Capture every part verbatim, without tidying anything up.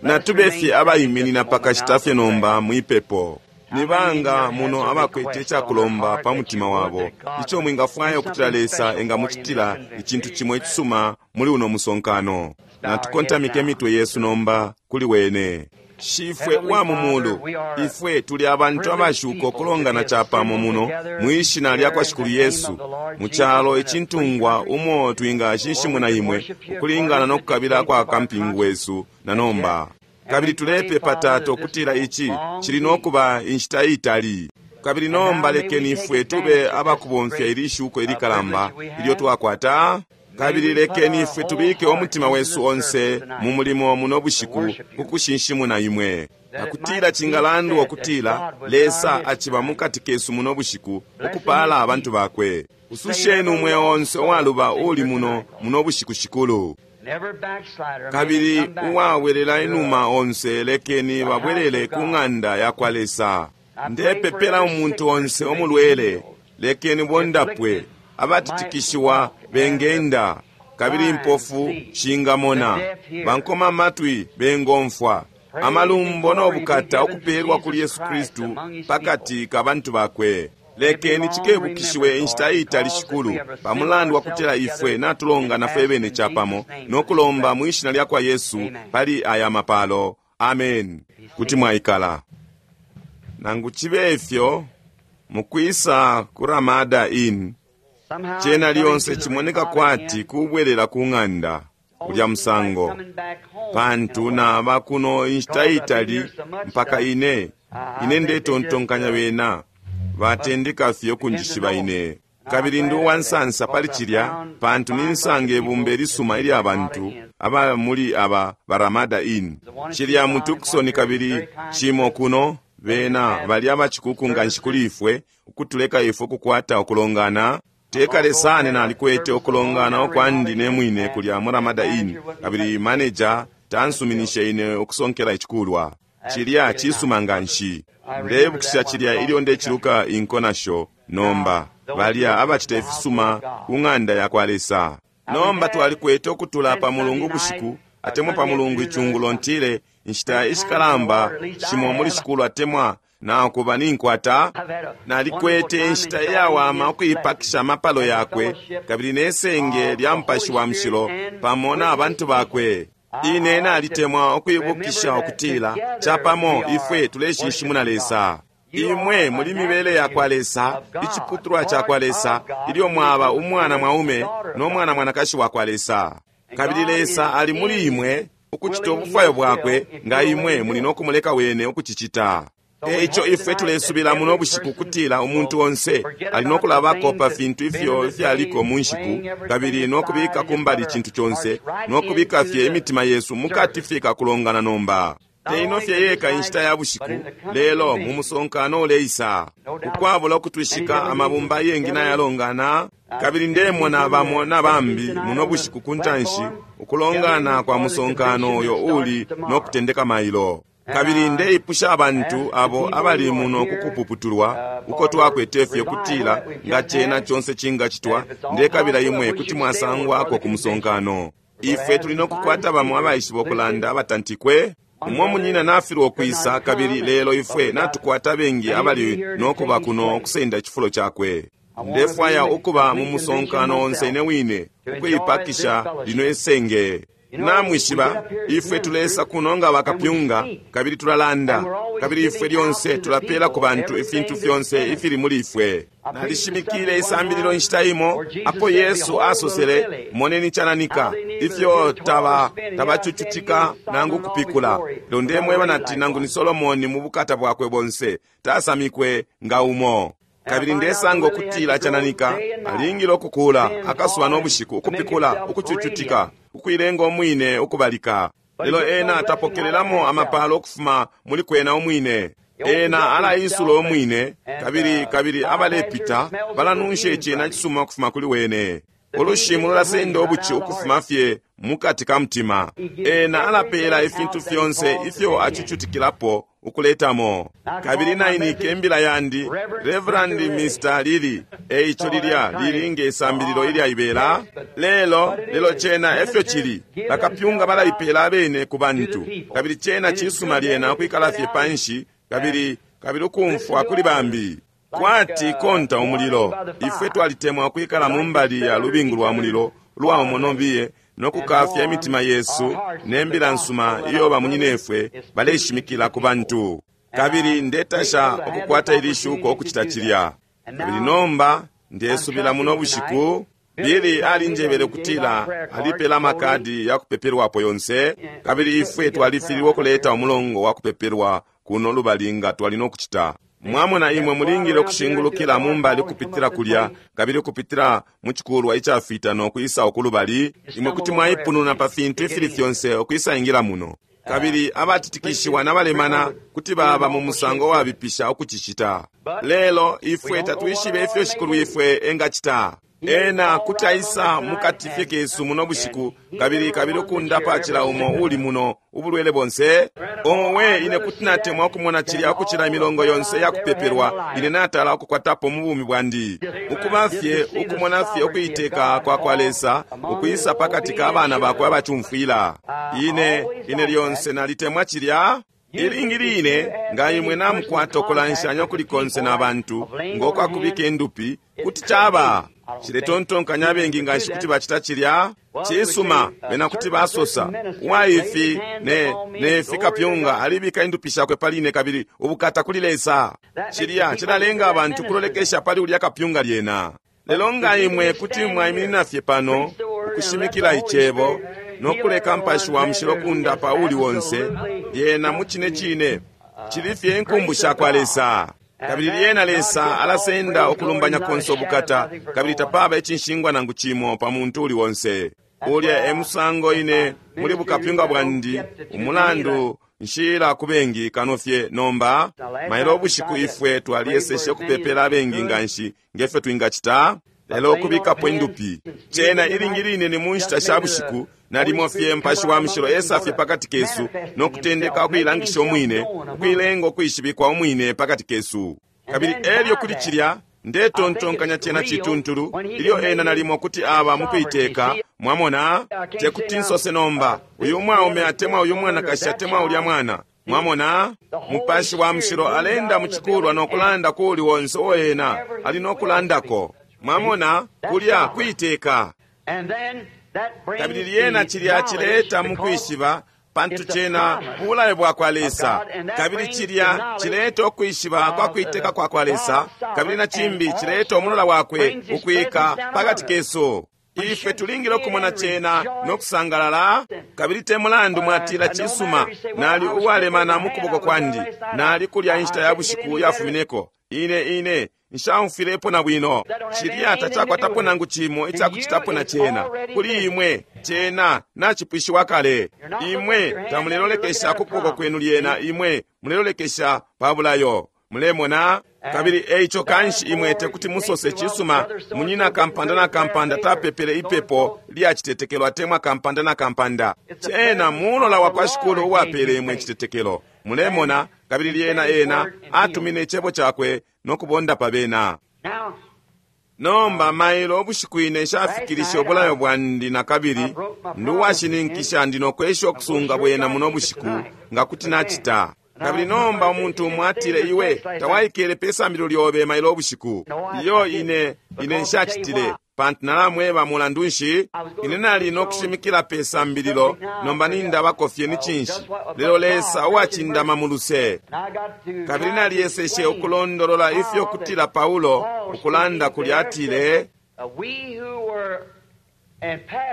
Natube fye abaiminina pakashita fye nomba mwipepo. Ni banga muno abakwete icakulomba pa mutima wabo ico mwingafwaya ukutila Lesa engamucitila icintu cimo icisuma muli uno musonkano? Natukontamike imitwe yesu nomba kuli wene. Shifwe wa mu mulu, ifwe tuli abantu abashuka ukulongana capamo muno mwishina lya kwa Shikulu Yesu, mu calo icintungwa umo twingashinshimuna imwe ukulingana no kukabila kwa kampingu wesu na nomba. Kabili tulepepa, Tata, ukutila ici cili no kuba inshita itali. Kabili nomba lekeni ifwe tube abakubomfya ili shuko ilikalamba ilyo twakwata. Kabili lekeni ifwe tubike umutima wesu onse mu mulimo muno bushiku kukushinshimuna imwe, akutila cingalandwa ukutila Lesa aciba mukati kesu muno bushiku ukupala abantu bakwe. Ususheni umweo onse uwaluba uli muno muno bushiku, Shikulu. Kabili uwawelela inuma onse lekeni babwelele ku ng'anda ya kwa Lesa. Ndepepela umuntu onse omulwele, lekeni bondapwe, abatitikishiwa bengenda, kabili impofu shingamona, bankoma amatwi bengomfwa. Amalumbo no bukata ukupelwa kuli Yesu Kristu pakati ka bantu bakwe. Lekeni cikebukishiwe inshita itali, Shikulu, pamulandu wa kutila ifwe natulongana fwe bene capamo no kulomba mwishina lya kwa Yesu pali aya mapalo. Amen. Kuti mwaikala. Nangu cibe ifyo, mukwisa ku Ramada Inn, cena lyonse cimoneka kwati kubwelela ku ng'anda ulya musango, pantu naba kuno inshita itali mpaka ine ine ndetontonkanya bena batendeka fye ukunjishiba ine. Kabili ndi uwansansa pali cilya, pantu ninsanga ibumba ilisuma ilya bantu aba muli aba Baramada Inn. Cilya mu Tucson kabili cimo kuno, bena bali abacikuku nganshi kuli ifwe ukutuleka ifwe ukukwata ukulongana. Tekale sana nalikwete ukulongana ukwandi ne mwine kulya mu Ramada Inn, kabili manager tansuminishe ine ukusonkela icikulwa. Cilya cisuma nganshi. Ndebukisha cilya ilyo ndeciluka inko nasho nomba, balya abacita ifisuma ku ng'anda ya kwa Lesa. Nomba twalikwete ukutula pa mulungu bushiku, atemwa pa mulungu icungulo ntile, inshita ishikalamba shimo muli shikulu atemwa nakuba ninkwata. Nalikwete inshita iyawama ukuipakisha amapalo yakwe kabili nesenge lya Mupashi wa Mushilo pamo na bantu bakwe. Ine nalitemwa ukuibukisha ukutila capamo ifwe tuleshinshimuna Lesa. Imwe muli mibele ya kwa Lesa, iciputulwa ca kwa Lesa, ilyo mwaba umwana mwaume no mwana mwanakashi wa kwa Lesa. Kabili Lesa ali muli imwe ukucita ubufwayo bwakwe, nga imwe muli no kumuleka wene ukucicita. Eico ifwe tulesubila muno bushiku kutila umuntu onse ali no kulabako pa fintu ifyo ifyaliko mu nshiku, kabili no kubika kumbali icintu conse, no kubika fye imitima yesu mukati fye kakulongana nomba. Teino fye yeka inshita ya bushiku, lelo mu musonkano uleisa. Ukwabula ukutwishika amabumba yengi nayalongana, kabili ndemona bamo na bambi muno bushiku ku ntanshi ukulongana kwa musonkano uyo uli no kutendeka mailo. Kabili ndeipusha abantu abo abali muno kukupuputulwa uko twakwete fye kutila nga cena conse cingacitwa, ndekabila imwe kuti mwasangwako ku musonkano. Ifwe tuli no kukwata bamo abaishiba ukulanda abatantikwe. Umwe munyina nafilwa ukwisa, kabili lelo ifwe natukwata bengi abali no kuba kuno ukusenda icifulo cakwe. Ndefwaya ukuba mu musonkano onse ine wine ukuipakisha lino isenge. Namwishiba, ifwe tulesa kuno nga bakapyunga, kabili tulalanda, kabili ifwe lyonse tulapela ku bantu ifintu fyonse ifili muli ifwe. Nalishimikile isambililo inshita imo apo Yesu asosele, moneni cananika, ifyo taba tabacucutika nangu kupikula. Lelo ndemweba nati nangu ni Solomoni mu bukata bwakwe bonse tasamikwe nga umo. Kabili ndesanga ukutila cananika alingile ukukula akasuba no bushiku, ukupikula, ukucucutika, ukuilenga umwine ukubalika. Lelo ena atapokelelamo amapalo ukufuma muli kwena umwine. Ena alaisula umwine, kabili kabili abalepita balanunsha icena cisuma ukufuma kuli wene. Ulushimu lulasenda ubuci ukufuma fye mukati ka mutima. Ena alapela ifintu fyonse ifyo acucutikilapo ukuletamo. Kabili nainike imbila yandi Reverend Mister Lili, eico lilya lili nge sambililo ilyaibela. Lelo lelo cena efyo cili, bakapyunga balaipela abene ku bantu, kabili cena cisuma lyena ukwikala fye panshi kabili kabili ukumfwa kuli bambi. Kwati konta umulilo, ifwe twalitemwa ukwikala mu mbali ya lubingu lwa mulilo lwa umonobiye nokukafya imitima yesu nembila nsuma iyo bamunyinefwe baleshimikila ku bantu. Kabili ndetasha ukukwata ili shuko okucita cilya. Kabili nomba ndesubila muno bushiku Bili alinjebele kutila alipela amakadi ya kupepelwapo yonse, kabili ifwe twalifililwe ukuleta umulongo wa kupepelwa kuno lubali nga twali nokucita. Mwamona imwe mulingile ukushingulukila mumbali kupitila kulya, kabili kupitila mu chikulwa icafita nokwisa ukulubali. Imwe kuti mwaipununa pa fintu ifili fyonse okwisa ingila muno. Kabili abatitikishiwa nabalemana kuti baba mu musango wabipisha ukucicita. Lelo ifwe tatwishibe ifyo Shikulu ifwe engacita. Ena kuti aisa mukati fye kesu muno bushiku, kabili kabili ukundapa cila umo uli muno ubulwele bonse. Owe, ine kuti natemwa ukumona cilya ukucila imilongo yonse yakupepelwa ine natala ukukwatapo mu bumi bwandi. Ukuba fye ukumona fye ukuiteka kwa kwa Lesa ukwisa pakati ka bana bakwe abacumfwila. Ine ine lyonse nalitemwa cilya. Ilingi line nga imwe namukwata ukulanshanya kuli konse na bantu ngokwakubika endupi kuti chaba chiletontonkanya abengi nga nshi kuti bacita cilya cisuma bena kuti basosa uwaifi ne ne fikapyunga alibika indupi shakwe paline kabili ubukata kuli Lesa. Cilya cilalenga abantu kulolekesha pali ulya kapyunga lyena. Lelo nga imwe kuti mwaiminina fye pano ukushimikila icebo nokuleka mpashi wa mushilo kundapa uli wonse lyena mu cine cine cili fye inkumbu sha kwa Lesa. Kabili lyena Lesa alasenda ukulumbanya konse ubukata, kabili tapaba icinshingwa nangu cimo pa muntu uli wonse. Ulya e musango ine muli bukapyunga bwandi umulandu nshila ku bengi kano fye nomba. Mailo ubushiku ifwe twaliyeseshe ukupepela abengi nga nshi ngefyo twingacita, lelo ukubikapo indupi. Cena ilingi line ni mu nshita sha bushiku nalimo fye mpashi wa mushilo esa fye pakati kesu nokutendeka ukuilangisha umwine, ukuilenga ukwishibikwa umwine pakati kesu. Kabili elyo kuli cilya ndetontonkanya cena cituntulu ilyo ena nalimo kuti aba mukuiteka. Mwamona, tekuti nsose nomba uyu mwaume atemwa uyu mwanakashi atemwa ulya mwana. Mwamona, mupashi wa mushilo alenda muchikulwa nokulanda kuli wonse uo ena ali nokulandako. Mwamona, kulya kuiteka. Kabili lyena cilya cileta mukwishiba pantu cena bulayo bwa kwa Lesa. Kabili cilya cileta ukwishiba kwa kuiteka kwa kwa Lesa, kabili na cimbi cileta umulola wakwe ukwika pakati kesu. Ifwe tulingile ukumona cena nokusangalala. Kabili te mulandu mwatila cisuma nali uwalemana mu kuboko kwandi, nali kulya inshita ya bushiku yafumineko, ine ine nshaumfilepo na bwino. Cilya tacakwatapo nangu cimo icakucitapo na cena. Kuli imwe cena nacipwishiwa kale. Imwe tamulelolekesha ku kuboko kwenu lyena, imwe mulelolekesha pa bulayo. Mulemona? Kabili eico kanshi imwe tekuti musose cisuma munyina kampanda na kampanda tapepele ipepo lyacitetekelo atemwa kampanda na kampanda. Cena mulola wa kwa Shikulu uwapele imwe citetekelo. Mulemona? Kabili lyena ena atumine icebo cakwe nokubonda pa bena. Nomba mailo ubushiku ine nshafikilishe ubulayo bwandi na kabili nduwashininkisha ndi nokwesha okusunga bwena muno bushiku nga kuti nacita. Kabili nomba umuntu umwe atile iwe tawaikele pe sambililo lyobe mailo ubushiku. Iyo ine ine nshacitile pantu nalamweba mulandu nshi ine nali nokushimikila pe sambililo nomba nindabako fye ni cinshi. Lelo Lesa uwacindama mu luse. Kabili naliyeseshe ukulondolola ifyo kutila Paulo ukulanda kulya atile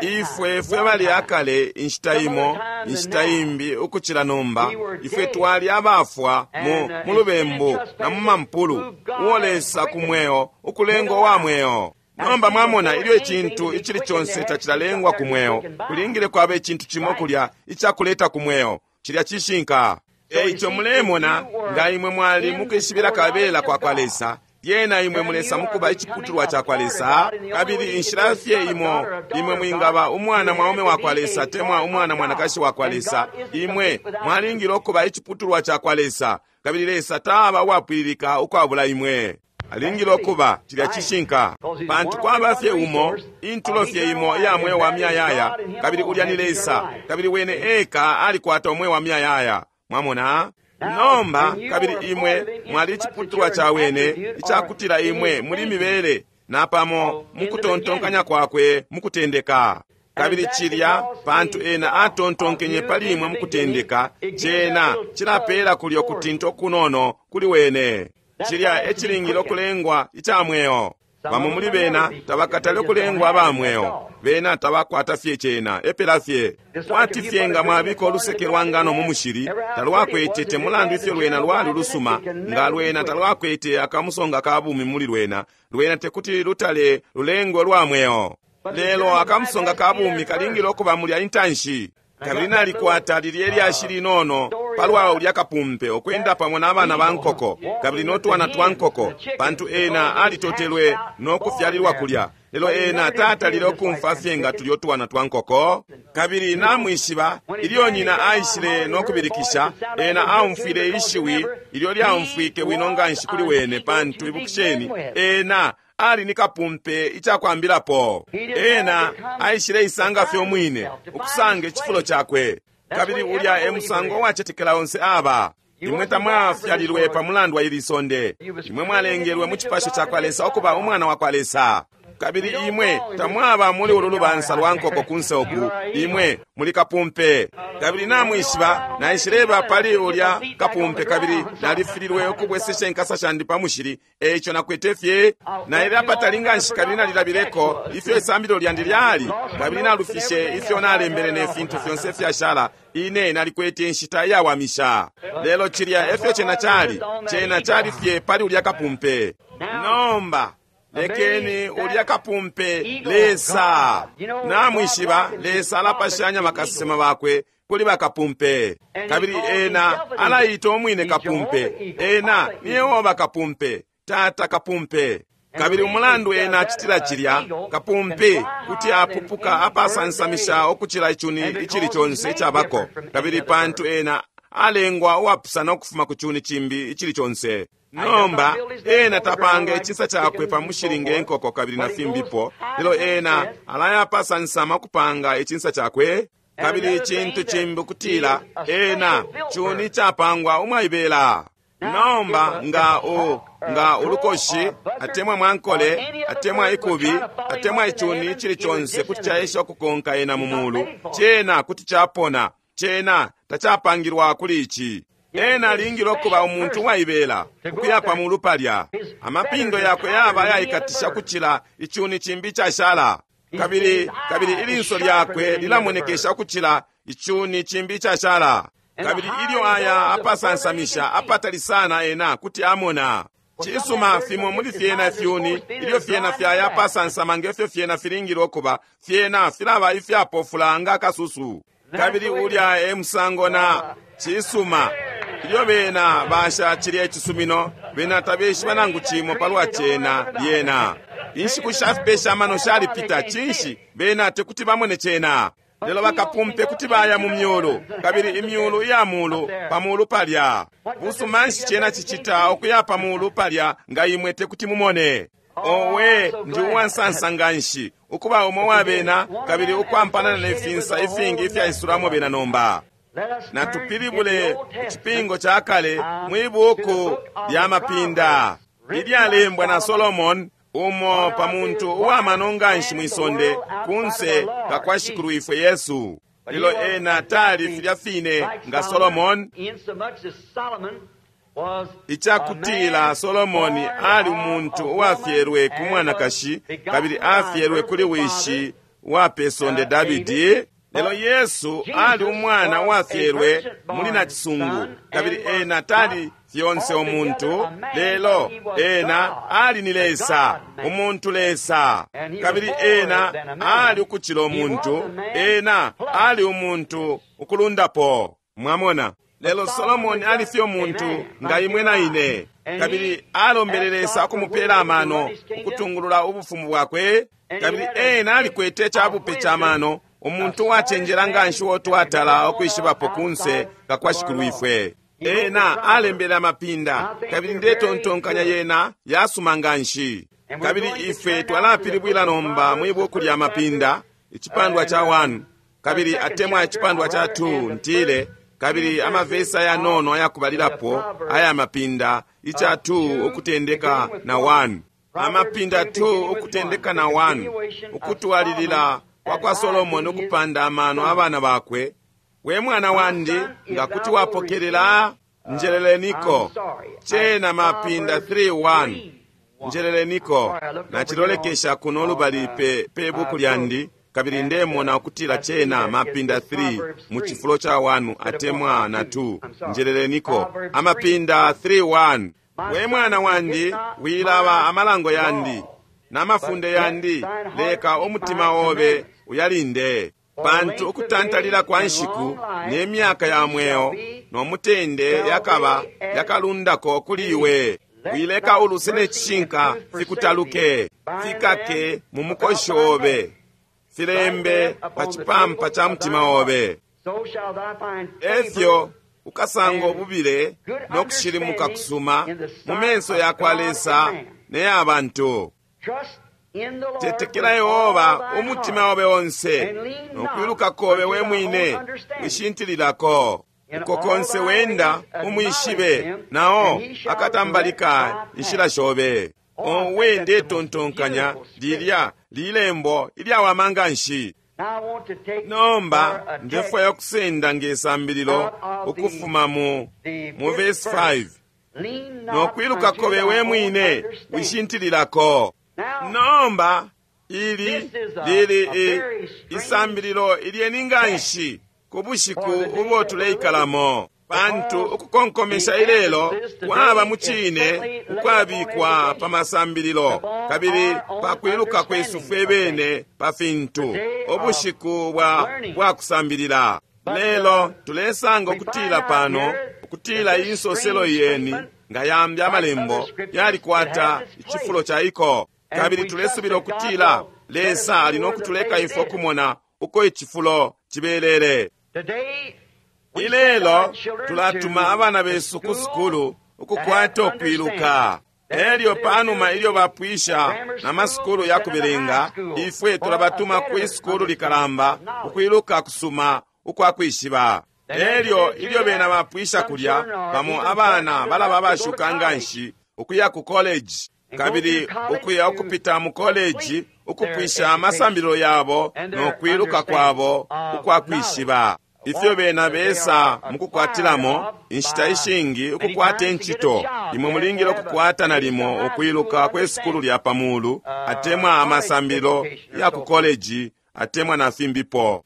ifwe fwe bali akale inshita imo inshita imbi ukucila nomba ifwe twali abafwa mu mu lubembu na mu mampulu uo Lesa ku mweo ukulenga wa mweo. Nomba mwamona ilyo icintu icili conse tacilalengwa ku mweo kulingile kwaba icintu cimo kulya icakuleta ku mweo cilya cishinka. Eico mulemona nga imwe mwali mukwishibila kabela kwa kwa Lesa Lyena imwe mulesa mukuba iciputulwa cakwa Lesa. Kabili inshila fye imo imwe mwingaba umwana mwaume wakwa Lesa temwa umwana mwanakashi wakwa Lesa, imwe mwalingile ukuba iciputulwa cakwa Lesa, kabili Lesa taba uwapwililika ukwabula imwe. Alingile ukuba cilya cishinka, pantu kwaba fye umo intulo fye imo iya mweo wa miyayaya, kabili ulya ni Lesa, kabili wene eka alikwata umweo wa miyayaya. Mwamona? Nomba kabili imwe mwali iciputulwa ca wene, icakutila imwe muli mibele napamo mukutontonkanya kwakwe mukutendeka. Kabili cilya pantu ena atontonkenye pali imwe mukutendeka, cena cilapela kulyo kutinta okunono kuli wene. Cilya ecilingile okulengwa ica mweo. Bamo muli bena tabakatale okulengwa aba mweo, bena tabakwata fye cena epela fye. Kwati fye nga mwabika oluseke lwa ngano mu mushili, talwakwete te mulandu ifyo lwena lwali lusuma, nga lwena talwakwete akamusonga ka bumi muli lwena, lwena tekuti lutale lulengwe lwa mweo. Lelo akamusonga ka bumi kalingile okuba mulya intanshi. Kabili nalikwata lilye lyashi linono palwa ulya kapumpe okwenda pamo n'abana ba nkoko kabili n'otwana twa nkoko, pantu ena alitotelwe n'okufyalilwa kulya, lelo ena tatalile okumfa fye nga tulya otwana twa nkoko. Kabili namwishiba ilyo nyina aishile n'okubilikisha, ena aumfwile ishiwi ilyo lyaumfwike bwino nganshi kuli wene, pantu ibukisheni ena ali ni kapumpe icakwambilapo. Ena aishile isanga fye umwine ukusanga icifulo cakwe. Kabili ulya e musango uwacetekela onse aba. Imwe tamwafyalilwe pa mulandu wa ili sonde. Imwe mwalengelwe mu cipasho cakwa Lesa ukuba umwana wakwa Lesa. Kabili imwe tamwaba muli ulu lubansa lwa nkoko kunse uku, imwe muli kapumpe. Kabili namwishiba naishileba pali ulya kapumpe, kabili nalifililwe ukubwesesha inkasa shandi pa mushili, eico nakwete fye naile apatali nganshi, kabili nalilabileko ifyo isambililo lyandi lyali, kabili nalufishe ifyo nalembele ne fintu fyonse fyashala. Ine nalikwete inshita iyawamisha. Lelo cilya efyo cena cali, cena cali fye pali ulya kapumpe. Nomba lekeni ulya kapumpe Lesa. Namwishiba Lesa alapashanya bakasesema bakwe kuli bakapumpe, kabili ena alaita umwine kapumpe. Ena ni Yehova kapumpe, Tata kapumpe. Kabili umulandu ena acitila cilya, kapumpe kuti apupuka apasansamisha okucila icuni icili conse icabako, kabili pantu ena alengwa uwapusana ukufuma ku cuni cimbi icili conse. Nomba ena tapanga icisa cakwe pa mushili nge nkoko kabili na fimbipo, lelo ena alaya apasansama ukupanga icinsa cakwe. Kabili icintu cimbi ukutila ena cuni capangwa umwaibela. Nomba nga u nga ulukoshi atemwa mwankole atemwa ikubi atemwa icuni icili conse kuti caesha ukukonka ena mu mulu, cena kuti capona, cena tacapangilwa kuli ici. Ena alingile okuba umuntu uwaibela ukuya pa mulu palya. Amapindo yakwe yaba ayaikatisha kucila icuni cimbi icashala, kabili kabili ilinso lyakwe lilamonekesha ukucila icuni cimbi icashala. Kabili ilyo aya apasansamisha apatali sana ena kuti amona. Cisuma fimo muli fyena fyuni ilyo fyena fyaya apasansama ngefyo fyena filingile okuba, fyena filaba ifyapofula nga akasusu. Kabili ulya e musango na cisuma ilyo bena basha cilya icisumino, bena tabeshiba nangu cimo palwa cena lyena. Inshiku shafipesha amano shalipita, cinshi bena tekuti bamone cena. Lelo bakapumpe kuti baya mu myulu, kabili imyulu iya mulu pa mulu palya. Busuma nshi cena cicita ukuya pa mulu palya nga imwe tekuti mumone? Owe, ndi uwansansa nganshi ukuba umo wa bena, kabili ukwampana ne finsa ifingi ifyaisulamo bena nomba. Natupilibule icipingo ca kale mwi buku lya Mapinda ilyalembwa na Solomon, umo pa muntu uwamano nganshi mwisonde kunse kakwa Shikulu ifwe Yesu. Lelo ena tali filya fine nga Solomon, icakutila Solomoni ali umuntu uwafyelwe ku mwanakashi kabili afyelwe kuli wishi wa pesonde Davidi. Lelo Yesu ali umwana uwafyelwe muli nacisungu, kabili ena tali fyonse umuntu, lelo ena ali ni Lesa, umuntu Lesa. Kabili ena ali ukucila umuntu, ena ali umuntu ukulundapo. Mwamona? Lelo Solomoni ali fye umuntu nga imwe na ine, kabili alombele Lesa ukumupela amano ukutungulula ubufumu bwakwe, kabili ena alikwete icabupe ca mano, umuntu uwacenjela nga nshi uo twatala ukwishibapo kunse nga kwa Shikulwifwe. Ena alembele amapinda, kabili ndetontonkanya yena yasuma nga nshi. Kabili ifwe twalapilibwila nomba mwi buku lya Mapinda, icipandwa ca one, kabili atemwa icipandwa ca two, ntile, kabili amavesi ayanono ayakubalilapo aya Mapinda, ica two ukutendeka na one. Amapinda two ukutendeka na one, ukutwalilila kwa kwa Solomoni ukupanda amano abana bakwe. We mwana wandi, nga kuti wapokelela, njeleleniko. Cena Mapinda three one. Njeleleniko. Nachilolekesha kuno lubali pe, pe buku lyandi, kabili ndemona ukutila cena Mapinda three mu cifulo ca one atemwa na two. Njeleleniko. Amapinda three one. We mwana wandi, wilaba amalango yandi n'amafunde yandi, leka umutima obe uyalinde. Pantu ukutantalila kwa nshiku n'emyaka ya mweo n'omutende yakaba yakalundako kuli iwe. Wileka uluse n'ecishinka fikutaluke, fikake mu mukoshi obe, filembe pa cipampa ca mutima obe. Efyo ukasanga obubile n'okushilimuka kusuma mu menso ya kwa Lesa ne bantu. Tetekela Yehova umutima obe onse, nokwiluka kobe we mwine wishintililako. Uko konse wenda umwishibe, nao akatambalika inshila shobe. Owe ndetontonkanya lilya lilembo ilyawama nga nshi. Nomba ndefwaya okusenda ngesambililo ukufuma mu mu verse five. Nokwiluka kobe we mwine wishintililako. Nomba ili lili isambililo ilyeni nga nshi ku bushiku ubo tuleikalamo, pantu ukukonkomesha ilelo kwaba mu cine ukwabikwa pa masambililo kabili pa kwiluka kwesu fwe bene pa fintu, ubushiku bwa bwa kusambilila. Lelo tulesanga ukutila pano ukutila insoselo yeni nga yambi amalembo yalikwata icifulo ca iko, kabili tulesubila ukutila Lesa ali nokutuleka ifwe okumona uko icifulo cibelele. Ilelo tulatuma abana besu ku sukulu ukukwata okwiluka. Elyo panuma ilyo bapwisha na masukulu ya kubelenga, ifwe tulabatuma ku sukulu likalamba ukwiluka kusuma ukwa kwishiba. Elyo ilyo bena bapwisha kulya, bamo abana balaba bashuka nga nshi ukuya ku college, kabili ukuya ukupita mu college ukupwisha amasambililo yabo nokwiluka kwabo ukwa kwishiba. Ifyo bena besa mukukwatilamo inshita ishingi ukukwata incito, imwe mulingile ukukwata nalimo ukwiluka kwe sukulu lya pamulu atemwa amasambililo ya ku college atemwa na fimbipo.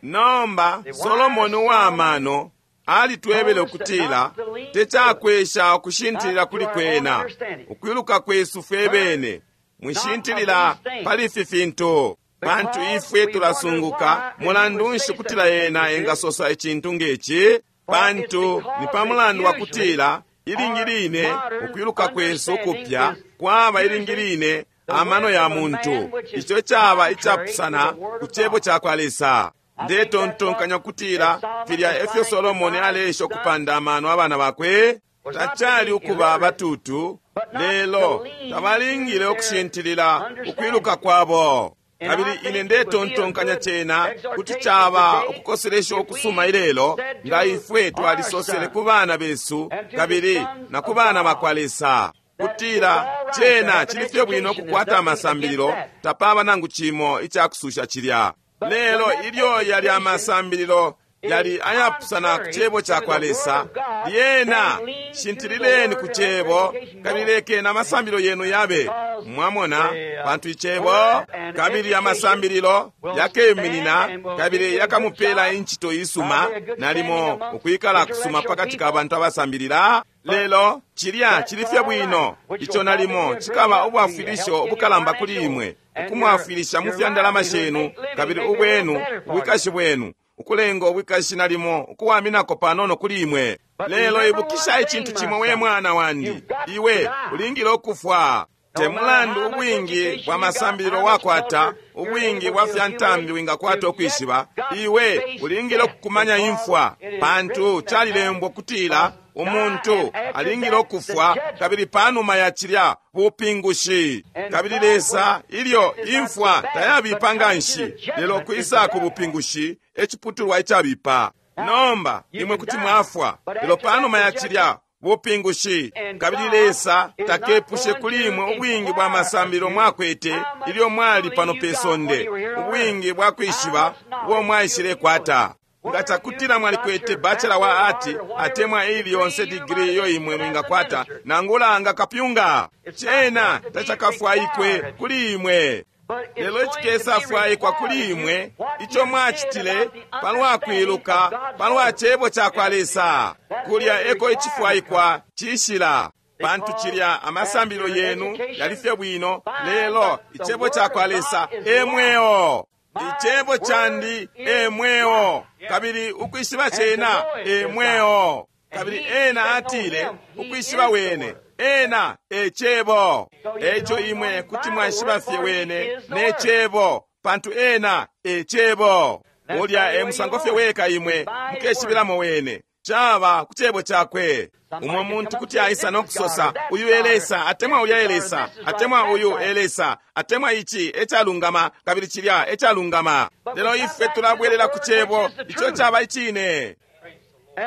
Nomba Solomoni uwamano alitwebele ukutila tecakwesha ukushintilila kuli kwena ukwiluka kwesu fwe bene, mwishintilila pali ifi fintu, pantu ifwe tulasunguka mulandu nshi kutila yena engasosa icintu ngeci, pantu ni pa mulandu wa kutila ilingi line ukwiluka kwesu kupya kwaba ilingi line amano ya muntu, ico caba icapusana ku cebo ca kwa Lesa. Ndetontonkanya kutila filya efyo Solomoni aleesha ukupanda amano abana bakwe, tacali ukuba batutu, lelo tabalingile ukushintilila ukwiluka kwabo. Kabili ine ndetontonkanya cena kuti caba ukukoselesha ukusuma ilelo nga ifwe twalisosele ku bana besu kabili na ku bana bakwa Lesa kutila cena cili fye bwino ukukwata amasambililo, tapaba nangu cimo icakususha cilya. Lelo ilyo yali amasambililo yali ayapusana ku cebo ca kwa Lesa, lyena shintilileni ku cebo kabili lekeni amasambililo yenu yabe mwamona, pantu icebo kabili amasambililo yakeminina kabili yakamupela incito isuma, nalimo ukwikala kusuma pakati ka bantu abasambilila. Lelo cilya cili fye bwino, ico nalimo cikaba ubwafwilisho ubukalamba kuli imwe, ukumwafwilisha mu fya ndalama shenu kabili ubwenu ubwikashi bwenu, ukulenga ubwikashi nalimo ukuwaminako panono kuli imwe. Lelo ibukisha icintu cimo, we mwana wandi, iwe ulingile ukufwa. Te mulandu ubwingi bwa masambililo wakwata, ubwingi bwa fya ntambi wingakwata ukwishiba, iwe ulingile ukukumanya imfwa, pantu calilembwa kutila umuntu alingile ukufwa, kabili panuma ya cilya bupingushi. Kabili Lesa, ilyo imfwa tayabipa nganshi, lelo kwisa ku bupingushi eciputulwa icabipa. Nomba imwe kuti mwafwa, lelo panuma ya cilya bupingushi. Kabili Lesa takepushe kuli imwe ubwingi bwa masambililo mwakwete ilyo mwali pano pe sonde, ubwingi bwa kwishiba ubo mwaishilekwata. Nga cakutila mwalikwete bachelor wa art atemwa ili yonse digiri iyo imwe mwingakwata, nangula nga kapyunga, cena tacakafwaikwe kuli imwe. Lelo icikesafwaikwa kuli imwe ico mwacitile palwa kwiluka palwa cebo cakwa Lesa, kulya eko icifwaikwa cishila. Pantu cilya amasambililo yenu yali fye bwino, lelo icebo cakwa Lesa e mweo. Icebo candi e mweo, kabili ukwishiba cena e mweo. Kabili ena atile ukwishiba wene, ena e cebo. Eco imwe kuti mwaishiba fye wene ne cebo, pantu ena e cebo. Ulya e musango fye weka imwe mukeshibilamo wene, caba ku cebo cakwe. Umwe muntu kuti aisa no kusosa, uyu elesa atemwa ulya elesa, atemwa uyu elesa, atemwa ici ecalungama kabili cilya ecalungama. Lelo ife tulabwelela ku cebo ico caba icine.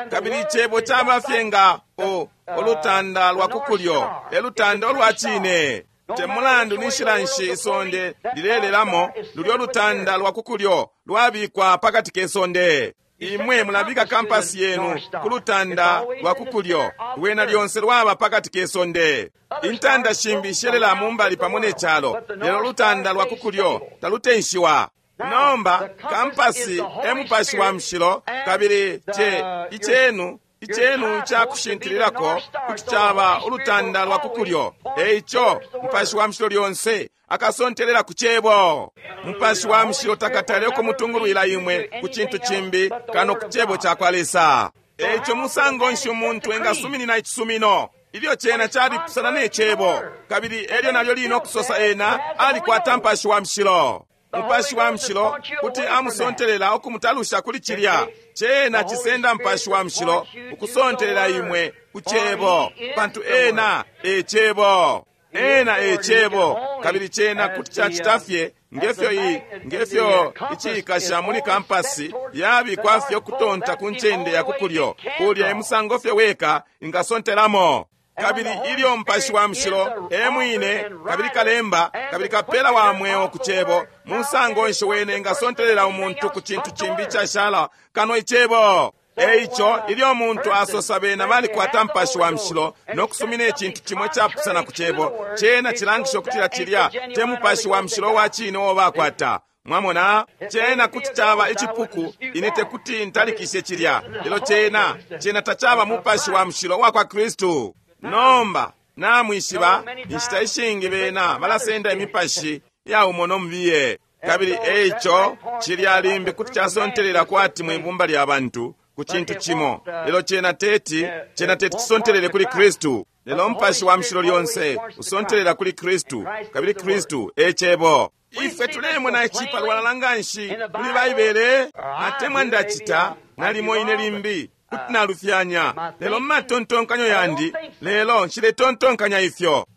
Kabili icebo caba fye nga o olutanda lwa kukulyo, elutanda olwa cine. Te mulandu ni nshila nshi isonde lilelelamo, lulyo lutanda lwa kukulyo lwabikwa pakati ke sonde. Imwe mulabika kampasi yenu ku lutanda lwa kukulyo, lwena lyonse lwaba pakati ke sonde. Intanda shimbi shelela mumbali pamo ne calo, lelo lutanda lwa kukulyo talutenshiwa. Nomba kampasi e mupashi wa mushilo, kabili ce icenu icenu icakushintililako kuti caba ulutanda lwa kukulyo. Eico mupashi wa mushilo lyonse akasontelela ku cebo. Mupashi wa mushilo takatale ukumutungulwila imwe ku cintu cimbi kano ku cebo cakwa Lesa. Eico musango nshi umuntu engasuminina icisumino ilyo cena calipusana ne cebo, kabili elyo nalyo lino kusosa ena alikwata mupashi wa mushilo. Mupashi wa mushilo kuti amusontelela ukumutalusha kuli cilya. Cena cisenda mupashi wa mushilo ukusontelela imwe ku cebo, pantu ena e cebo. Ena e cebo, kabili cena kuti cacita fye ngefyo i ngefyo icikasha muli kampasi yabikwa fye ukutonta ku ncende ya kukulyo, kulya emusango fye weka ingasontelamo. Kabili ilyo mupashi wa mushilo e mwine, kabili kalemba, kabili kapela wa mweo ku cebo, musango nshi wene engasontelela umuntu ku cintu cimbi icashala kano icebo. Eico ilyo muntu asosa bena balikwata mupashi wa mushilo no kusumina icintu cimo icapusana ku cebo, cena cilangisha ukutila cilya te mupashi wa mushilo wa cine uo bakwata. Mwamona, cena kuti caba icipuku, ine tekuti ntalikishe cilya, lelo cena cena tacaba mupashi wa mushilo wa kwa Kristu. Nomba namwishiba inshita ishingi bena balasenda imipashi ya umo no mubiye, kabili eico cilya limbi kuti casontelela kwati mwibumba lya bantu ku cintu cimo, lelo cena teti cena teti cisontelele kuli Kristu. Lelo mupashi wa mushilo lyonse usontelela kuli Kristu, kabili Kristu e cebo. Ifwe tulemona ici palwalala nganshi muli Baibele, atemwa ndacita nalimo ine limbi kuti nalufyanya, lelo mumatontonkanyo yandi, lelo nshiletontonkanya ifyo.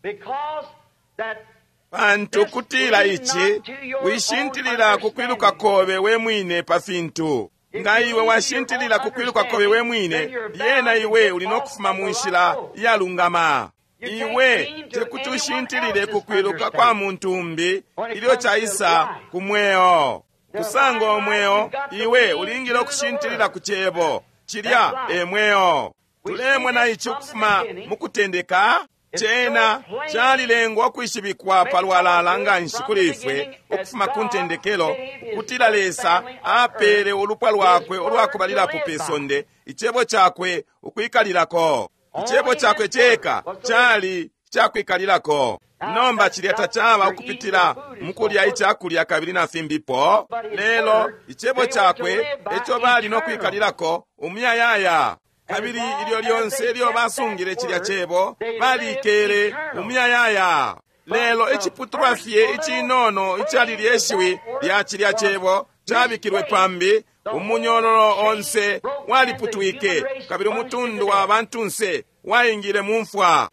Pantu kutila ici, wishintilila ku kwiluka kobe we mwine pa fintu. Nga iwe washintilila ku kwiluka kobe we mwine, lyena iwe uli no kufuma mu nshila iyalungama. Iwe tekuti ushintilile ku kwiluka kwa muntu umbi ilyo caisa ku mweo. Kusanga umweo, iwe ulingile ukushintilila ku cebo. Cilya e mweo. Tulemona ici ukufuma mu kutendeka. Cena calilengwa ukwishibikwa palwalala nganshi kuli ifwe ukufuma ku ntendekelo, ukutila Lesa apele ulupwa lwakwe ulwakubalilapo pe sonde icebo cakwe ukwikalilako. Icebo cakwe ceka cali icakwikalilako. Nomba cilya tacaba ukupitila mukulya icakulya kabili na fimbipo, lelo icebo cakwe eco bali no kwikalilako umuyayaya. Kabili ilyo lyonse ilyo basungile cilya cebo balikele umuyayaya. Lelo iciputulwa fye icinono icali lyeshiwi lya cilya cebo cabikilwe pambi, umunyololo onse waliputwike, kabili umutundu wa bantunse waingile mu mfwa.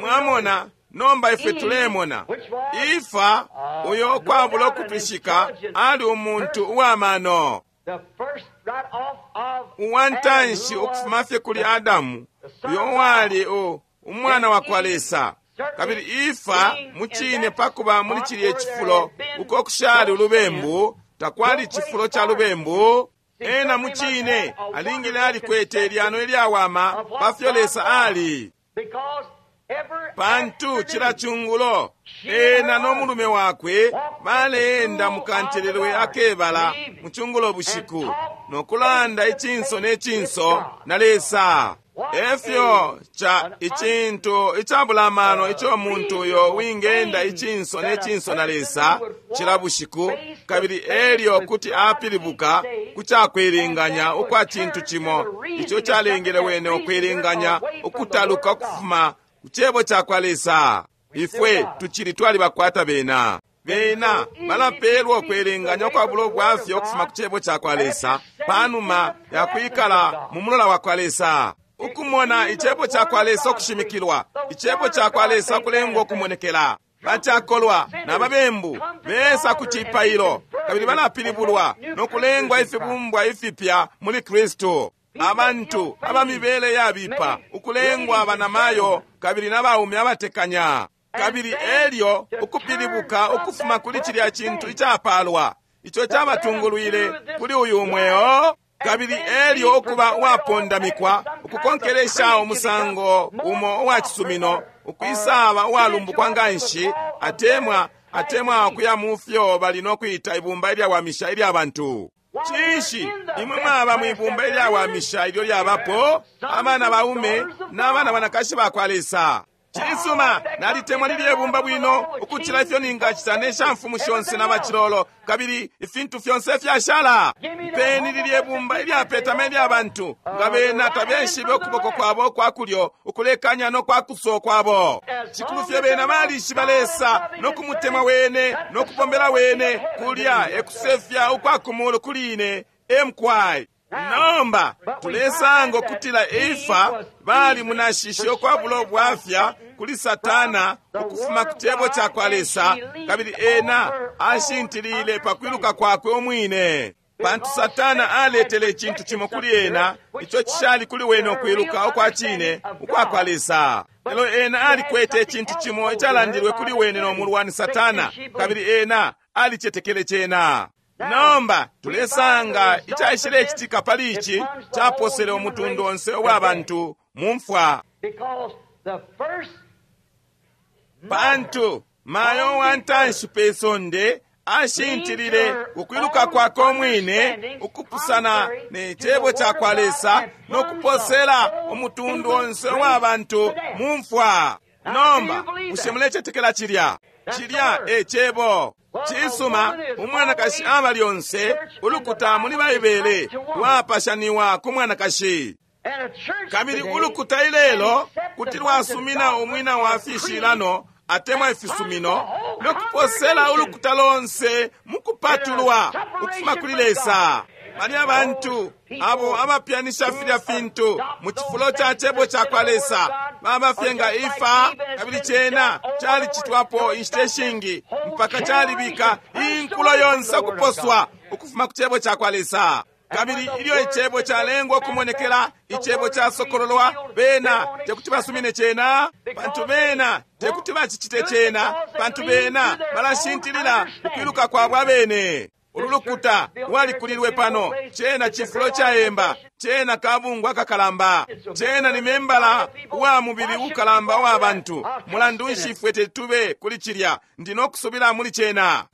Mwamona, nomba ifwe tulemona Ifa uyo ukwabula ukutwishika ali umuntu uwamano, uwantanshi ukufuma fye kuli Adamu, uyo uwali u umwana wa kwa Lesa. Kabili Ifa mucine pakuba muli cilye cifulo uko kushali ulubembu, takwali cifulo ca lubembu, ena mucine alingile alikwete ilyano ilyawama pafyo Lesa ali. Pantu cila cungulo ena no mulume wakwe baleenda mukantelelwe akebala mu cungulo bushiku no kulanda icinso ne cinso na Lesa. Efyo ca icintu icabula amano ico muntu uyo wingenda icinso ne cinso na Lesa cila bushiku, kabili elyo kuti apilibuka ku cakwilinganya ukwa cintu cimo ico calengele wene ukwilinganya ukutaluka ukufuma ku cebo ca kwa Lesa. Ifwe tucili twalibakwata bena. Bena balapelwa ukwelenganya ukwabula ubwafya ukufuma ku cebo ca kwa Lesa panuma ya kwikala mu mulola wa kwa Lesa. Ukumona icebo ca kwa Lesa ukushimikilwa, icebo ca kwa Lesa ukulengwa ukumonekela. Bacakolwa na babembu besa ku cipailo kabili balapilibulwa no kulengwa ifibumbwa ifipya muli Kristu. Abantu abamibele yabipa ukulengwa banamayo kabili na baume abatekanya, kabili elyo ukupilibuka ukufuma kuli cilya cintu icapalwa ico cabatungulwile kuli uyu mweo, kabili elyo ukuba uwapondamikwa ukukonkelesha umusango umo uwa cisumino, ukwisaba uwalumbukwa nganshi, atemwa atemwa ukuya mu fyo bali no kwita ibumba ilyawamisha ilya bantu. Cinshi imwe mwaba mwibumba ilyawamisha ilyo lyabapo abana baume n'abana banakashi ba kwa Lesa? Cisuma, nalitemwa lilye bumba bwino ukucila ifyo ningacita ne shamfumu shonse na bacilolo kabili ifintu fyonse fyashala. Mpeni lilye bumba ilyapetama ilya bantu nga bena tabeshibe ukuboko kwabo kwa kulyo ukulekanya no kwa kuso kwabo. Cikulu fye bena balishiba Lesa no kumutemwa wene no kubombela wene, kulya ekusefya ukwa kumulu kuli ine emkwai. Nomba tulesanga ukutila Efa bali munashishe ukwabula ubwafya kuli Satana ukufuma ku cebo ca kwa Lesa, kabili ena ashintilile pa kwiluka kwakwe umwine. Pantu Satana aletele icintu cimo kuli ena ico cishali kuli wene ukwiluka ukwa cine ukwa kwa Lesa. Lelo ena alikwete icintu cimo icalandilwe kuli wene no mulwani Satana, kabili ena alicetekele cena. Nomba tulesanga icaishilecitika pali ici caposele umutundu onse uwa bantu mu mfwa. Pantu mayo wa ntanshi pe sonde ashintilile ukwiluka kwakwe umwine ukupusana ne cebo ca kwa Lesa no kuposela umutundu onse uwa bantu mu mfwa. Nomba bushe mulecetekela cilya? Cilya e cebo. Cisuma, umwanakashi aba lyonse ulukuta muli Baibele lwapashaniwa ku mwanakashi. Kabili ulukuta ilelo kuti lwasumina umwina wa fishilano atemwa ifisumino no kuposela ulukuta lonse mukupatulwa ukufuma kuli Lesa. Bali abantu abo abapyanisha filya fintu mu cifulo ca cebo ca kwa Lesa baba fye nga Ifa, kabili cena calicitwapo inshita ishingi mpaka calibika inkulo yonse ukuposwa ukufuma ku cebo ca kwa Lesa. Kabili ilyo icebo calengwa ukumonekela, icebo casokololwa, bena tekuti basumine cena, pantu bena tekuti bacicite cena, pantu bena balashintilila ukwiluka kwabo abene. Ulu lukuta lwalikulilwe pano, cena cifulo caemba, cena kabungwa kakalamba, cena ni membala wa mubili ukalamba wa bantu. Mulandu nshi ifwe tetube kuli cilya? Ndi no kusubila muli cena.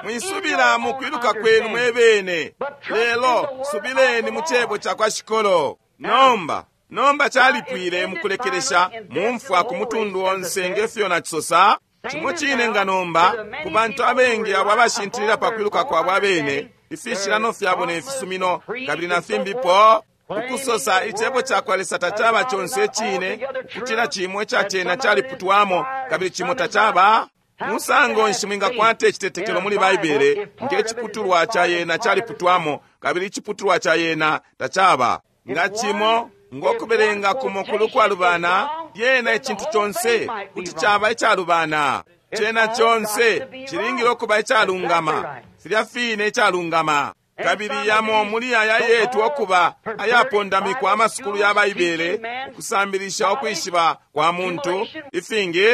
Mwisubila mu kwiluka kwenu mwebene, lelo subileni mu cebo ca kwa Shikolo. Nomba Nomba calipwile mukulekelesha mumfwa ku mutundu onse ngefyo nacisosa. Cimo cine nga nomba ku bantu abengi abo abashintilila pa kwiluka kwabo abene, ifishilano fyabo ne fisumino kabili na fimbipo, ukusosa icebo cakwa Lesa tacaba conse icine, ukutila cimo ica cena caliputwamo kabili cimo tacaba. Musango nshi mwingakwata icitetekelo muli Baibele nge ciputulwa ca yena caliputwamo kabili iciputulwa ca yena tacaba? Nga cimo ngokubelenga kumo kulu kwalubana, lyena icintu conse kuti caba icalubana. Cena conse cilingile ukuba icalungama, filya fine icalungama. Kabili yamo muli aya yetu okuba ayapondamikwa amasukulu ya Baibele, ukusambilisha ukwishiba kwa muntu ifingi,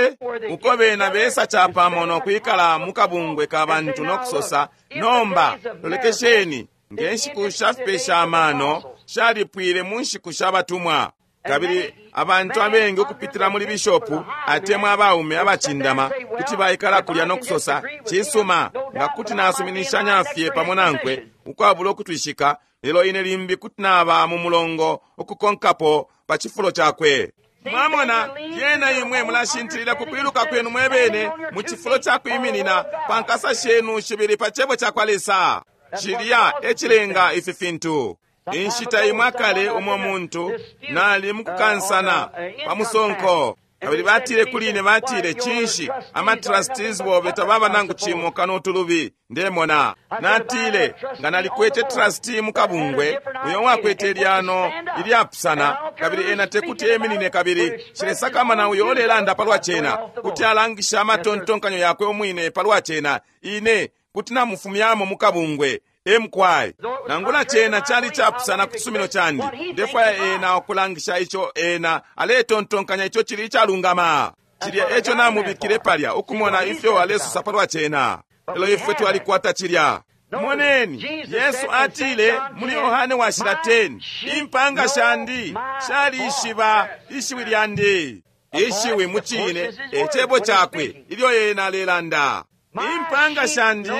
uko bena besa capamo nokwikala mu kabungwe ka bantu nokusosa, nomba lolekesheni, nge nshiku sha fipesha amano shalipwile mu nshiku sha batumwa. Kabili abantu abengi ukupitila muli bishopu atemwa abaume abacindama kuti baikala kulya nokusosa, cisuma, nga kuti nasuminishanya fye pamo nankwe ukwabula ukutwishika, lelo ine limbi kuti naba mu mulongo ukukonkapo pa cifulo cakwe. Mwamona, lyena imwe mulashintilila ku kwiluka kwenu mwebene mu cifulo ca kwiminina pa nkasa shenu shibili pa cebo cakwa Lesa. Cilya e cilenga ifi fintu. Inshita imwe akale umo muntu nali mukukansana pa musonko, kabili batile kuli ine, batile, cinshi ama trustees bobe tababa nangu cimo kano utulubi ndemona. Natile, nga nalikwete trustee mukabungwe uyo wakwete ilyano ilyapusana, kabili ena tekuti eminine kabili shilesakamana uyo olelanda palwa cena, kuti alangisha amatontonkanyo yakwe umwine palwa cena, ine kuti namufumyamo mukabungwe. Emkwai nangula cena cali capusana ku cisumino candi, ndefwaya ena okulangisha ico ena aletontonkanya ico cili icalungama. Cilya eco namubikile palya ukumona ifyo alesosa palwa cena. Lelo ifwe twalikwata cilya. Moneni, Yesu atile muli Yohane washila ten, impanga shandi shalishiba ishiwi lyandi. Ishiwi mu cine e cebo cakwe ilyo ena alelanda. Impanga shandi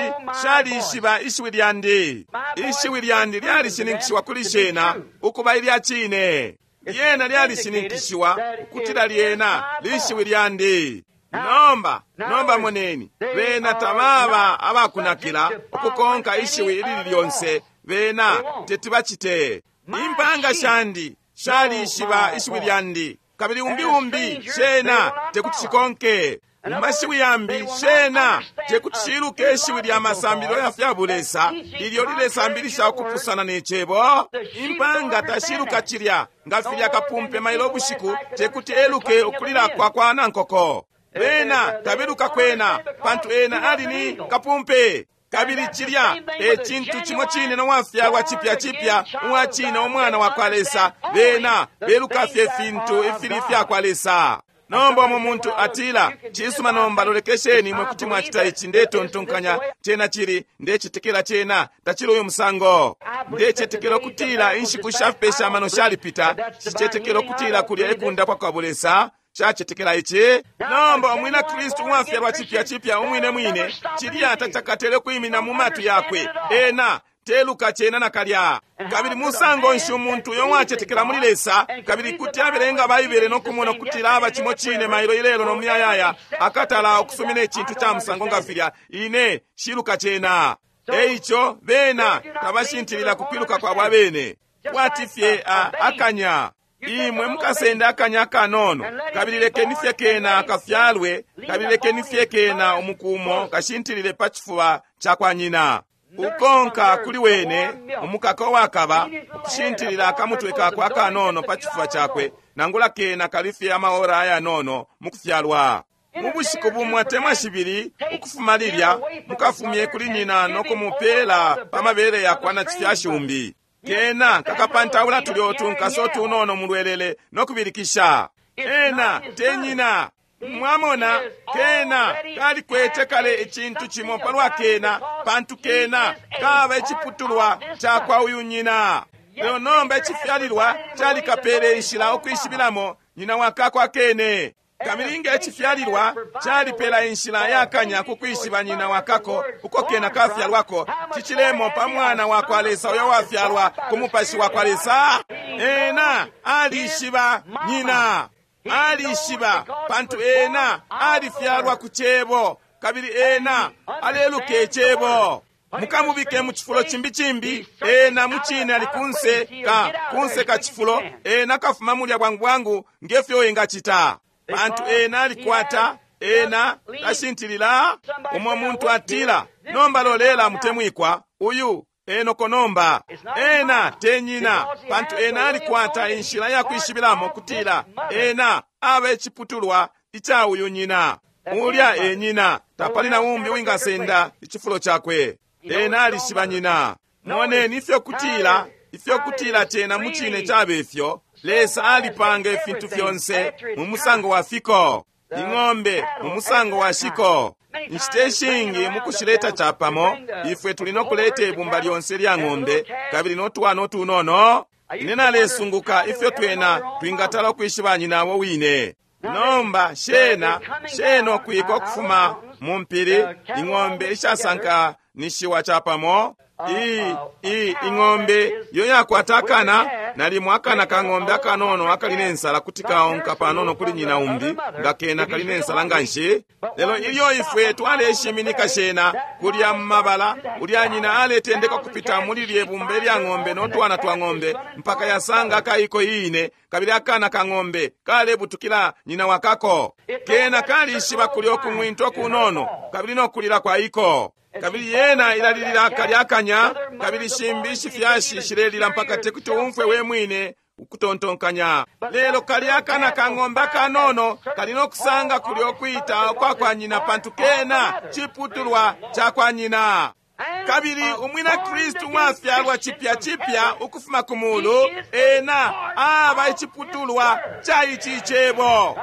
shalishiba ishiwi lyandi. Ishiwi lyandi lyalishininkishiwa kuli shena ukuba ilya cine. Lyena lyalishininkishiwa ukutila lyena lishiwi lyandi. Nomba, nomba moneni, bena tababa abakunakila ukukonka ishiwi ilili lyonse, bena teti bacite. Impanga shandi shalishiba ishiwi lyandi, kabili umbi umbi shena tekuti shikonke. Mashiwi yambi shena tekuti shiluke ishiwi lya masambilo ya fya bulesa ilyo lilesambilisha ukupusana ne cebo. Impanga tashiluka cilya nga filya kapumpe mailo bushiku tekuti eluke ukulila kwa kwa nankoko. Bena tabeluka kwena pantu ena ali ni kapumpe. Kabili cilya e cintu cimo cine no wafyalwa cipya cipya uwa cine umwana wa kwa Lesa. Bena beluka fye fintu ifili fya kwa Lesa. Nomba umo muntu atila, cisuma, nomba lolekesheni imwe kuti mwacita ici, ndetontonkanya cena cili, ndecetekela cena tacili uyu musango. Ndecetekela ukutila inshiku sha fipesha amano shalipita, shicetekela ukutila kulya ekundapwa kwa bulesa, shacetekela ici. Nomba umwina Kristu uwafyalwa cipya cipya umwine mwine, cilya tacakatele kwimina mu matu yakwe, ena teluka cena nakalya. Kabili musango nshi umuntu uyo wacetekela muli Lesa kabili kuti abelenga Baibele nokumona ukutila aba cimo cine mailo ilelo no muyayaya, akatala ukusumina icintu ca musango nga filya, ine shiluka cena. Eico bena tabashintilila kukwiluka kwabo abene, kwati fye akanya. Imwe mukasenda akanya akanono, kabili lekeni fye kena kafyalwe, kabili lekeni fye kena umukumo kashintilile pa cifuba ca kwa nyina. Ukonka kuli wene umukaka wakaba ukushintilila akamutwe kakwe akanono pa cifuba cakwe, nangula kena kalifye amaora ayanono mukufyalwa. Mu bushiku bumwe atemwa shibili ukufuma lilya, mukafumye kuli nyina nokumupela pa mabere yakwa na cifyashi umbi. Kena kakapantaula tulyo tunkaso tunono mulwelele nokubilikisha. Ena te nyina. Mwamona, kena kalikwete kale icintu cimo palwa kena, pantu kena kaba iciputulwa cakwa uyu nyina. Lelo nomba icifyalilwa calikapele inshila ukwishibilamo nyina wakakwa kene. Kabili nge icifyalilwa calipela inshila yakanya kukwishiba nyina wakako uko kena kafyalwako, cicilemo pa mwana wakwa Lesa uyo wafyalwa ku mupashi wakwa Lesa. Ena alishiba nyina, alishiba pantu ena alifyalwa ku Cebo, kabili ena aleluka Icebo. Mukamubike mu cifulo cimbi cimbi, ena mucine ali kunse ka kunse ka cifulo, ena kafuma mulya bwangu bwangu ngefyo engacita, pantu ena alikwata, ena tashintilila. Umo muntu atila, nomba lolela mutemwikwa, uyu enoko nomba ena te nyina, pantu ena alikwata inshila ya kwishibilamo kutila ena aba iciputulwa ica uyu nyina. Ulya e nyina, tapali na umbi wingasenda icifulo cakwe. Ena alishiba nyina. Moneni ifyo kutila, ifyo kutila cena mucine cabe ifyo Lesa alipanga ifintu fyonse mu musango wa fiko, ing'ombe mu musango wa shiko. Inshita ishingi mukushileta capamo, ifwe tuli nokuleta ibumba lyonse lya ng'ombe kabili notwana utunono. Ine nalesunguka ifyo twena twingatala ukwishiba nyina wine. Nomba shena shena okwika ukufuma mu mpili, ing'ombe ishasankanishiwa capamo. I, i, ing'ombe yo yakwata akana, nalimo akana ka ng'ombe akanono akali nensala kuti kaonka panono kuli nyina umbi, nga kena kali nensala nganshi. Lelo ilyo ifwe twaleshiminika shena kulya mu mabala, ulya nyina aletendeka kupita muli lye bumba lya ng'ombe notwana twa ng'ombe mpaka yasanga akaiko iine, kabili akana ka ng'ombe kalebutukila nyina wakako. Kena kalishiba kulya okung'winta okunono kabili nokulila kwa iko. Kabili yena ilalilila kalya akanya, kabili shimbi shifyashi shilelila mpaka tekuti umfwe we mwine ukutontonkanya. Lelo kalya akana ka ng'ombe akanono kali nokusanga kulya okwita okwa kwa nyina, pantu kena ciputulwa ca kwa nyina. Kabili umwina Kristu mwafyalwa chipya chipya ukufuma ku mulu, ena aba iciputulwa ca ici Cebo.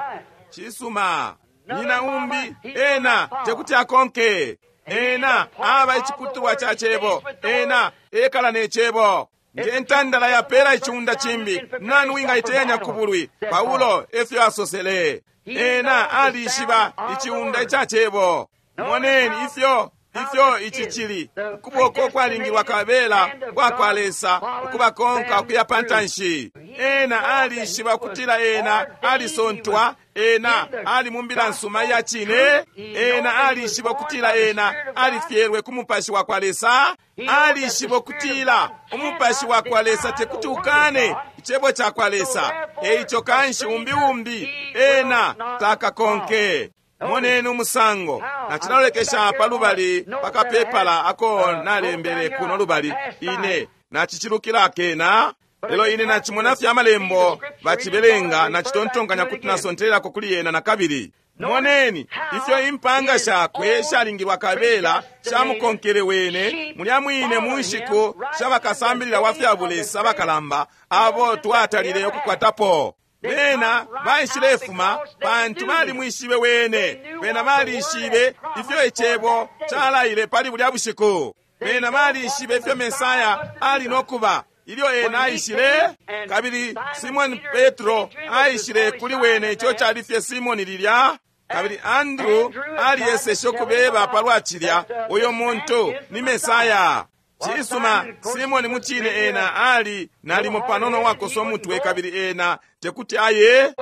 Cisuma. Nyina umbi ena tekuti akonke. Ena aba iciputulwa ca Cebo, ena ekala ne Cebo. Nge ntandala yapela iciunda cimbi, nani wingaiteyanya ku bulwi? Paulo efyo asosele. Ena alishiba iciunda ica Cebo. Moneni ifyo ifyo ici cili ukuboko kwalingilwa kabela kwa kwa Lesa ukubakonka ukuya pantanshi. Ena alishiba kutila ena alisontwa, ena ali mu mbila nsuma ya cine. Ena alishiba kutila ena alifyelwe ku mupashi wa kwa Lesa. Alishiba kutila umupashi wa kwa Lesa tekuti ukane icebo ca kwa Lesa. Eico kanshi umbi umbi ena takakonke. Moneni umusango nacilalolekesha pa lubali pakapepala ako nalembele kuno lubali, ine nacicilukila kena. Lelo ine nacimona fye amalembo bacibelenga, nacitontonkanya kuti nasontelelako kuli yena nakabili. Moneni ifyo impanga shakwe shalingilwa kabela shamukonkele wene mulya mwine mu nshiku shabakasambilila wa fya bulesa bakalamba abo twatalile ukukwatapo. Bena baishilefuma pantu balimwishibe wene. Bena balishibe ifyo icebo calaile pali bulya bushiku. Bena balishibe ifyo Mesaya ali nokuba ilyo ena aishile. Kabili Simoni Petro aishile kuli wene, ico cali fye Simoni lilya. Kabili Andrew aliyeseshe ukubeba palwa cilya, uyo muntu ni Mesaya. Cisuma, Simoni mucine ena ali nalimo panono wakosa umutwe, kabili ena tekuti aye.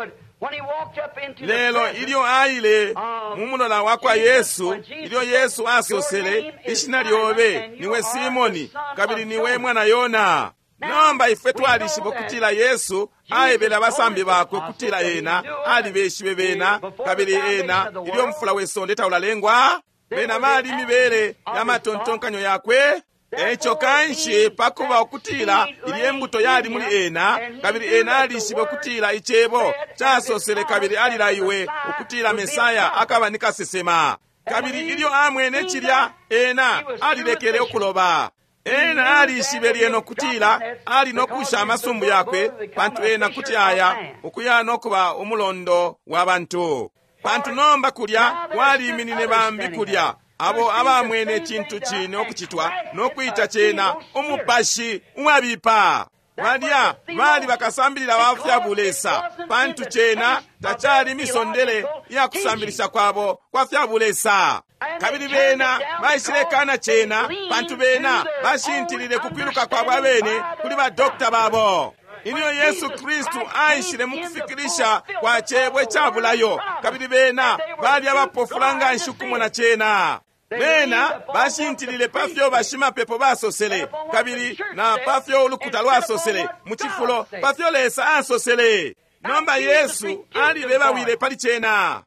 Lelo ilyo aile mu mulola wa kwa Yesu, ilyo Yesu asosele, ishina lyobe niwe Simoni, kabili niwe mwana Yona. Nomba ifwe twalishiba kutila Yesu aebele abasambi bakwe kutila ena alibeshibe bena, kabili ena ilyo mfula we sonde taulalengwa, bena bali mibele ya matontonkanyo yakwe. Eco kanshi pakuba ukutila ilye mbuto yali muli ena, kabili ena alishibe ukutila icebo casosele, kabili alilaiwe ukutila Mesaya akaba ni kasesema. Kabili ilyo amwene cilya, ena alilekele ukuloba. Ena alishibe lyena ukutila ali nokusha amasumbu yakwe, pantu ena kuti aya ukuya nokuba umulondo wa bantu. Pantu nomba kulya kwaliminine bambi kulya abo abamwene cintu cine okucitwa nokwita cena umupashi uwabipa. Balya bali bakasambilila ba fya bulesa, pantu cena tacali misondele ya kusambilisha kwabo kwa fya bulesa. Kabili bena baishilekana cena, pantu bena bashintilile ku kwiluka kwabo abene kuli ba dokta babo. Ilyo Yesu Kristu aishile mukufikilisha kwa cebo icabulayo, kabili bena bali abapofula nganshi ukumona cena. Bena bashintilile pafyo bashimapepo basosele, kabili na pafyo ulukuta lwasosele, mucifulo pafyo Lesa asosele. Nomba Yesu alibebawile pali cena.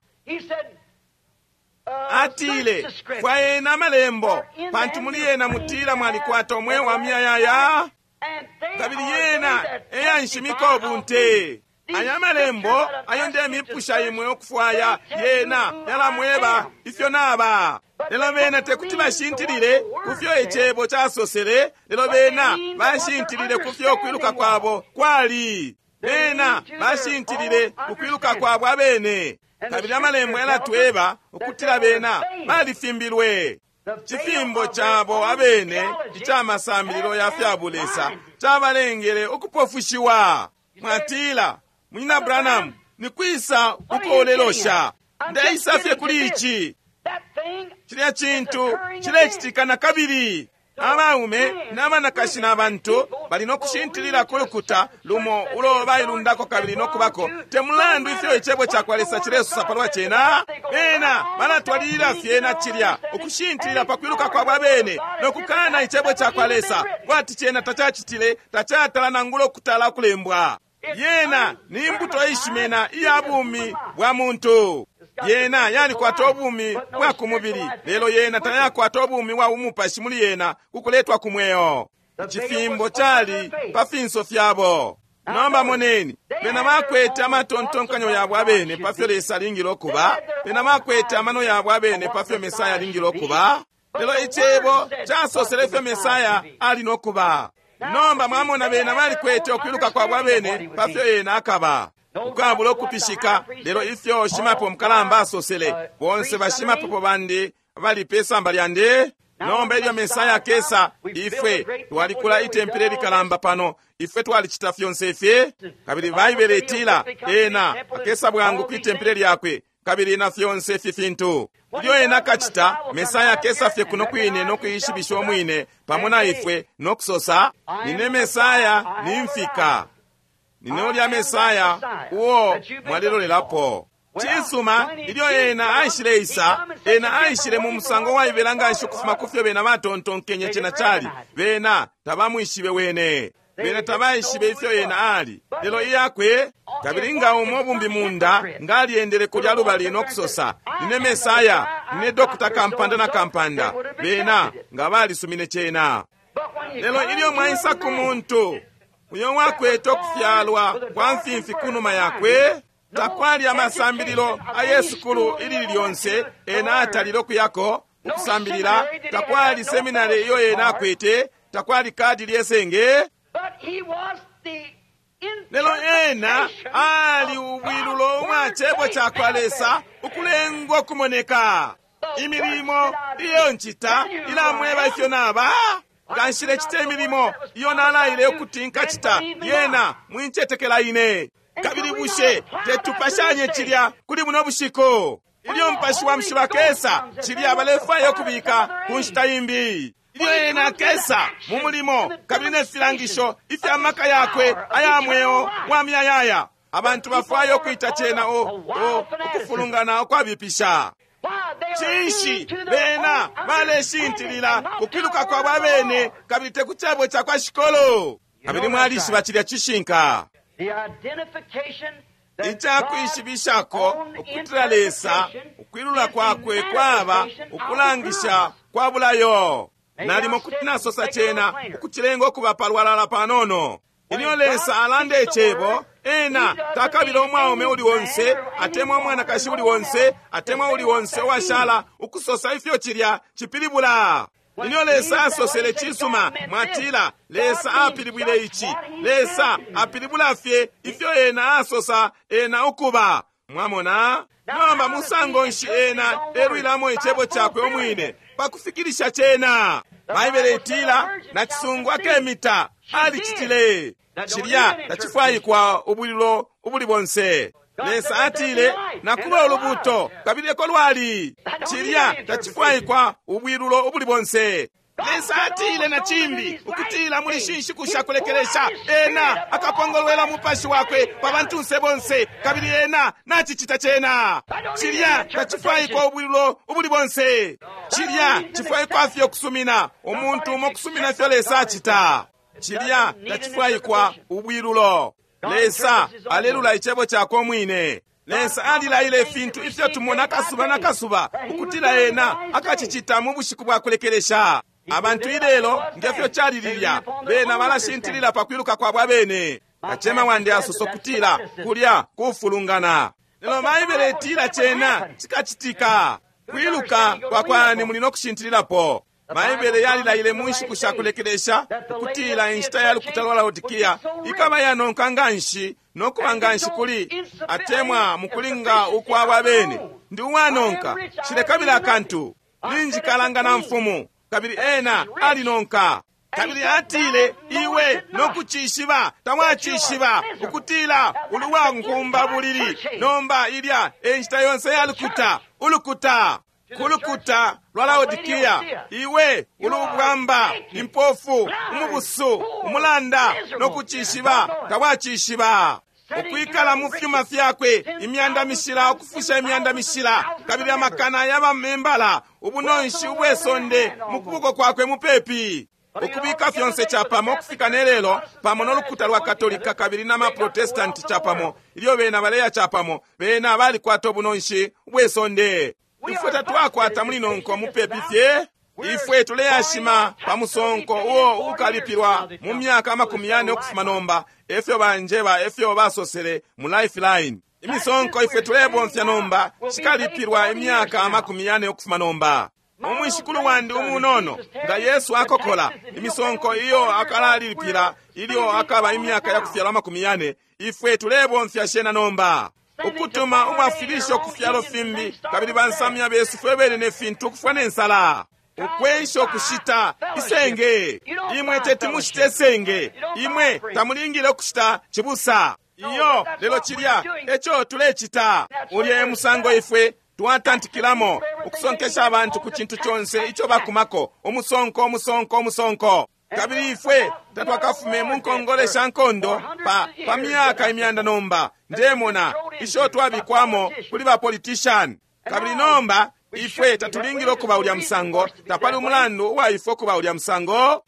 Atile, fwayeni amalembo, pantu muli yena mutila mwalikwata umweo wa muyayaya, kabili yena eyanshimika ubunte. Aya amalembo ayo ndemipusha imwe ukufwaya, yena yalamweba ifyo naba. Lelo bena tekuti bashintilile kufyo icebo casosele, lelo bena bashintilile kufyo kwiluka kwabo kwali. Bena bashintilile kukwiluka kwabo abene. Kabili amalembo yalatweba ukutila bena balifimbilwe. Cifimbo cabo abene ica masambililo ya fya bulesa cabalengele ukupofushiwa. Mwatila, Munyina Branham, ni kwisa uko ulelosha? Ndeisa fye kuli ici. Cilya cintu cilecitika na kabili. Abaume n'abanakashi n'abantu bali no kushintilila ku lukuta lumo ulo bailundako kabili no kubako, te mulandu ifyo icebo ca kwa Lesa cilesosa palwa cena. Bena balatwalilila fye na cilya, ukushintilila pa kwiluka kwabo abene no kukana icebo ca kwa Lesa, kwati cena tacacitile, tacatala nangula ukutala ukulembwa. Yena ni mbuto ishimena iya bumi bwa muntu. Yena yalikwata ubumi bwa kumubili, lelo yena tayakwata ubumi bwa umupashi muli yena kukuletwa ku mweo. Icifimbo cali pa finso fyabo. Nomba moneni, bena bakwete amatontonkanyo yabo abene pafyo Lesa alingile ukuba, bena bakwete amano yabo abene pafyo Mesaya alingile ukuba, lelo icebo casosele ifyo Mesaya ali nokuba. Nomba mwamona bena balikwete ukwiluka kwabo abene pafyo yena akaba. Ukwabula ukupishika, lelo ifyo shimapepo mukalamba asosele, bonse bashimapepo bandi bali pe samba lyandi. Nomba ilyo Mesaya akesa, ifwe twalikula itempele likalamba pano, ifwe twalicita fyonse ifi. Kabili Baibele itila ena akesa bwangu kwitempele lyakwe, kabili na fyonse ifi fintu. Ilyo ena akacita, Mesaya akesa fye kuno kwine no kuishibisha umwine pamo na ifwe no kusosa, nine Mesaya nimfika. Nine ulya Mesaya uo mwalilolelapo. Cisuma, ilyo ena aishile isa, ena aishile mu musango waibela nganshi ukufuma kufyo bena batontonkenye cena cali. Bena tabamwishibe wene. Bena tabaishibe ifyo ena ali. Lelo iyakwe, kabili nga umo bumbi munda, nga aliendele kulya lubali no kusosa, nine Mesaya, nine Dokota Kampanda na Kampanda. Bena nga balisumine cena. Lelo ilyo mwaisa ku muntu, uyo wakwete okufyalwa kwa mfimfi kunuma yakwe, takwali amasambililo aye sukulu ilili lyonse ena atalile okuyako ukusambilila, takwali seminari iyo ena akwete, takwali kadi lyesenge. Lelo ena ali ubwilulo umwa cebo ca kwa Lesa ukulengwa kumoneka. Imilimo iyo ncita ilamweba ifyo naba. Nga nshilecita imilimo iyo nalaile ukuti nkacita, yena mwincetekela ine. Kabili bushe tetupashanye cilya kuli buno bushiku? Ilyo Mupashi wa Mushilo akesa, cilya balefwaya ukubika ku nshita imbi. Ilyo ena akesa mu mulimo kabili ne filangisho ifya maka yakwe aya mweo wa muyayaya, abantu bafwaya ukwita cena o, o ukufulungana ukwabipisha. Cinshi bena baleshintilila kukwiluka kwabo abene kabili te ku cebo ca kwa shikolo. Kabili mwalishiba cilya cishinka. Icakwishibishako ukutila Lesa ukwilula kwakwe kwaba ukulangisha kwa bulayo. Nalimo kuti nasosa cena ukucilenga ukuba palwalala panono. Ilyo Lesa alanda icebo, ena takabila umwaume uli onse atemwa umwanakashi uli onse atemwa uli onse uwashala ukusosa ifyo cilya cipilibula. Ilyo Lesa asosele cisuma, mwatila Lesa apilibwile ici. Lesa apilibula fye ifyo ena asosa ena ukuba. Mwamona? Nomba musango nshi ena elwilamo icebo cakwe umwine pakufikilisha cena? Baibele itila nacisungu akemita alicitile. Cilya tacifwaikwa ubulilo ubuli bonse. Lesa atile nakuba ulubuto kabili eko lwali. Cilya tacifwaikwa ubwilulo ubuli bonse. Lesa atile na cimbi ukutila muli shinshiku shakulekelesha ena akapongolwela mupashi wakwe pa bantunse bonse, kabili ena nacicita cena. Cilya tacifwaikwa ubwilulo ubuli bonse. Cilya cifwaikwa fye ukusumina, umuntu umo kusumina ifyo Lesa acita. Cilya tacifwaikwa ubwilulo. Lesa alelula icebo cakwe umwine. Lesa alilaile ifintu ifyo tumona akasuba na kasuba ukutila ena akacicita mu bushiku bwa kulekelesha. Abantu ilelo ngefyo cali lilya, bena balashintilila pa kwiluka kwabo abene. Kacema wandi asosa ukutila kulya kufulungana, lelo Baibele itila cena cikacitika. Kwiluka kwa kwani muli no kushintililapo. Baibele yalilaile mu nshiku sha kulekelesha ukutila inshita ya lukuta lwa Laodikia ikaba yanonka nganshi no kuba nganshi kuli atemwa mukulinga ukwabo abene. Ndi uwanonka, nshilekabila akantu, ninjikalanga na mfumu, kabili ena alinonka. Kabili atile, iwe nokucishiba tawacishiba ukutila uli wankumba bulili. Nomba ilya e nshita yonse ya lukuta, ulukuta kulukuta lwa Laodikia, iwe uli ubwamba, impofu, umubusu, umulanda, nokucishiba tawacishiba. Ukwikala mu fyuma fyakwe imyanda mishila, ukufusha imyanda mishila, kabili amakana yabamembala, ubunonshi ubwesonde mu kuboko kwakwe mupepi. Ukubika fyonse chapamo ukufika nelelo pamo nolukuta lwa Katolika kabili na maprotestanti chapamo, ilyo bena baleya chapamo, bena balikwata ubunonshi ubwesonde. Ifwe tatwakwata muli nonko mupepi fye. Ifwe tuleyashima pa musonko uo ukalipilwa mu myaka amakumi yane ukufuma nomba, efyo banjeba, efyo basosele mu Lifeline. Imisonko ifwe tulebomfya nomba shikalipilwa imyaka amakumi yane ukufuma nomba. Umwishikulu wandi umunono nga Yesu akokola imisonko iyo akalalipila ilyo akaba imyaka ya kufyalwa amakumi yane, ifwe tulebomfya shena nomba. Ukutuma umwafilisho ku fyalo fimbi, kabili bansamya besu fwe bene ne fintu ukufwa ne nsala. Ukwensha ukushita isenge, imwe teti mushite isenge, imwe tamulingile ukushita cibusa iyo, lelo cilya eco tulecita. Ulya e musango ifwe twatantikilamo ukusonkesha abantu ku cintu conse ico bakumako, umusonko, umusonko, umusonko. Kabili ifwe tatwakafume mu nkongole sha nkondo pa, pa myaka imyanda nomba, ndemona isho twabikwamo kuli ba politician. Kabili nomba ifwe tatulingile ukuba ulya musango, tapali umulandu uwa ifwe ukuba ulya musango.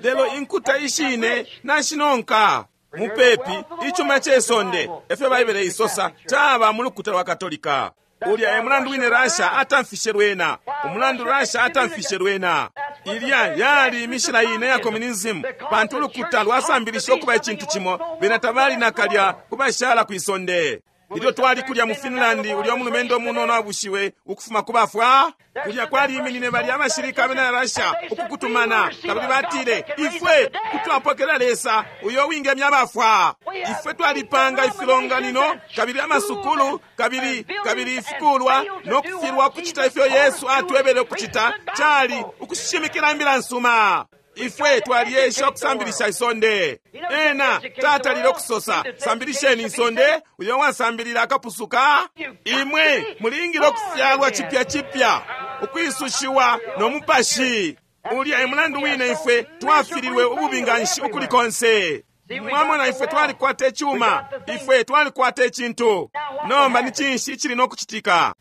Lelo inkuta ishine nashinonka mupepi icuma cesonde, efyo Baibele isosa, caba mu lukuta lwa Katolika. Ulya e mulandu wine Russia atamfishe lwena, umulandu Russia atamfishe lwena. Ilya yali imishila ine ya communism, pantu ulukuta lwasambilisha ukuba icintu cimo, bena tabali nakalya kubashala kwisonde. Ilyo twali kulya mu Finland, ulya umulumendo munono abushiwe ukufuma ku bafwa, kulya kwaliminine balya abashilika abena Russia ukukutumana, kabili batile, ifwe kutwapokelela Lesa uyo wingemya abafwa. Ifwe twalipanga ifilonganino kabili amasukulu kabili kabili ifikulwa no kufilwa kucita ifyo Yesu atwebele ukucita, cali ukushimikila imbila nsuma. Ifwe twaliesha ukusambilisha isonde. Ena tatalile ukusosa, sambilisheni isonde, uyo wasambilila akapusuka. Imwe mulingile ukufyalwa chipya chipya, ukwisushiwa no mupashi. Ulya e mulandu wine ifwe twafililwe ububi nganshi ukuli konse. Mwamona, ifwe twalikwata icuma, ifwe twalikwata icintu. Nomba ni cinshi icili no kucitika?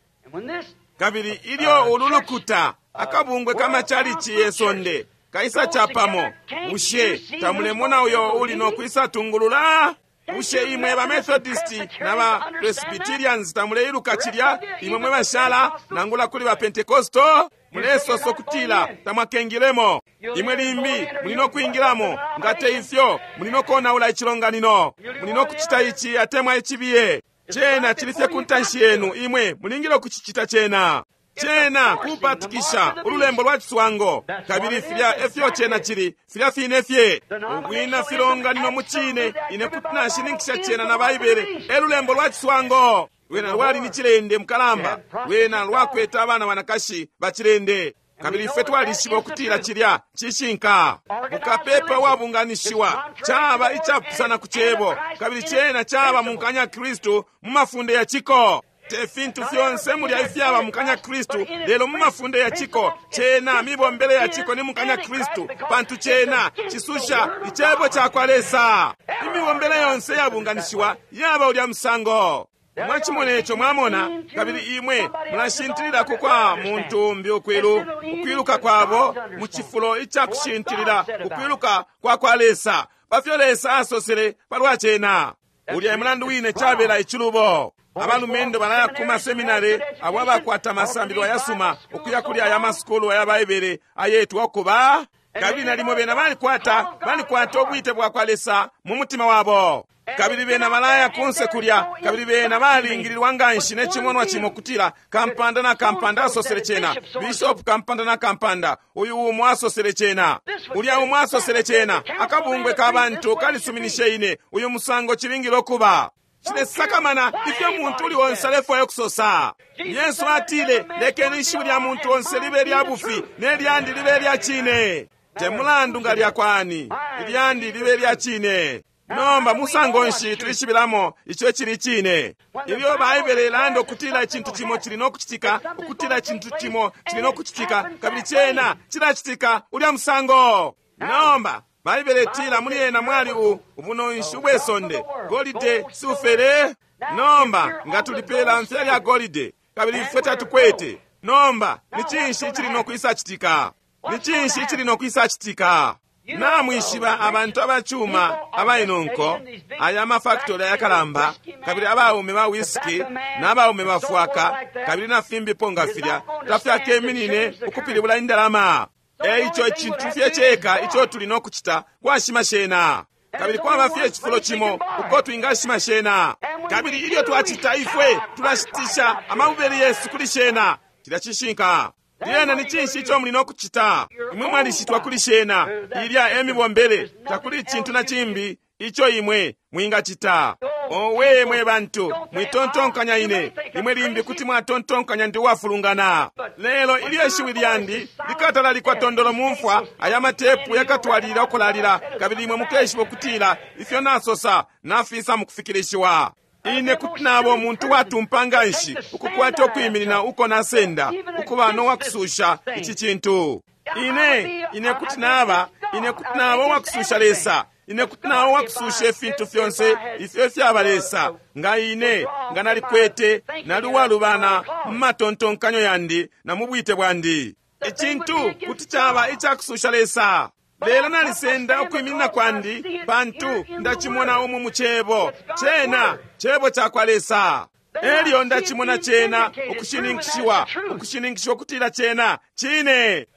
Kabili ilyo ulu lukuta, akabungwe kamachalichi yesonde kaisa chapamo, bushe tamulemona uyo uli no kwisa tungulula? Bushe imwe ba Methodist na ba Presbyterians tamuleiluka cilya? Imwe mwe bashala nangula kuli ba Pentecostal mulesosa ukutila tamwakengilemo. Imwe limbi muli no kwingilamo, nga te ifyo muli no konaula icilonganino, muli no kucita ici atemwa icibiye. Cena chili fye ku ntanshi yenu, imwe mulingile ukucicita cena. Cena kupatikisha ululembo lwa ciswango, kabili filya efyo cena chili, filya fine fye ubwina filonganino mu cine. Ine kuti nashininkisha cena na Baibele, e lulembo lwa ciswango. Lwena lwali ni cilende mukalamba, lwena lwakwete abana banakashi bacilende, kabili ifwe twalishiba ukutila cilya cishinka. Mukapepa wabunganishiwa caba icapusana ku cebo, kabili cena caba munkanya Kristu mu mafunde ya ciko. Te fintu fyonse mulya ifyaba mukanya Kristu, lelo mu mafunde ya ciko cena mibombele ya ciko ni mukanya Kristu, pantu cena cisusha icebo cakwa Lesa. Imibombele yonse yabunganishiwa yaba ulya musango. Mwachimona ico, mwamona, kabili imwe mulashintililako kwa muntu umbi ukwilu ukwiluka kwabo mu cifulo icakushintilila ukwiluka kwa kwa Lesa pafyo Lesa asosele palwa cena. Ulya mulandu wine cabela icilubo. Abalumendo balaya ku maseminari abo abakwata amasambililo ayasuma ukuya kuli aya masukulu aya Baibele ayetwa ukuba, kabili nalimo bena balikwata balikwata ubwite bwa kwa Lesa mu mutima wabo, kabili bena balaya kunse kulya, kabili bena balingililwa nganshi ne chimonwa chimo kutila kampanda na kampanda asosele chena, bishop kampanda na kampanda uyu umo asosele chena, ulya umo asosele chena, akabungwe ka bantu kalisuminishe ine uyu musango chilingile okuba. Chilesakamana ifyo muntu uli onse alefwaya okusosa. Yesu atile, lekeni ishiwi lya muntu onse libe lya bufi ne lyandi libe lya chine. Te mulandu nga lya kwani, ilyandi libe lya chine. Nomba musango nshi tulishibilamo icho chili chine? Ilyo Baibele ilanda ukutila icintu chimo chili nokuchitika, ukutila icintu chimo chili nokuchitika, kabili chena chilachitika ulya musango. Nomba Baibele itila muli ena mwali u ubunonshi ubwesonde, golide, silfere. Nomba nga tulipela mfya lya golide, kabili ifwe tatukwete. Nomba ni cinshi chili nokwisachitika? Ni cinshi chili nokwisachitika? Namwishiba abantu abachuma abainonko aya mafactory ayakalamba, kabili abaume ba whisky n'abaume bafwaka, kabili na fimbipo nga filya tafyakeminine ukupilibula indalama. Eico icintu fye cheka ico tuli nokuchita kwashima shena, kabili kwaba fye cifulo chimo uko twingashima shena, kabili ilyo twachita ifwe tulashitisha amabubeli yesu kuli shena. Cilya cishinka. Lyena ni cinshi ico muli nokuchita? Imwe mwalishitwa kuli shena, ilya emibombele, takuli icintu na cimbi ico imwe mwingachita. Owe mwe bantu, mwitontonkanya ine, imwe limbi kuti mwatontonkanya ndi uwafulungana. Lelo ilyo ishiwi lyandi likatalalikwa tondolo mumfwa, aya matepu yakatwalilila ukulalila, kabili imwe mukeshiba ukutila ifyo nasosa nafisa mukufikilishiwa. Ine kuti nabo muntu watumpa nganshi ukukwata ukwiminina uko nasenda ukuba nowakususha ici cintu. Ine ine kuti naba ine kuti naba uwakususha Lesa, ine kuti naba uwakususha ifintu fyonse ifyo fyaba Lesa, nga ine nga nalikwete nali uwalubana mu matontonkanyo yandi na mu bwite bwandi. Icintu kuti caba icakususha Lesa. Lelo nalisenda ukwiminina kwandi pantu ndachimona umu mu cebo cena cebo cakwa Lesa. Elyo ndachimona cena ukushininkishiwa ukushininkishiwa kutila cena chine.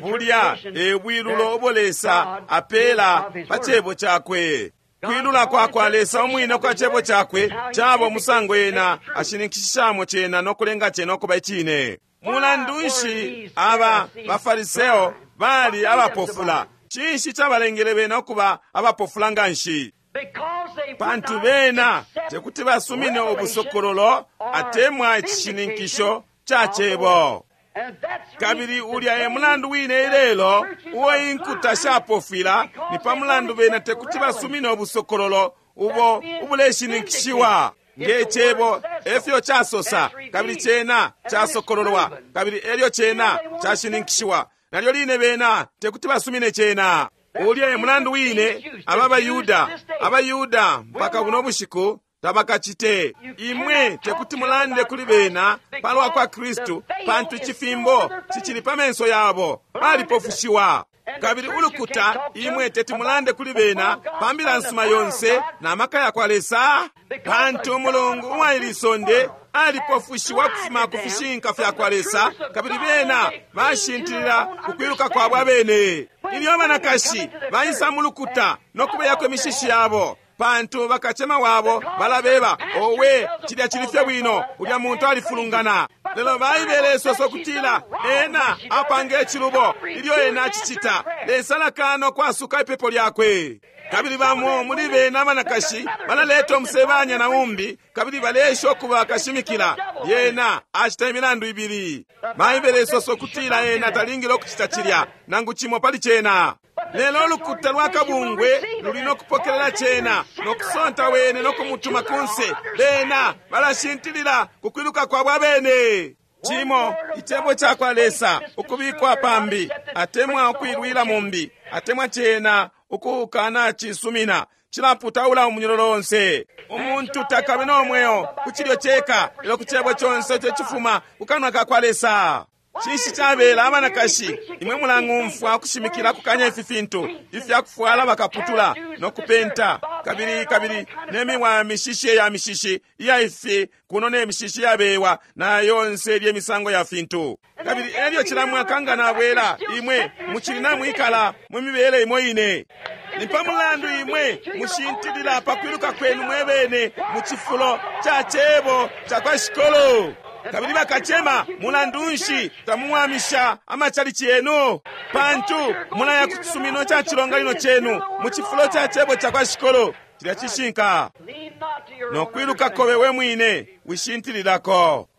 Bulya ebwilulo ubo Lesa apela pa cebo cakwe. Kwilula kwa kwa Lesa umwine kwa cebo cakwe cabo musango ena ashininkishishamo cena nokulenga cena okuba icine. Mulandu nshi aba Bafariseo bali abapofula? Cinshi cabalengele bena okuba abapofula nganshi? Pantu bena tekuti basumine ubusokololo atemwa icishininkisho ca cebo. Kabili ulya e mulandu wine ilelo uo inkuta shapofwila, ni pa mulandu bena tekuti basumine ubusokololo ubo ubuleshininkishiwa nge cebo efyo casosa, kabili cena casokololwa, kabili elyo cena cashininkishiwa. Nalyo line bena tekuti basumine cena. Ulya e mulandu wine aba Bayuda, abayuda mpaka buno bushiku tabakachite. Imwe tekuti mulande kuli bena palwa kwa Kristu, pantu icifimbo cicili pa menso yabo, balipofushiwa. Kabili ulukuta imwe teti mulande kuli bena pa mbila nsuma yonse na maka ya kwa Lesa, pantu Mulungu uwa isonde alipofushiwa kufuma ku fishinka fya kwa Lesa, kabili bena bashintilila ukwiluka kwabo abene. Ilyo banakashi baisa mu lukuta nokubeyako imishishi yabo, pantu bakachema wabo balabeba, owe cilya chili fye bwino, ulya muntu alifulungana. Lelo Baibele isosa ukutila ena apanga icilubo ilyo ena acicita, Lesa alakana ukwasuka ipepo lyakwe. Kabili bamo muli bena abanakashi balaleta umusebanya na umbi, kabili balesha okuba kashimikila. Yena acita imilandu ibili. Baibele isosa ukutila ena talingile okucita cilya nangu cimo pali cena. Lelo ulukuta lwa kabungwe luli nokupokelela cena nokusonta wene nokumutuma kunse. Bena balashintilila kukwiluka kwabo abene. Cimo icebo cakwa Lesa ukubikwa pambi, atemwa ukwilwila mumbi, atemwa cena ukukana cisumina, cilaputaula umunyololo onse. Umuntu takabe no mweo ku cilyo ceka, lelo ku cebo conse ico cifuma ku kanwa ka kwa Lesa. Cinshi cabela abanakashi, imwe mulang'umfwa ukushimikila kukanya ifi fintu ifyakufwala bakaputula nokupenta, kabili kabili nemiwa mishishi ya mishishi iya ifi kuno ne mishishi yabewa na yonse ilye misango ya fintu. Kabili elyo cila mwaka nga nabwela, imwe mucili namwikala mu mibele imo ine. Ni pa mulandu imwe mushintilila pa kwiluka kwenu mwebene mu cifulo ca cebo ca kwa Shikolo. Kabili bakacema, mulandu nshi tamuwamisha amachalichi yenu? Pantu mulaya ku cisumino ca cilonganino cenu mu cifulo ca cebo ca kwa Shikolo. Cilya cishinka. Nokwiluka kobe we mwine wishintililako.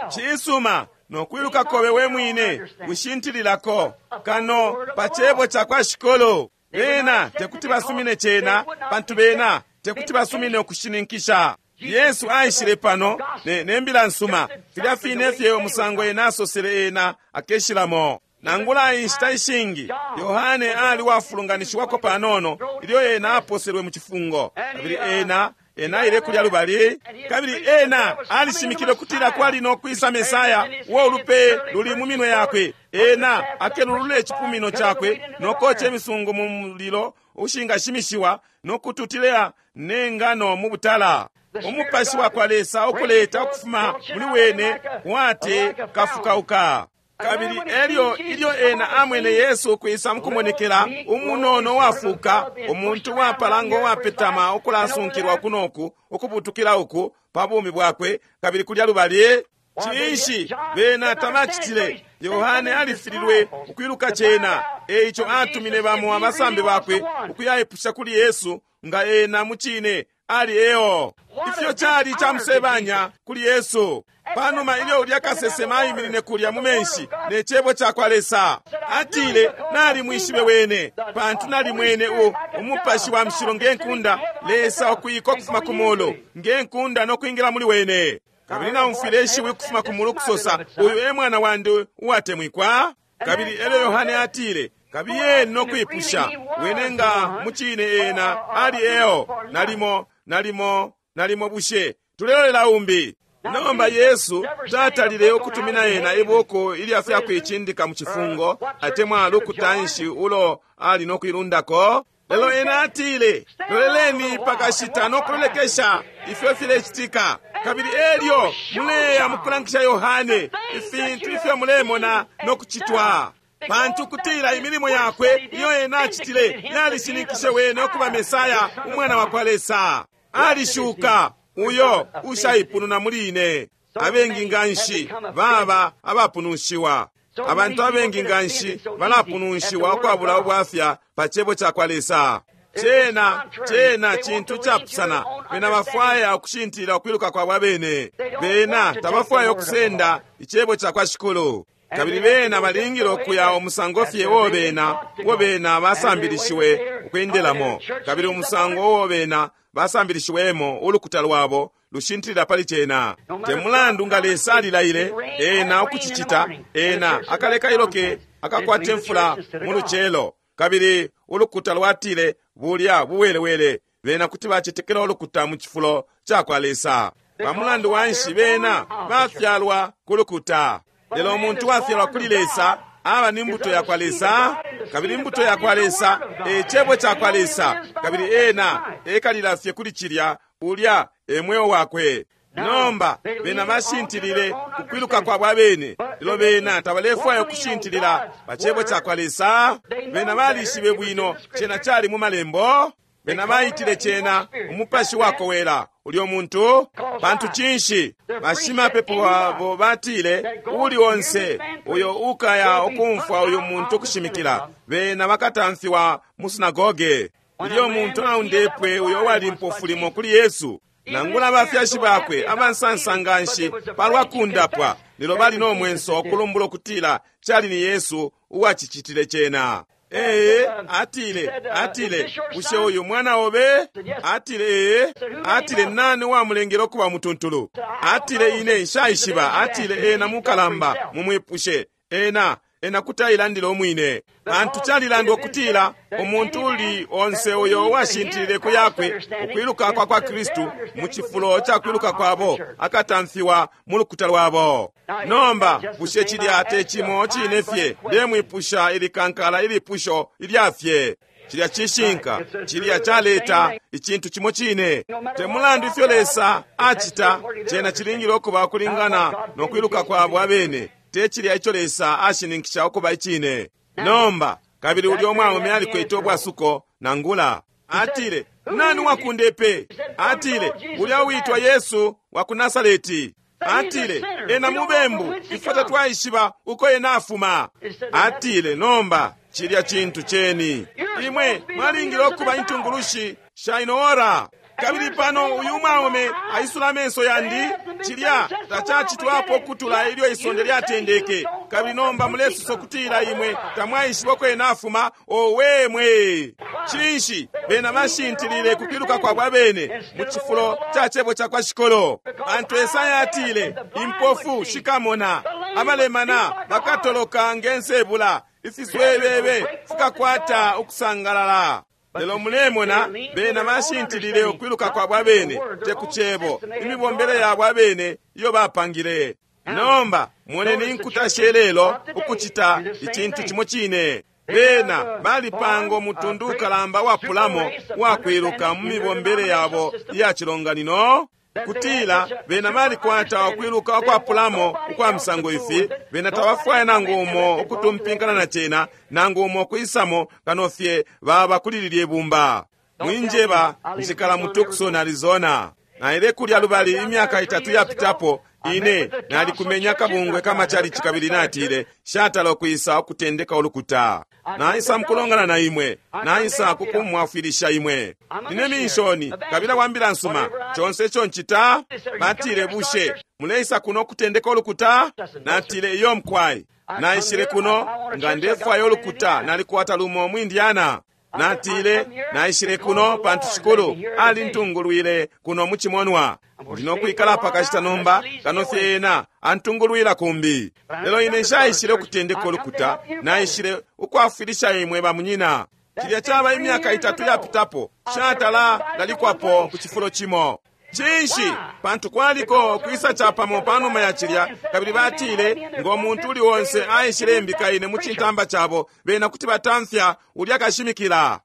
Cisuma, nokwiluka kobe we mwine wishintililako kano pa cebo ca kwa Shikolo. Bena tekuti basumine cena, pantu bena tekuti basumine ukushininkisha. Yesu aishile pano ne, ne mbila nsuma filya fine fye umusango ena asosele ena akeshilamo. Nangula inshita ishingi Yohane ali wafulunganishiwako panono ilyo ena aposelwe mu cifungo, kabili ena ena aile kulya lubali, kabili ena alishimikile kutila kwali no kwisa Mesaya uo ulupe luli mu minwe yakwe. Ena akelulule icipumino cakwe nokoca imisungu mu mulilo ushingashimishiwa nokututila ne ngano mu butala. Umupashi wa kwa Lesa ukuleta ukufuma muli wene wate kafukauka. Kabili elyo ilyo ena amwene Yesu ukwisa mukumonekela, umunono wafuka, umuntu wapala ngo wapetama ukulasunkilwa kunoku ukubutukila uku pa bumi bwakwe, kabili kulya lubali. Cinshi bena tabacitile? Yohane alifililwe ukwiluka cena, eico atumine bamo abasambi bakwe ukuyaipusha kuli Yesu nga ena mucine ali eo. Ifyo cali camusebanya kuli Yesu. Panuma ilyo ulya kasesema aiminine kulya mu menshi ne cebo ca kwa Lesa, atile, nalimwishibe wene, pantu nalimwene u umupashi wa mushilo nge nkunda, Lesa ukwika ukufuma ku mulu nge nkunda nokwingila muli wene. Kabili naumfwile ishiwi ukufuma ku mulu kusosa, uyu e mwana wandi uwatemwikwa. Kabili elyo Yohane atile, kabiyeni nokwipusha wene nga mucine ena ali eo. Nalimo nalimo nalimo bushe tulelolela umbi. Nomba Yesu tatalile ukutumina ena ibuku ilya fyakuicindika mu cifungo atemwa lukutanshi ulo ali nokuilundako. Lelo ena atile, loleleni pakashita nokulolekesha ifyo filecitika, kabili elyo muleya mukulangisha Yohane ifintu ifyo mulemona nokucitwa. Pantu kutila imilimo yakwe iyo ena acitile yalishininkishe wene ukuba Mesaya umwana wa kwa Lesa. Alishuka uyo ushaipununa muli ine. Abengi nganshi baba abapunushiwa. Abantu abengi nganshi balapunushiwa ukwabula ubwafya pa cebo ca kwa Lesa. Cena cena cintu capusana. Bena bafwaya ukushintilila ukwiluka kwabo abene. Bena tabafwaya ukusenda icebo ca kwa Shikulu. Kabili bena balingile ukuya umusango fye uo bena uo bena basambilishiwe ukwendelamo, kabili umusango uo bena basambilishiwemo ulukuta lwabo lushintilila pali cena. Te mulandu nga Lesa alilaile ena ukucicita, ena akaleka iloke akakwate mfula mu lucelo, kabili ulukuta lwatile bulya buwelewele. Bena kuti bacetekela ulukuta mu cifulo ca kwa Lesa. Pa mulandu wanshi bena bafyalwa ku lukuta. Lelo umuntu wafyalwa kuli Lesa aba ni mbuto ya kwa Lesa, kabili mbuto ya kwa Lesa e cebo ca kwa Lesa, kabili ena ekalila fye kuli cilya, ulya e mweo wakwe. Nomba bena bashintilile kukwiluka kwabo abene, lelo bena tabalefwaya ukushintilila pa cebo ca kwa Lesa. Bena balishibe bwino cena cali mu malembo. Bena baitile cena umupashi wakowela ulyo muntu. Pantu cinshi? Bashimapepo babo batile, uli onse uyo ukaya ukumfwa uyu muntu ukushimikila, bena bakatamfiwa mu sinagoge. Ilyo muntu aundepwe uyo wali mpofu limo kuli Yesu, nangula abafyashi bakwe abansansa nganshi palwa kundapwa, lelo bali no mwenso ukulumbula ukutila cali ni Yesu uwacicitile cena. Ee, atile, atile, bushe uyu mwana obe? Atile, ee. Atile, nani wamulengele ukuba mutuntulu? Atile, ine nshaishiba. Atile, ena mukalamba, mumwipushe. Ena, ena kuti ailandile umwine. Pantu calilandwa ukutila umuntu uli onse uyo washintilile ku yakwe ukwiluka kwa kwa Kristu mu cifulo ca kwiluka kwabo akatamfiwa mu lukuta lwabo. Nomba bushe cilya te cimo cine fye? Ndemwipusha ilikankala ilipusho ilya fye. Cilya cishinka, cilya caleta icintu cimo cine. Te mulandu ifyo Lesa acita, cena cilingile ukuba kulingana no kwiluka kwabo abene. Te cilya ico Lesa ashininkisha ukuba icine. Nomba kabili ulyo mwaume alikwete ubwasuko nangula. Atile, nani wakundepe? Atile, ulya uitwa Yesu wa ku Nasareti. Atile, ena mubembu, ifwe tatwaishiba uko ena afuma. Atile, nomba cilya cintu cheni. Imwe mwalingile ukuba intungulushi sha ino ora. Kabili pano uyu mwaume aisula amenso yandi, cilya tacacitwapo kutula ilyo isonde lyatendeke. Kabili nomba mulesosa kutila imwe tamwaishiba uko ena afuma. Owe mwe! Cinshi bena bashintilile kukwiluka kwabo abene mu cifulo ca cebo ca kwa Shikolo? Pantu Esaya atile, impofu shikamona, abalemana bakatoloka nge nsebula, ifiswebebe fikakwata ukusangalala. Lelo mulemona bena bashintilile ukwiluka kwabo abene, te ku cebo, imibombele yabo abene iyo bapangile. Nomba moneni inkuta shelelo ukucita icintu cimo cine. Bena balipanga umutundu ukalamba wapulamo wakwiluka mu mibombele yabo iya cilonganino, kutila bena balikwata ukwiluka ukwapulamo ukwa misango ifi. Bena tabafwaya nangu umo ukutumpinkana na cena, nangu umo kwisamo kano fye baba kuli lilye bumba. Mwinjeba nshikala mu Tucson, Arizona. Naile kulya lubali imyaka itatu yapitapo, ine nalikumenya kabungwe kamachalichi kabili natile shatala okwisa okutendeka olukuta. Naisa mukulongana na imwe, naisa kukumwafwilisha imwe. Nine minshoni kabila wambila nsuma chonse icho nchita. Batile, bushe muleisa kuno okutendeka olukuta? Natile, iyo mkwai, naishile kuno nga ndefwaya olukuta, nalikwata lumo mu Indiana. Natile, naishile kuno pantu Shikulu alintungulwile kuno mu chimonwa. Ndinokwikala pakashita nomba kano fye ena antungulwila kumbi. Lelo ine nshaishile okutendeka olukuta, naishile ukwafwilisha imwe bamunyina. Cilya chaba imyaka itatu yapitapo, shatala lalikwapo ku chifulo chimo. Cinshi? Pantu kwaliko kwisa chapamo panuma ya cilya, kabili batile ngo muntu uli wonse aishile mbika ine mu chintamba chabo, bena kuti batamfya ulya kashimikila.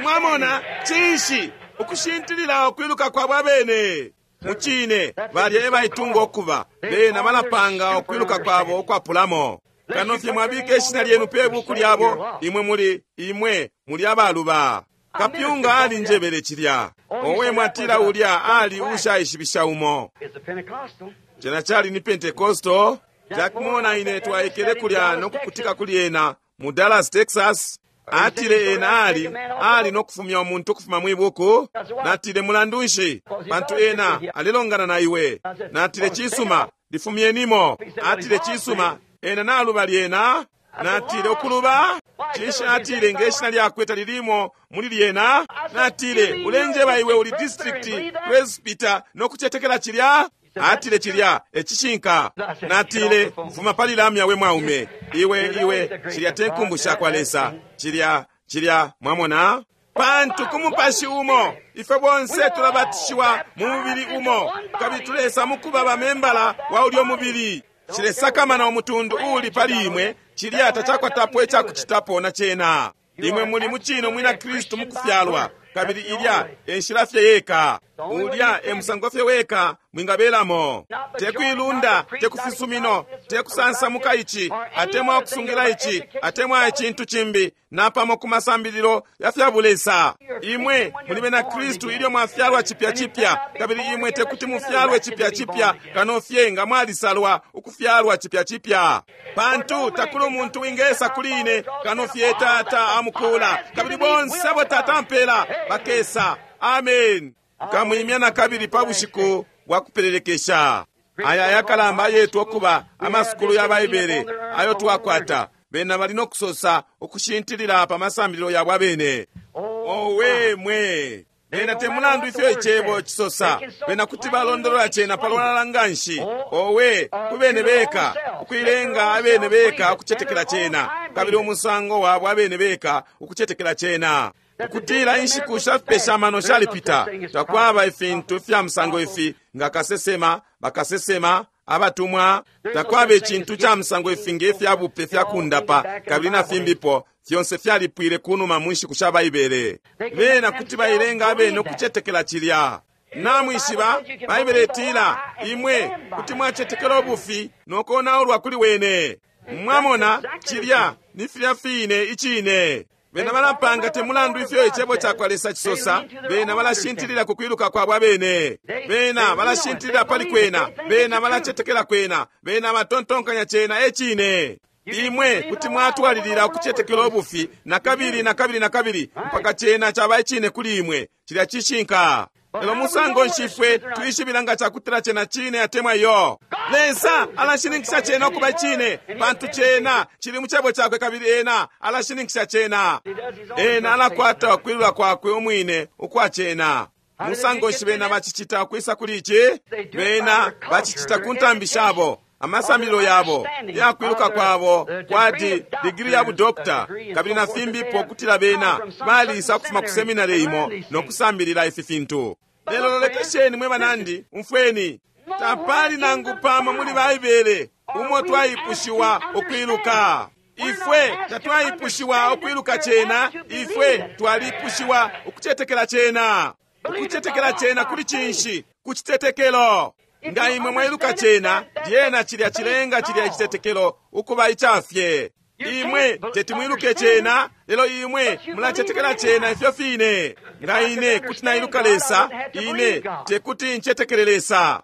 Mwamona, cinshi? Ukushintilila ukwiluka kwabo abene. Muchine balya ebaitunga okuba bena balapanga ukwiluka kwabo ukwapulamo. Kano fye mwabika ishina lyenu pe buku lyabo, imwe muli imwe muli abaluba. Kapyunga ali njebele cilya. Owe mwatila ulya ali ushaishibisha umo. Cena chali ni Pentecostal. Jack Moore na ine twaikele kulya nokukutika kuli ena mu Dallas, Texas. Atile ena ali ali nokufumya umuntu ukufuma mwibuku. Natile, mulandu nshi? Pantu ena alilongana na iwe. Natile, cisuma, lifumyenimo. Atile, cisuma, ena naluba lyena. Natile, ukuluba? Cinshi? Atile, nge shina lyakwe talilimo muli lyena. Natile, ulenjeba iwe uli district presbyter nokucetekela cilya? Atile, cilya ecishinka. Natile, fuma pali lamya we mwaume. Iwe iwe cilya te nkumbu sha kwa Lesa. Cilya cilya mwamona? Pantu ku mupashi umo ifwe bonse tulabatishiwa mu mubili umo, kabili tulesa mukuba bamembala wa ulyo mubili. Cilesakamana umutundu uli pali imwe, cilya tacakwatapo icakucitapo na cena. Imwe muli mucino mwina Kristu mukufyalwa, kabili ilya enshila fye yeka. Ulya e musango fye weka mwingabelamo. Tekuilunda, tekufisumino, tekusansamuka ichi, atemwa kusungira ichi, atemwa icintu chimbi, napamo ku masambililo ya fya bulesa. Imwe muli bena Kristu ilyo mwafyalwa chipya chipya, kabili imwe tekuti mufyalwe chipya chipya kano fye nga mwalisalwa ukufyalwa chipya chipya. Pantu takuli umuntu wingesa kuli ine kano fye Tata amukula, kabili bonse abo Tata ampela bakesa. Amen. Kamwimya na kabili pa bushiku bwa kupelelekesha. Aya ayakalamba ayetwa okuba amasukulu ya Baibele ayo twakwata, bena bali nokusosa ukushintilila pa masambililo yabo abene. Owe mwe! Bena te mulandu ifyo icebo cisosa, bena kuti balondolola cena palwalala nganshi. Owe, ku bene beka, ukuilenga abene beka ukucetekela cena, kabili umusango wabo abene beka ukucetekela cena. Ukutila inshiku shafipesha amano shalipita, takwaba ifintu fya musango ifi nga kasesema, bakasesema, abatumwa, takwaba icintu ca musango ifi nge fya bupe fya kundapa, kabili na fimbipo, fyonse fyalipwile kunuma mu nshiku sha Baibele. Bena kuti bailenga abene ukucetekela cilya. Namwishiba, Baibele itila, imwe kuti mwacetekela ubufi nokonaulwa kuli wene. Mwamona, cilya ni filya fine icine. Bena balapanga te mulandu ifyo icebo cakwa Lesa cisosa, bena balashintilila ku kwiluka kwabo abene. Bena balashintilila pali kwena, bena balacetekela kwena, bena batontonkanya cena e cine. Imwe kuti mwatwalilila ukucetekela ubufi na kabili na kabili na kabili mpaka cena caba icine kuli imwe. Cilya cishinka. Lelo musango nshi ifwe twishibila nga cakutila cena cine atemwa iyo? Lesa alashininkisha cena ukuba cine, pantu cena cili mu cebo cakwe, kabili ena alashininkisha cena. Ena alakwata ukwilula kwakwe umwine ukwa cena. Musango nshi bena bacicita ukwisa kuli ici? Bena bacicita ku ntambi shabo, amasambililo yabo, yakwiluka kwabo kwati digiri ya budokta, kabili na fimbipo, kutila bena balisa ukufuma ku seminari imo nokusambilila ifi fintu. Lelo lolekesheni mwe banandi, umfweni, tapali nangu pamo muli Baibele umo twaipushiwa ukwiluka. Ifwe tatwaipushiwa ukwiluka cena, ifwe twalipushiwa ukucetekela cena. Ukucetekela cena kuli cinshi? Ku citetekelo. Nga imwe mwailuka cena, lyena cilya cilenga cilya icitetekelo ukuba icafye. Imwe teti mwiluke cena, lelo imwe mulacetekela cena ifyo fine. Nga ine kuti nailuka Lesa, ine tekuti ncetekele Lesa.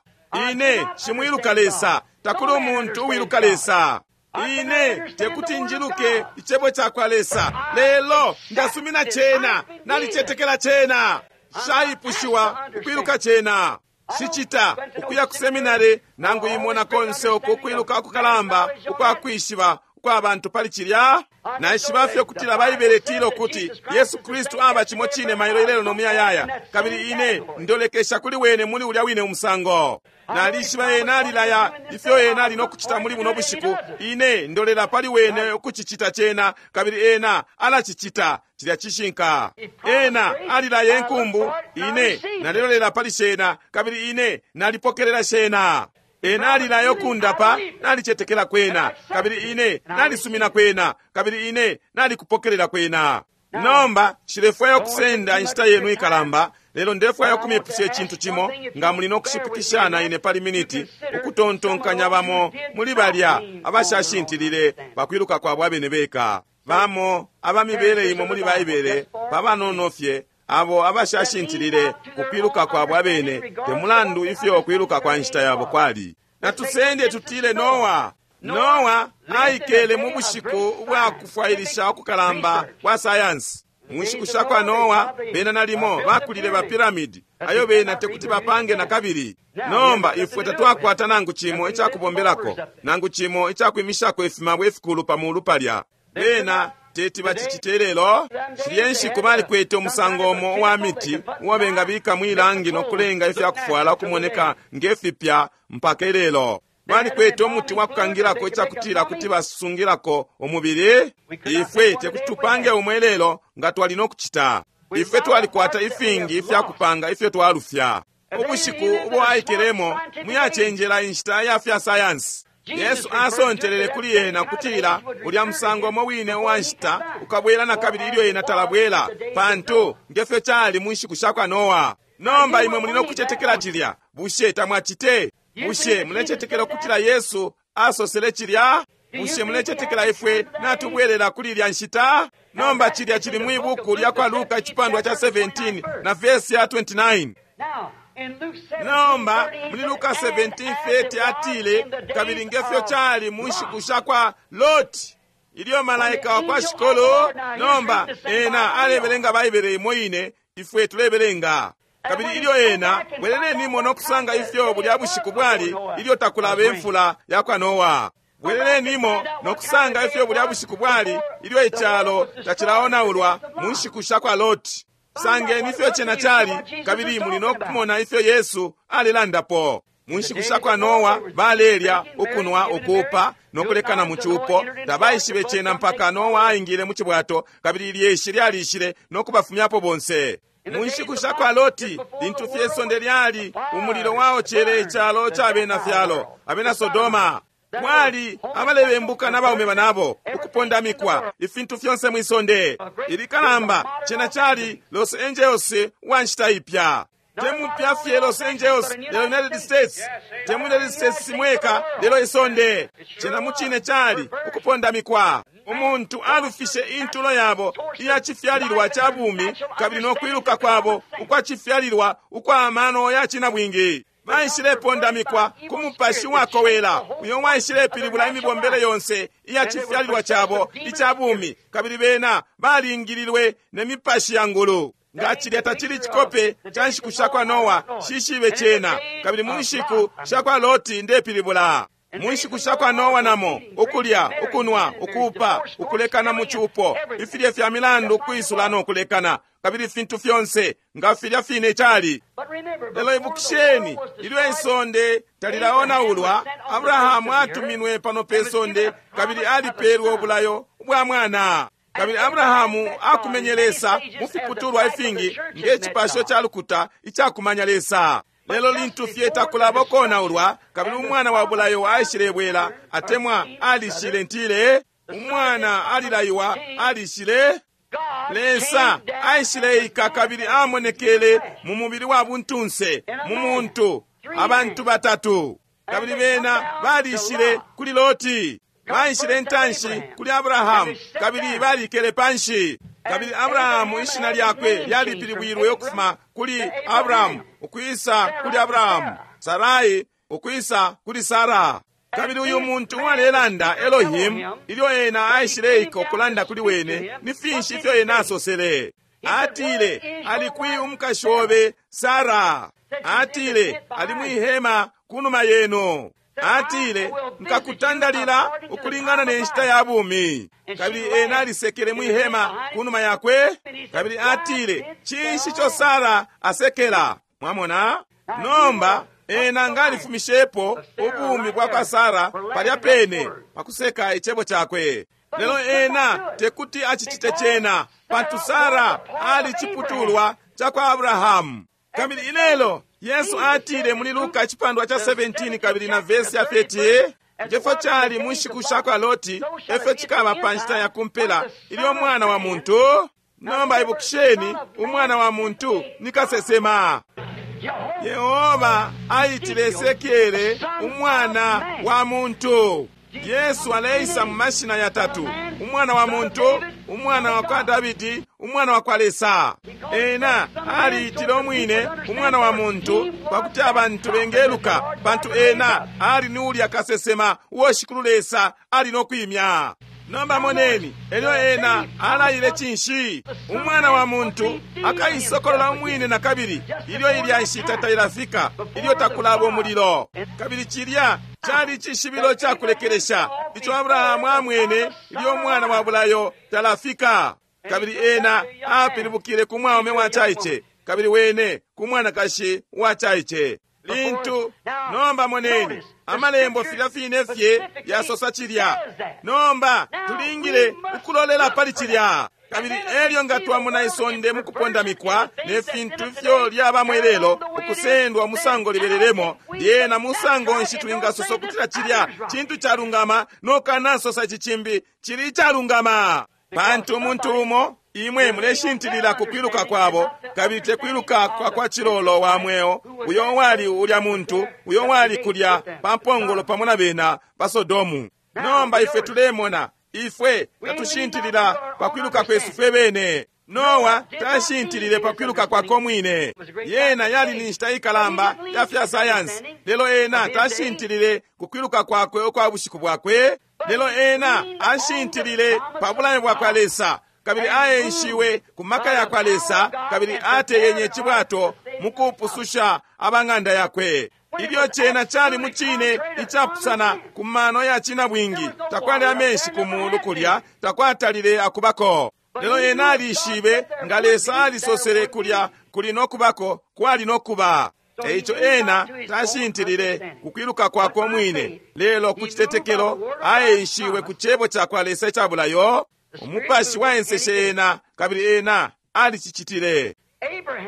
Ine shimwiluka Lesa, takuli umuntu uwiluka Lesa. Ine tekuti njiluke icebo cakwa Lesa, lelo ndasumina cena, nalicetekela cena. Shaipushiwa ukwiluka cena. Shicita ukuya ku seminari nangu imona konse uko ukwiluka ukukalamba ukwakwishiba ukwa bantu pali cilya. Naishiba fye ukutila Baibele itila ukuti Yesu Kristu aba cimo cine mailo ilelo no muyayaya, kabili ine ndolekesha kuli wene muli ulya wine umusango. Nalishiba ena alilaya ifyo ena ali nokucita muli buno bushiku, ine ndolela pali wene ukucicita cena, kabili ena alacicita. Cilya cishinka. Ena alilaya enkumbu, ine nalilolela pali shena, kabili ine nalipokelela shena. Ena alilaya okundapa, nalicetekela kwena, kabili ine nalisumina kwena, kabili ine nalikupokelela kwena. Nomba nshilefwaya ukusenda inshita yenu ikalamba, lelo ndefwaya ukumipusha icintu cimo, nga muli nokushipikishana ine pali miniti, ukutontonkanya bamo muli balya abashashintilile pakwiluka kwabo abene beka. Bamo abamibele imo muli Baibele pabanono fye abo abashashintilile kukwiluka kwabo abene, te mulandu ifyo kwiluka kwa nshita yabo kwali. Natusende tutile Noa. Noa aikele mu bushiku ubwa kufwailisha ukukalamba kwa sayansi. Mu nshiku sha kwa Noa, bena nalimo bakulile ba piramidi ayo bena tekuti bapange na kabili. Nomba ifwe tatwakwata nangu cimo icakubombelako, nangu cimo icakwimishako ifimabwe ifikulu pa mulu palya. Bena teti bacicite lelo. Shilye nshiku balikwete umusango umo uwa miti uo bengabika mwilangi nokulenga ifyakufwala ukumoneka nge fipya mpaka ilelo. Balikwete umuti wa kukangilako icakutila kuti basungilako umubili. Ifwe tekuti tupange umwe lelo nga twali nokucita. Ifwe twalikwata ifingi ifyakupanga ifyo twalufya. Ubushiku ubo aikelemo muyacenjela inshita ya fya sayansi. Yesu asontelele kuli ena kutila ulya musango umo wine uwa nshita ukabwela na kabili ilyo ena talabwela, pantu ngefyo cali mu nshiku sha kwa Noa. Nomba imwe muli nokucetekela cilya. Bushe tamwacite? Bushe mulecetekela ukutila Yesu asosele cilya? Bushe mulecetekela ifwe natubwelela kuli ilya nshita? Nomba cilya cili mwi buku lya kwa Luka icipandwa cha seventeen na vesi ya twenty-nine. Nomba muli Luka seventeen thirty atile, kabili ngefyo cali mu nshiku sha kwa Loti, ilyo malaika wa kwa Shikolo. Nomba ena alebelenga Baibele imo ine ifwe tulebelenga. Kabili ilyo ena bwelelenimo no kusanga ifyo bulya bushiku bwali ilyo takulaba imfula ya kwa Noa. Bwelelenimo no kusanga ifyo bulya bushiku bwali ilyo icalo tacilaonaulwa mu nshiku sha kwa Loti. Sangeni ifyo cena cali, kabili muli no kumona ifyo Yesu alilandapo. Mu nshiku sha kwa Noa balelya, ukunwa, ukuupa no kulekana mu cupo. Tabaishibe cena mpaka Noa aingile mu cibwato, kabili ilyeshi lyalishile no kubafumyapo bonse. Mu nshiku sha kwa Loti, lintu fye isonde lyali umulilo waocele icalo ca bena fyalo, abena Sodoma, mwali abalebembuka n'abaume banabo, ukupondamikwa, ifintu fyonse mwisonde. Ilikalamba cena cali Los Angeles wa nshita ipya. Temupya fye Los Angeles lelo United States, temu United States mweka lelo isonde. Cena mucine cali ukupondamikwa. Umuntu alufishe intulo yabo iya cifyalilwa ca bumi, kabili no kwiluka kwabo ukwa cifyalilwa ukwa mano ya cinabwingi. Baishilepondamikwa ku mupashi wakowela uyo waishilepilibula imibombele yonse iya cifyalilwa cabo ica bumi, kabili bena balingililwe ne mipashi ya ngulu. Nga cilya tacili cikope ca nshiku sha kwa Noa, shishibe cena. Kabili mu nshiku sha kwa Loti ndepilibula. Mu nshiku sha kwa Noa namo, ukulya, ukunwa, ukuupa, ukulekana mu cupo, ifilye fya milandu ukwisula no kulekana, kabili ifintu fyonse nga filya fine cali. Lelo ibukisheni, ilyo isonde talilaonaulwa, Abrahamu atuminwe pano pe sonde, kabili alipelwe ubulayo bwa mwana. Kabili Abrahamu akumenye Lesa mu fiputulwa ifingi nge cipasho ca lukuta icakumanya Lesa. Lelo lintu fye takulaba konaulwa, kabili umwana wa bulayo aishilebwela, atemwa alishile ntile, umwana alilaiwa alishile. Lesa aishileika kabili amonekele mu mubili wa buntunse, mu muntu, abantu batatu. Kabili bena balishile kuli Loti, baishile ntanshi kuli Abrahamu, kabili balikele panshi. Kabili Abrahamu ishina lyakwe lyalipilibwilwe ukufuma kuli Abrahamu ukwisa kuli Abrahamu, Sarai ukwisa kuli Sara. Kabili uyu muntu uwalelanda Elohim, ilyo ena aishileika ukulanda kuli wene, ni finshi ifyo ena asosele? Atile, ali kwi umukashi obe Sara? Atile, ali mwihema kunuma yenu. Atile, nkakutandalila ukulingana ne nshita ya bumi. Kabili ena alisekele mwihema kunuma yakwe. Kabili atile, cinshi ico Sara asekela? Mwamona? Nomba ena ngalifumishepo ubumi bwa kwa Sara palya pene pakuseka icebo cakwe. Lelo ena tekuti acicite cena, pantu Sara ali ciputulwa ca kwa Abrahamu. Kabili ilelo Yesu atile muli Luka icipandwa ca seventeen kabili na vesi ya thirty, ngefyo cali mu nshiku sha kwa Loti, efyo cikaba pa nshita ya kumpela ilyo umwana wa muntu. Nomba ibukisheni, umwana wa muntu ni kasesema. Yehova aitile Esekiele umwana wa muntu. Yesu aleisa mu mashina yatatu: umwana wa muntu, umwana wa kwa Davidi, umwana wa kwa Lesa. Ena aliitile umwine umwana wa muntu pakuti abantu bengeluka, pantu ena ali ni ulya kasesema uo Shikulu Lesa ali no kwimya. Nomba moneni, elyo ena alaile cinshi? Umwana wa muntu akaisokolola umwine na kabili ilyo ilya nshita tailafika, ilyo takulaba umulilo. Kabili cilya cali cishibilo ca kulekelesha ico Abrahamu amwene ilyo umwana wa bulayo talafika. Kabili ena apilibukile ku mwaume wa caice, kabili wene ku mwanakashi wa caice. Lintu nomba moneni, amalembo filya fine fye yasosa cilya. Nomba tulingile ukulolela pali cilya. Kabili elyo nga twamona isonde mukupondamikwa ne fintu ifyo lyabamo ilelo, ukusendwa musango libelelemo, lyena musango nshi twingasosa ukutila cilya cintu calungama nokanasosa ici cimbi cili icalungama? Pantu umuntu umo imwe muleshintilila ku kwiluka kwabo, kabili te kwiluka kwa kwa cilolo wa mweo, uyo wali ulya muntu uyo wali kulya pa mpongolo pamo na bena pa Sodomu. Nomba ifwe tulemona, ifwe tatushintilila pa kwiluka kwesu fwe bene. Noa tashintilile pa kwiluka kwako mwine. Yena yali ni nshita ikalamba ya fya sayansi, lelo ena tashintilile ku kwiluka kwakwe ukwa bushiku bwakwe. Lelo ena ashintilile pa bulayo bwa kwa Lesa, kabili aenshiwe ku maka ya kwa Lesa, kabili ateyenye icibwato Mukupususha abang'anda yakwe. Ilyo cena cali mucine icapusana ku mano ya cina bwingi, takwali amenshi ku mulu kulya, takwatalile akubako. Lelo ena alishibe nga Lesa alisosele kulya kuli nokubako, kwali nokuba. Eico ena tashintilile kukwiluka kwakwe umwine, lelo ku citetekelo aenshiwe ku cebo cakwa Lesa icabulayo. Umupashi waenseshe ena, kabili ena alicicitile.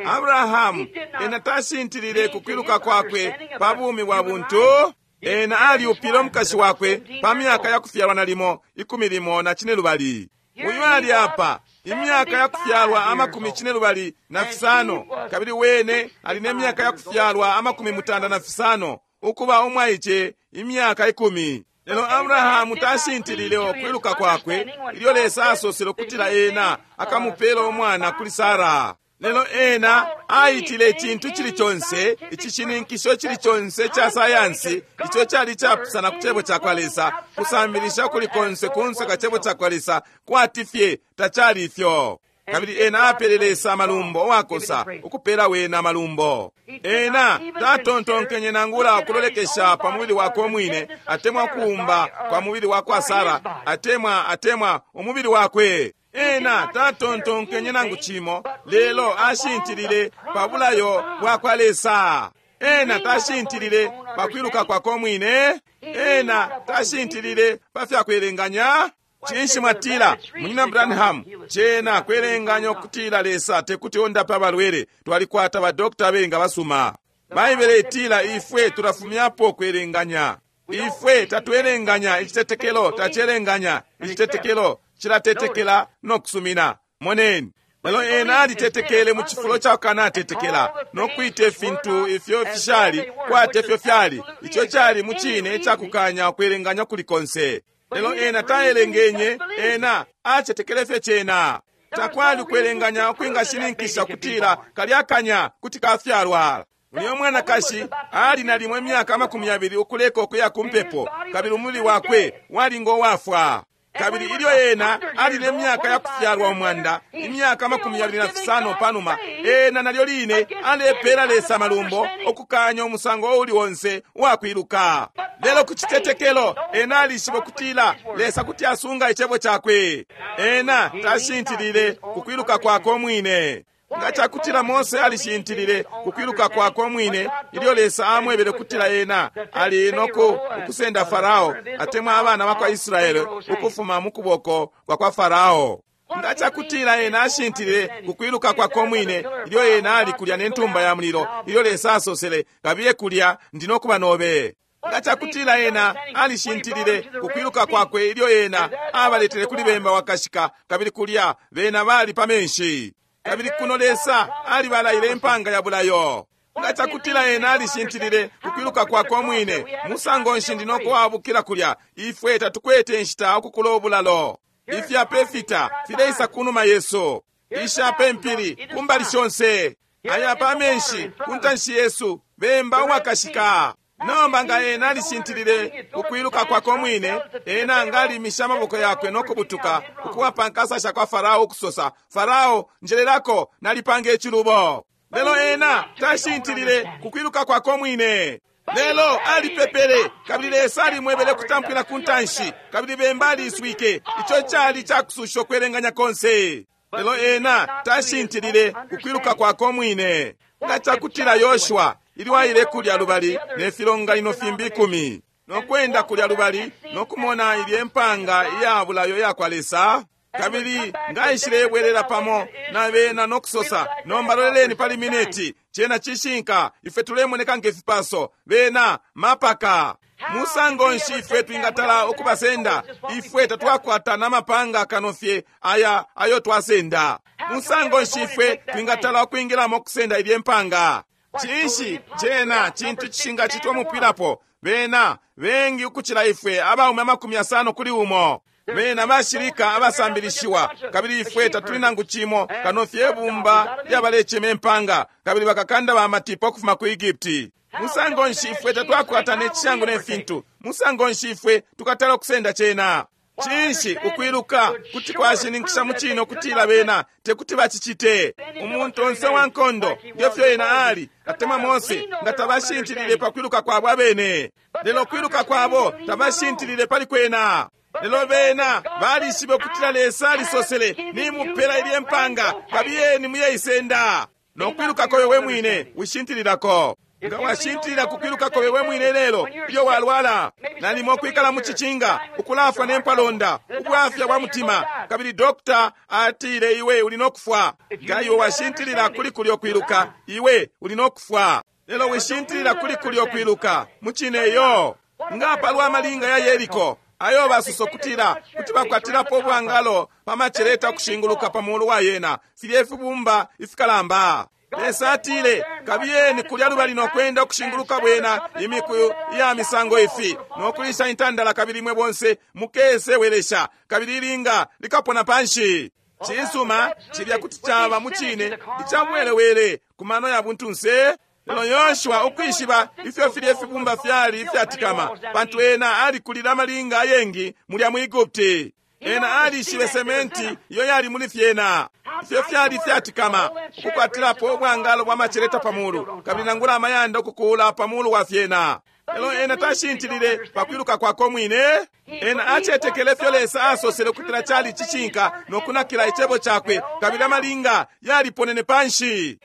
Abrahamu ena tashintilile kukwiluka kwakwe pa bumi bwa buntu. Ena aliupile umukashi wakwe pa myaka ya kufyalwa nalimo ikumi limo na cine lubali. Uyu ali apa imyaka ya kufyalwa amakumi cine lubali na fisano, kabili wene ali ne myaka ya kufyalwa amakumi mutanda na fisano, ukuba umwaice imyaka ikumi. Lelo Abrahamu tashintilile ukwiluka kwakwe ilyo Lesa asosele ukutila ena akamupela umwana kuli Sara. Lelo ena aitile icintu cili conse, icishininkisho cili conse ca sayansi ico cali capusana ku cebo cakwa Lesa, kusambilisha kuli konse kunse ka cebo cakwa Lesa, kwati fye tacali ifyo. Kabili ena apele Lesa amalumbo owakosa ukupela wena amalumbo. Ena tatontonkenye nangula ukulolekesha pa mubili wakwe umwine, atemwa kuumba kwa mubili wakwa Sara, atemwa atemwa umubili wakwe. Ena tatontonkenye nangu cimo, lelo ashintilile pa bulayo bwakwa Lesa. Ena tashintilile pa kwiluka kwakwe umwine. Ena tashintilile pa fyakwelenganya. Cinshi mwatila, Munyina Branham, cena kwelenganya ukutila Lesa tekuti ondape abalwele, twalikwata badokita abengi abasuma. Baibele itila ifwe tulafumyapo kwelenganya. Ifwe tatwelenganya, icitetekelo tacelenganya, icitetekelo cilatetekela no kusumina. Moneni, lelo ena alitetekele mu cifulo ca kukanatetekela, no kwita ifintu ifyo fishali kwati ifyo fyali, ico cali mu cine icakukanya ukwelenganya kuli konse. Lelo ena taelengenye, ena acetekele fye cena. Takwali ukwelenganya ukwingashininkisha kutila kalya kanya kuti kafyalwa. Uyo mwanakashi ali nalimo imyaka amakumi yabili ukuleka ukuya ku mpepo, kabili umubili wakwe wali ngo wafwa. Kabili ilyo ena ali ne myaka ya kufyalwa umwanda, imyaka amakumi yabili na fisano panuma, ena nalyo line alepela Lesa amalumbo ukukanya umusango uuli onse uwakwiluka. Lelo ku citetekelo ena alishiba kutila Lesa kuti asunga icebo cakwe. Ena tashintilile kukwiluka kwakwe umwine. Nga cakutila Mose alishintilile kukwiluka kwakwe umwine ilyo Lesa amwebele kutila ena ali noku ukusenda Farao atemwa abana bakwa Israele ukufuma mu kuboko kwa kwa Farao. Nga cakutila ena ashintilile kukwiluka kwakwe umwine ilyo ena ali kulya ne ntumba ya mulilo ilyo Lesa asosele, kabiye kulya ndi nokuba nobe. Nga cakutila ena alishintilile kukwiluka kwakwe ilyo ena abaletele kuli bemba wakashika, kabili kulya bena bali pa menshi. Kabili kuno Lesa alibalaile impanga ya bulayo. Nga cakutila ena alishintilile kukwiluka kwakwe umwine, musango nshi ndi nokuwabukila kulya, ifwe tatukwete inshita ukukula obulalo. Ifyapa ifita fileisa kunuma yesu, ishapa impili kumbali shonse, ayapa amenshi ku ntanshi yesu, bemba uwakashika. Nomba nga ena alishintilile kukwiluka kwakwe umwine, ena nga alimisha amaboko yakwe no kubutuka ukuwa pa nkasa sha kwa Farao ukusosa, Farao, njelelako, nalipanga icilubo. Lelo ena tashintilile kukwiluka kwakwe umwine. Lelo alipepele, kabili Lesa alimwebele kutampwila ku ntanshi, kabili bemba aliswike. Ico cali cakususha ukwelenganya konse. Lelo ena tashintilile kukwiluka kwakwe umwine. Nga cakutila Yoshua ilyo aile kulya lubali ne filonganino fimbi ikumi, no kwenda kulya lubali no kumona ilye mpanga iya bulayo yakwa Lesa, kabili ngaishilebwelela pamo na bena no kusosa, nomba loleleni pali mineti, cena cishinka, ife tulemoneka ngefipaso, bena mapaka. Musango nshi ifwe twingatala ukubasenda? Ifwe tatwakwata namapanga kano fye aya ayo twasenda. Musango nshi ifwe twingatala ukwingilamo kusenda ilye mpanga? Cinshi cena cintu cishingacitwa mupwilapo. Bena bengi ukucila ifwe, abaume amakumi asano kuli umo. Bena bashilika abasambilishiwa, kabili ifwe tatuli nangu cimo kano fye bumba lyabalecema impanga, kabili bakakanda ba matipa ukufuma ku Egipti. Musango nshi ifwe tatwakwata ne cishango ne fintu? Musango nshi ifwe tukatala ukusenda cena? Cinshi ukwiluka kuti kwashininkisha mucine ukutila bena tekuti bacicite. Umuntu onse wa nkondo ngefyo ena ali atemwa Mose nga tabashintilile pa kwiluka kwabo abene, lelo kwiluka kwabo tabashintilile pali kwena. Lelo bena balishibe ukutila Lesa alisosele, nimupela ilye mpanga, kabiyeni muyeisenda. Nokwiluka kobe we mwine wishintililako. Nga washintilila kukwiluka kobe we mwine lelo ilyo walwala, nalimo kwikala mu cicinga, ukulafwa nempalonda, ubwafya bwa mutima, kabili dokta atile iwe uli nokufwa. Nga iwe washintilila kuli kulyo kwiluka, iwe uli nokufwa. Lelo wishintilila kuli kulyo kwiluka mucine yo. Nga palwa malinga ya Yeriko ayo basuso kutila kuti bakwatilapo ubwangalo pa maceleta kushinguluka pa mulu wa yena, filye fibumba ifikalamba. Lesa atile, kabiyeni kulya lubali nokwenda ukushinguluka bwena imiku iya misango ifi, nokulisha intandala, kabili imwe bonse mukese welesha, kabili ilinga likapona panshi. Cisuma cilya kuti caba mucine icabwelewele ku mano ya buntunse. Lelo Yoshua ukwishiba ifyo filye fibumba fyali ifyatikama, pantu ena alikulila amalinga ayengi mulya mu Egupti. Ena alishibe sementi iyo yali muli fyena, ifyo fyali ifyatikama, ukukwatilapo ubwangalo bwa maceleta pa mulu, kabili nangula amayanda ukukula pa mulu wa fyena. Lelo ena tashintilile pa kwiluka kwakwe mwine. Ena acetekele fyo Lesa asosele ukutila cali cishinka nokunakila icebo cakwe, kabili amalinga yaliponene panshi.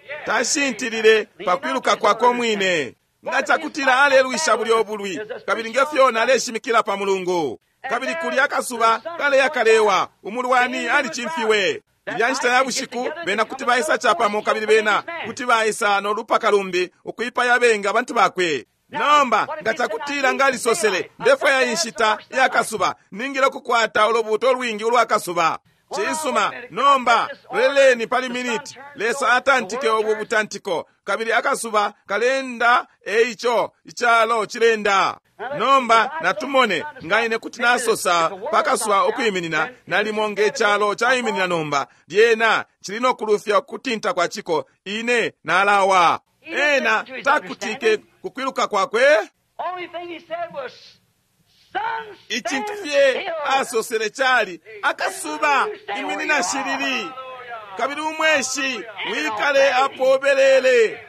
Tashintilile pa kwiluka kwakwe mwine. Nga cakutila alelwisha bulyo obulwi, kabili ngefyo naleshimikila pa Mulungu, kabili kulya akasuba kaleya kalewa, umulwani alicimfiwe. Ilya nshita ya bushiku bena kuti baisa capamo, kabili bena kuti baisa nolupaka lumbi ukwipaya benga abantu bakwe. Nomba nga cakutila ngalisosele, ndefwaya inshita ya kasuba, ningile kukwata ulubuuto lwingi ulwa kasuba. Cisuma, nomba leleni pali miniti. Lesa atantike ubu butantiko, kabili akasuba kalenda, eico icalo cilenda. Nomba natumone nga ine kuti nasosa pakasuba ukwiminina, nalimo nge calo caiminina nomba, lyena cili nokulufya kutinta kwa ciko, ine nalawa. Ena takutike kukwiluka kwakwe. Icintu fye asosele cali, akasuba iminina shilili, kabili umweshi wikale apobelele,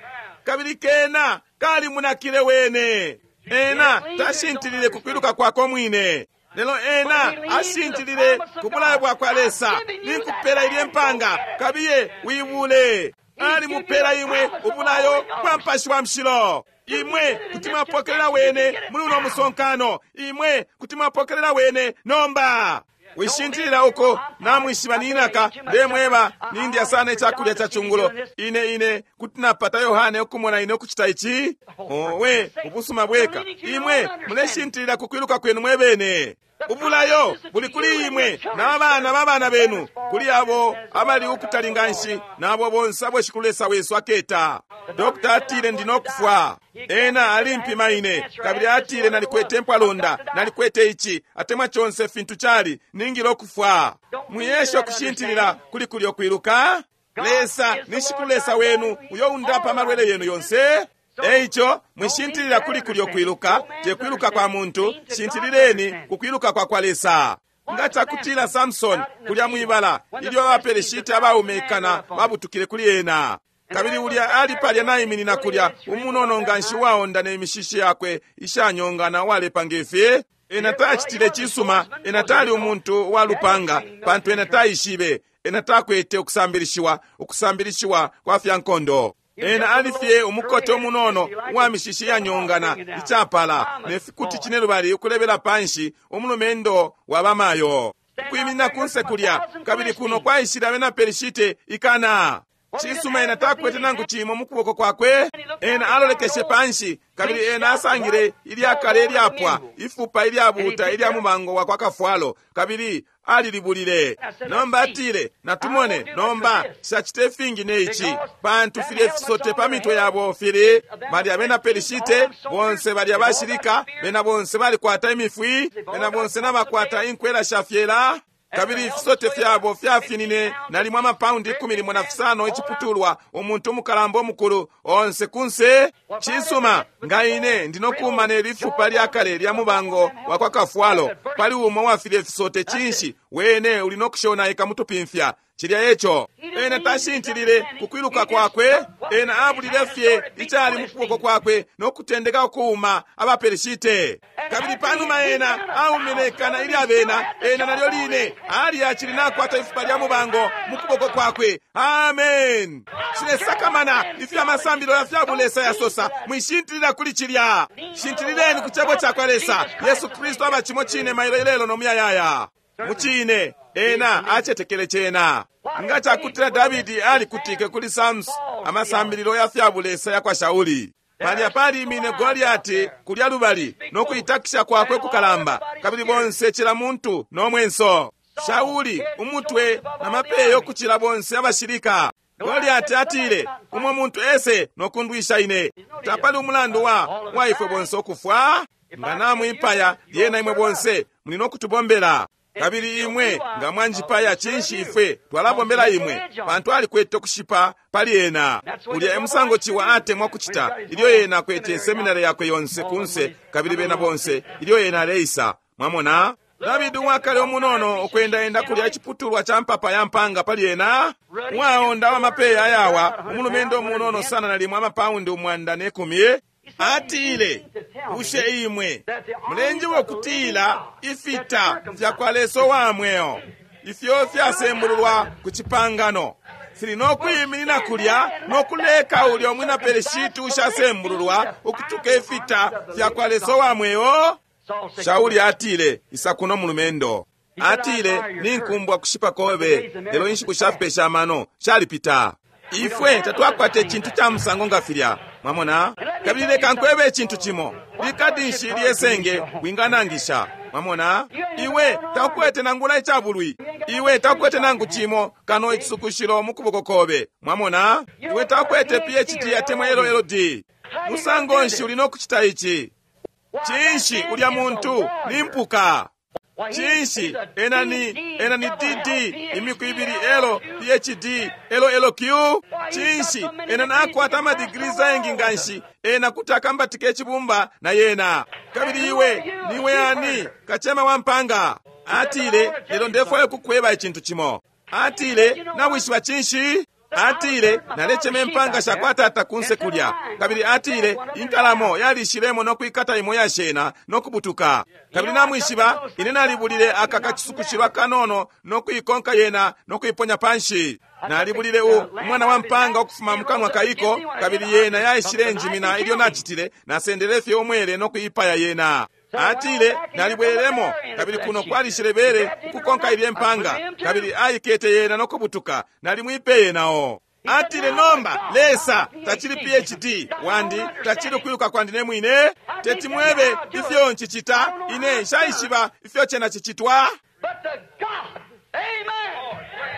kabili kena kalimunakile wene. Ena tashintilile kukwiluka kwakwe mwine, lelo ena ashintilile ku bulayo bwakwa Lesa. Ninkupela ilye mpanga, kabiye wibule. Alimupela imwe ubulayo bwa Mupashi wa Mushilo. Imwe kuti mwapokelela wene muli uno musonkano. Imwe kuti mwapokelela wene nomba. Wishintilila uko namwishiba ninaka, ndemweba nindya sana icakulya ca chungulo. Ine ine kuti napata Yohane ukumona ine ukucita ici. Owe, ubusuma bweka. Imwe muleshintilila kukwiluka kwenu mwebene. Ubulayo buli kuli imwe n'abana b'abana benu, kuli abo abali ukutali nganshi n'abo bonse abo Shikulu Lesa wesu aketa. Dokta atile ndi nokufwa. Ena alimpima ine, kabili atile nalikwete mpwalonda, nalikwete ici atemwa conse fintu cali, ningile okufwa. Mwiyesha okushintilila kuli kulyo kwiluka. Lesa ni Shikulu Lesa wenu uyo undapa amalwele yenu yonse. Eico mwishintilila kuli kulyo kwiluka, te kwiluka kwa muntu, shintilileni ku kwiluka kwa kwa Lesa. Nga cakutila Samson kulya mwibala ilyo abaperishiti abaumekana babutukile kuli ena, kabili ulya ali palya naiminina kulya umunono nganshi waonda ne mishishi yakwe ishanyongana walepa ngefi. Ena tacitile cisuma, ena tali umuntu wa lupanga, pantu ena taishibe, ena takwete ukusambilishiwa, ukusambilishiwa kwa fya nkondo. Ena alifye umukote umunono uwa mishishi yanyongana icapala ne fikuti cinelubali ukulebela panshi, umulumendo wa bamayo ukwiminina kunse kulya, kabili kuno kwaishile abena Perishite ikana. Cisuma, ena takwete nangu cimo mu kuboko kwakwe. Ena alolekeshe panshi, kabili ena asangile ilyakale ilyapwa ifupa ilyabuta ilya mumango wa kwa kafwalo, kabili alilibulile. Nomba atile, natumone nomba shacite fingi ne ici, pantu filye fisote pa mitwe yabo fili bali abena Perishite bonse bali abashilika, bena bonse balikwata imifwi, bena bonse nabakwata inkwela sha fyela. Kabili ifisote fyabo fyafinine nalimo amapaundi ikumi limo na fisano iciputulwa, umuntu umukalamba omukulu onse kunse. Cisuma, nga ine ndinokuma ne lifupa lyakale lya mubango wa kwa kafwalo pali umo wafilye fisote, cinshi wene uli nokushonaika mutupimfya. Cilya eco. Ena tashintilile kukwiluka kwakwe, ena abulile fye icali mukuboko kwakwe nokutendeka ukuuma abaPelishite. Kabili panuma ena aumine ikana ilya bena, ena nalyo line ali acili nakwata ifupa lya mubango mukuboko kwakwe. Amen. Shilesakamana ifyo amasambilo ya fya bulesa yasosa, mwishintilila kuli cilya. Shintilileni ku cebo cakwa Lesa. Yesu Kristu aba cimo cine mailo ilelo no muyayaya. Mucine ena acetekele cena. Nga cakutila Davidi alikutike kuli Samson amasambililo ya fya bulesa ya kwa Shauli. Palya palimine Goliati kulya lubali nokuitakisha kwakwe kukalamba, kabili bonse cila muntu no mwenso. Shauli umutwe na mapeyo kucila bonse abashilika. Goliati atile, umwe muntu ese nokundwisha ine. Tapali umulandu wa waifwe bonse okufwa. Nga namwipaya lyena imwe bonse muli nokutubombela. Kabili imwe nga mwanjipaya, cinshi ifwe twalabombela imwe, pantu alikwete okushipa pali ena. Ulya emusango ciwa atemwa kucita ilyo ena akwete seminari yakwe yonse kunse, kabili bena bonse ilyo ena aleisa. Mwamona Davidi uwakale umunono okwendaenda kulya iciputulwa ca mpapa ya mpanga pali ena, uwaonda wa mapeya ayawa, umulumendo umunono sana nalimo amapaundi umwanda ne kumi. Atile, bushe imwe mulenjiwa okutila ifita fya kwa Lesa wa mweo ifyo fyasembululwa ku cipangano fili nokwiminina kulya nokuleka ulya umwina Pelishiti ushasembululwa ukutuka ifita fya kwa Lesa wa mweo? Shauli atile, isa kuno mulumendo. Atile, ninkumbwa kushipa kobe, lelo inshiku shafipesha amano shalipita. Ifwe tatwakwata icintu ca musango nga filya. Mwamona? Kabili leka nkwebe icintu cimo. Likadi nshi lyesenge winganangisha. Mwamona? Iwe takwete nangula icabulwi. Iwe takwete nangu cimo kano icisukushilo mukuboko kobe. Mwamona? Iwe takwete P H D atemwa L L D. Musango nshi uli nokucita ici? Cinshi ulya muntu ni mpuka. Cinshi ena ni ena ni D D imiku ibili L P H D L L Q. Cinshi ena nakwata amadigiri zayengi nganshi, ena kuti akambatike icibumba na yena. Kabili iwe niwe ani kachema wa mpanga? Atile, lelo ndefwayo kukweba icintu cimo. Atile, nawishiba cinshi? Atile, nalecheme mpanga shakwatata kunse kulya. Kabili atile, inkalamo yalishilemo nokwikata imo yashena nokubutuka. Kabili namwishiba, ine nalibulile aka kachisukushilwa kanono nokuikonka yena nokuiponya panshi. Nalibulile u umwana wa mpanga okufuma mukanwa kaiko, kabili yena yaishile njimina ilyo nachitile, nasendele fye omwele nokuipaya yena. Atile, nalibwelemo, kabili kuno kwalishile bere kukonka ilye mpanga, kabili aikete yena nokubutuka, nalimwipeye nao. Atile, nomba Lesa tachili P H D wandi, tachili kwiluka kwandi ne mwine, teti mwebe ifyo nchichita, ine nshaishiba ifyo chena chichitwa.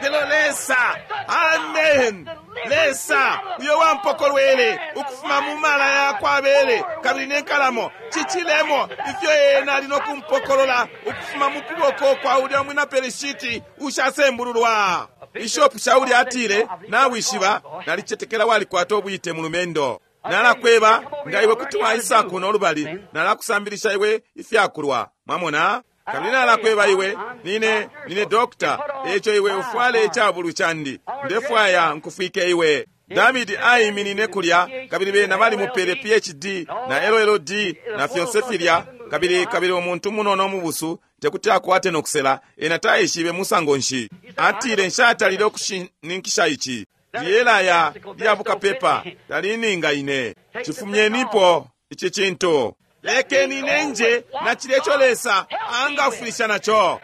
Lelo Lesa, amen. Lesa uyo wampokolwele ukufuma mu mala yakwa bere kabili nenkalamo chichilemo ifyo ena ali nokumpokolola ukufuma mu kuboko kwa ulya mwina Pelishiti ushasembululwa. Bishop Shauli atile, nawishiba nalichetekela walikwata obwite mulumendo. Nalakweba nga iwe kuti waisa kuno lubali, nalakusambilisha iwe ifyakulwa. Mwamona? Kabili nalakweba iwe, nine, nine dokta, echo iwe ufwale icabulu chandi, ndefwaya nkufwike iwe. Davidi aiminine kulya, kabili bena bali mupele P H D na L L D na fyonse filya, kabili kabili umuntu munono mubusu tekuti akwate nokusela, ena taishibe musango nshi. Atile, nshatalile okushininkisha ichi. Liyelaya lyabuka pepa, talininga ine. Chifumyenipo ichi chintu. Lekeni nenje na chilecho Lesa angafulisha nacho.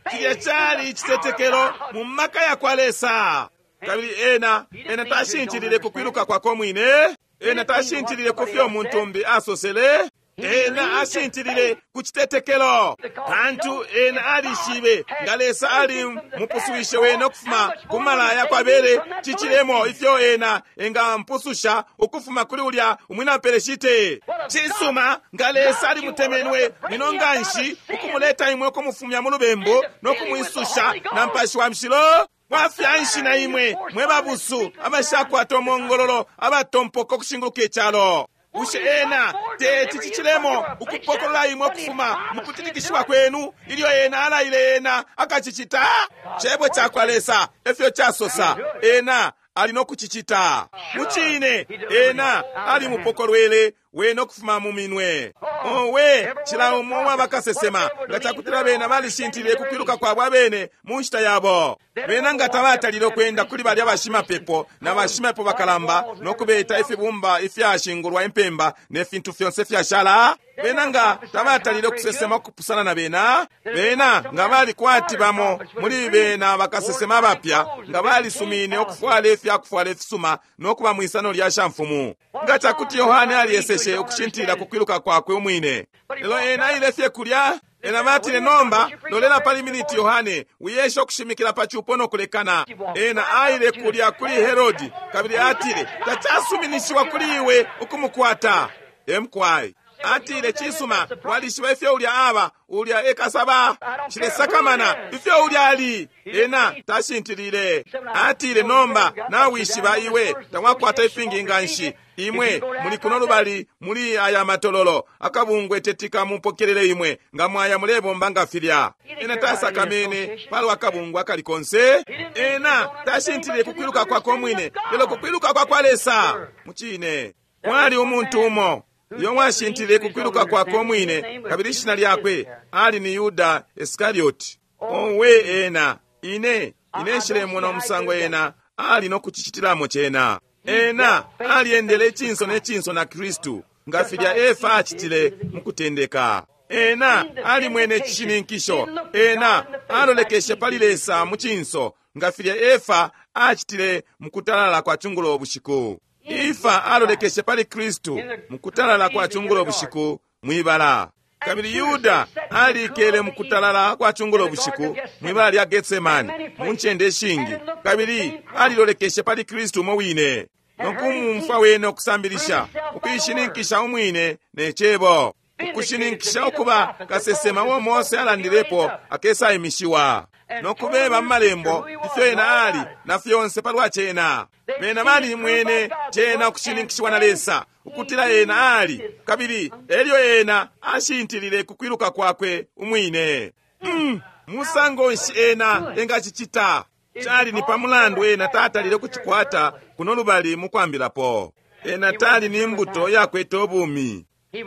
Chilya chali ichitetekelo mu maka ya kwa Lesa. Kabili ena, ena tashintilile kukwiluka kwako mwine. Ena tashintilile kufyo muntu mbi asosele. Ena ashintilile ku chitetekelo. Pantu ena alishibe nga Lesa ali mupusuwishe wene okufuma ku malaya kwa bere, chichilemo ifyo ena enga mpususha ukufuma kuli ulya umwina Peleshite. Chisuma nga Lesa ali mutemenwe mwino nganshi nokumuleta imwe ukumufumya mu lubembu nokumwisusha na Mupashi wa Mushilo? Bwafya na imwe mwe babusu abashakwata omongololo abatompoka ukushinguluka icalo? Bushe ena teti cicilemo ukupokolola imwe ukufuma mukutitikishiwa kwenu ilyo ena alaile ena akacicita? Cebo cakwa Lesa efyo casosa, ena ali nokucicita. Mucine ena alimupokolwele wene ukufuma mu minwe. Owe, cila umo uwabakasesema nga cakutila bena balishintilile kukwiluka kwabo abene mu nshita yabo. Bena nga tabatalile ukwenda kuli balya bashimapepo na bashimapepo bakalamba nokubeta ifibumba ifyashingulwa impemba ne fintu fyonse fyashala. Bena nga tabatalile ukusesema ukupusana na bena. Bena nga bali kwati bamo muli bena bakasesema abapya, nga balisumine ukufwala ifyakufwala ifisuma nokuba mwisano lya shamfumu. Nga cakuti Yohane alieseshe ukushintilila kukwiluka kwakwe umwine, lelo ena aile fye kulya. Ena batile, nomba lolela pali miniti Yohane, wiyesha ukushimikila pa cupo nokulekana. Ena aile kulya kuli Herodi kabili atile, tacasuminishiwa kuli iwe ukumukwata. Emkwai atile, cisuma, walishiba ifyo ulya aba, ulya ekasaba, cilesakamana ifyo ulya ali. Ena tashintilile. Atile, nomba nawishiba iwe tawakwata ifingi nganshi, imwe muli kuno lubali muli aya matololo, akabungwe tetika mupokelele imwe nga mwaya mulebomba nga filya. Ena tasakamene palwa akabungwe akali konse. Ena tashintilile kukwiluka kwakwe umwine, lelo kukwiluka kwa kwa Lesa. Mucine mwali umuntu umo iyo mwashintile kukwiluka kwakwe umwine, kabili ishina lyakwe ali ni Yuda Iskarioti. Owe, ena ine ine nshilemona umusango ena ali nokucicitilamo cena. Ena aliendele icinso ne cinso na Kristu nga filya Efa acitile mukutendeka. Ena alimwene icishininkisho. Ena alolekeshe pali Lesa mu cinso nga filya Efa acitile mukutalala kwa cungulo bushiku. Ifa alolekeshe pali Kristu mukutalala kwa cungulo bushiku mwibala. Kabili Yuda alikele mukutalala kwa cungulo bushiku mwibala lya Getsemani mu ncende ishingi, kabili alilolekeshe pali Kristu umo wine nokumumfwa wene ukusambilisha, ukuishininkisha umwine ne cebo, ukushininkisha ukuba kasesema uo Mose alandilepo akesaimishiwa, nokubeba mu malembo ifyo ena ali na fyonse palwa cena. Bena bali mwene cena ukushininkishiwa na Lesa ukutila ena ali, kabili elyo ena ashintilile kukwiluka kwakwe umwine. Mm, musango nshi ena engacicita? Cali ni pamulandu ena tatalile kucikwata kuno lubali mukwambilapo. Ena tali ni mbuto yakwete ubumi.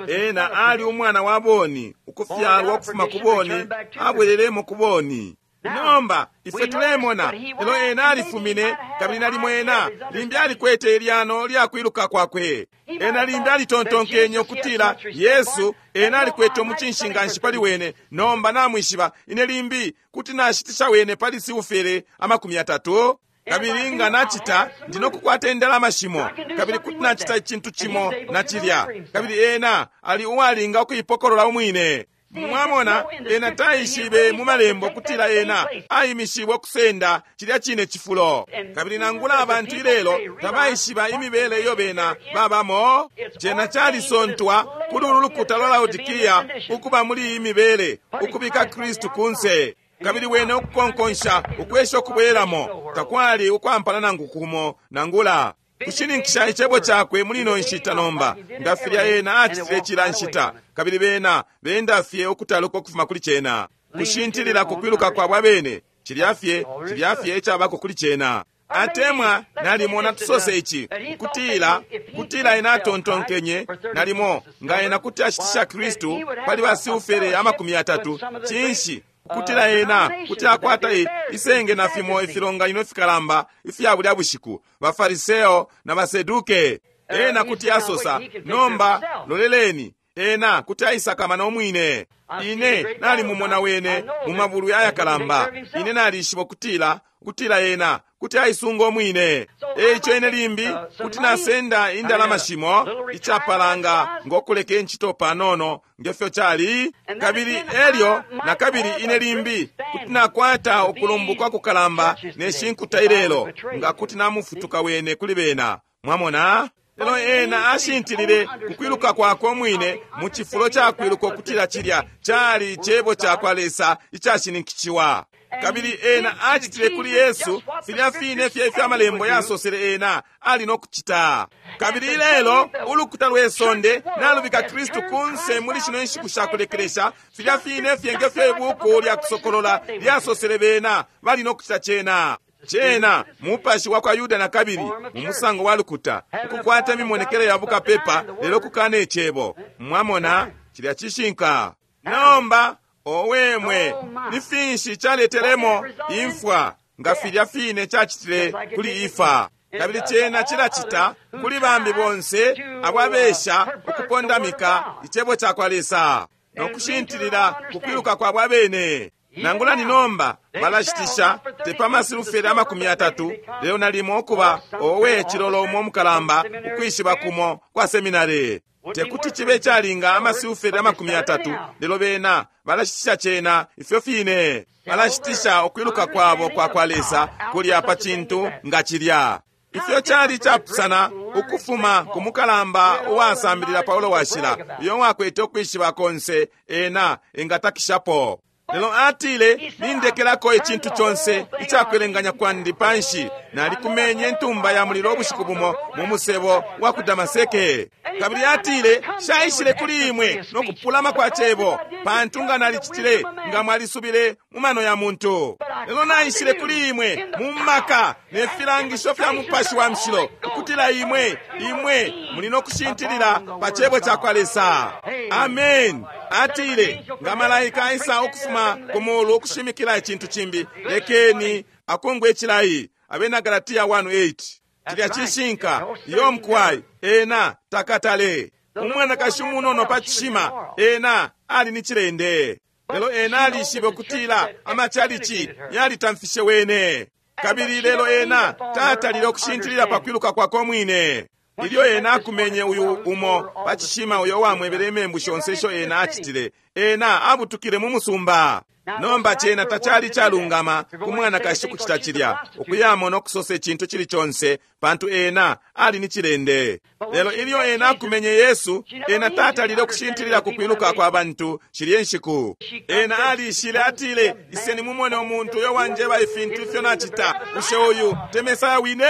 Ena ali umwana wa boni, ukufyalwa ukufuma ku boni, abwelelemo ku boni. Nomba ifwe tulemona lelo ena alifumine, kabili nalimo ena limbi alikwete ilyano lyakwiluka kwakwe. Ena limbi alitontonkenye ukutila Yesu ena alikwete umucinshi nganshi pali wene. Nomba namwishiba ine limbi kuti nashitisha wene pali siufere amakumi atatu, kabili nga nachita ndinokukwata indalama shimo, kabili kuti nachita icintu cimo na cilya. Kabili ena ali uwalinga ukuipokolola umwine. Mwamona, ena taishibe mu malembo kutila ena aimishiwe ukusenda cilya cine cifulo. Kabili nangula abantu ilelo tabaishiba imibele iyo bena babamo. Cena calisontwa kuli ulu lukuta lwa Laodikia ukuba muli iyi mibele, ukubika Kristu kunse, kabili wene ukukonkonsha ukwesha ukubweramo. Takwali ukwampana nangu kumo nangula kushininkisha icebo cakwe muli ino nshita nomba, nga filya ena acitile cila nshita, kabili bena benda fye ukutaluka ukufuma kuli cena, kushintilila kukwiluka kwabo abene. Cilya fye cilya fye icabako kuli cena. Atemwa nalimo natusose ici kutila kutila ena atontonkenye nalimo nga ena kuti ashitisha Kristu pali basiufere amakumi atatu, cinshi kutila ena kuti akwata isenge na fimo ifilonganino ifikalamba ifya bulya bushiku, bafariseo na baseduke. Ena kuti asosa, nomba loleleni, ena kuti aisakamana umwine. Ine nalimumona wene mu mabulwi ayakalamba. Ine nalishiba kutila kutila ena kuti aisunga umwine. Eico ine limbi kuti nasenda indalama shimo icapalanga ngokuleka incito panono ngefyo cali, kabili elyo nakabili ine limbi kuti nakwata ukulumbuka kukalamba ne shinkuta ilelo nga kuti namufutuka wene kuli bena. Mwamona? Lelo ena ashintilile kukwiluka kwakwe umwine mu cifulo cakwiluka ukutila cilya cali icebo cakwa Lesa icashininkishiwa. Kabili ena acitile kuli Yesu filya fine fye ifyo amalembo yasosele ena ali no kucita. Kabili ilelo ulukuta lwe sonde nalubika Kristu kunse muli shino nshiku sha kulekelesha, filya fine fye nge fyo ibuku lya Kusokolola lyasosele bena bali no kucita cena. Cena mupashi wa kwa Yuda na kabili mu musango wa lukuta, ukukwata imimonekele ya bukapepa lelo kukana icebo. Mwamona, cilya cishinka. Nomba owemwe, ni finshi caletelemo imfwa nga filya fine cacitile kuli Ifa? Kabili cena cilacita kuli bambi bonse ababesha ukupondamika icebo ca kwa Lesa no kushintilila kukwiluka kwabo abene. Nangula ni nomba balashitisha tepa masilufere amakumi atatu, lelo nalimo okuba owe chilolo umo mukalamba ukwishiba kumo kwa seminari. Tekuti chibe chalinga amasilufere amakumi atatu, lelo bena balashitisha chena ifyo fine. Balashitisha okwiluka kwabo kwa kwa Lesa kulya pa chintu nga chilya. Ifyo chali chapusana ukufuma ku mukalamba uwasambilila Paulo washila, uyo wakwete okwishiba konse ena engatakishapo. Lelo atile, nindekelako icintu conse icakwelenganya kwandi panshi, nalikumenye ntumba ya mulilo ubushiku bumo mu musebo wa ku Damaseke. Kabili atile, shaishile kuli imwe no kupulama kwa cebo, pantu nga nalicitile nga mwalisubile mu mano ya muntu. Lelo naishile kuli imwe mu maka ne filangisho fya mupashi wa mshilo, ukutila imwe imwe muli no kushintilila pa cebo ca kwa Lesa. Amen. Atile, nga malaika aisa ukufuma ku mulu ukushimikila icintu cimbi, lekeni akongwe icilayi. Abena Galatia one eight. Cilya cishinka, iyo mkwai, ena takatale. Umwanakashi umunono pa cishima, ena ali ni cilende. Lelo ena alishibe ukutila amachalichi yalitamfishe wene. Kabili lelo ena tatalile ukushintilila pa kwiluka kwakwe umwine. Ilyo ena akumenye uyu umo pa cishima uyo wamwebele imembu shonse isho ena acitile, ena abutukile mu musumba. Nomba cena tacali calungama ku mwanakashi kucita cilya, ukuyamo no kusosa icintu cili conse, pantu ena ali ni cilende. Lelo ilyo ena akumenye Yesu, ena tatalile ukushintilila ku kwiluka kwa bantu shilye nshiku. Ena alishile atile, iseni mumone umuntu uyo wanjeba ifintu ifyo nacita, bushe uyu te Mesaya wine?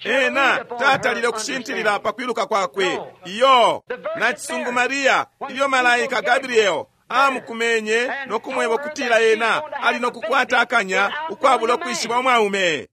Ena tatalile ukushintilila pa kwiluka kwakwe. Iyo nachisungu Maria, ilyo malaika Gabriel amukumenye no kumweba kutila ena ali no kukwata akanya ukwabula ukwishiba umwaume.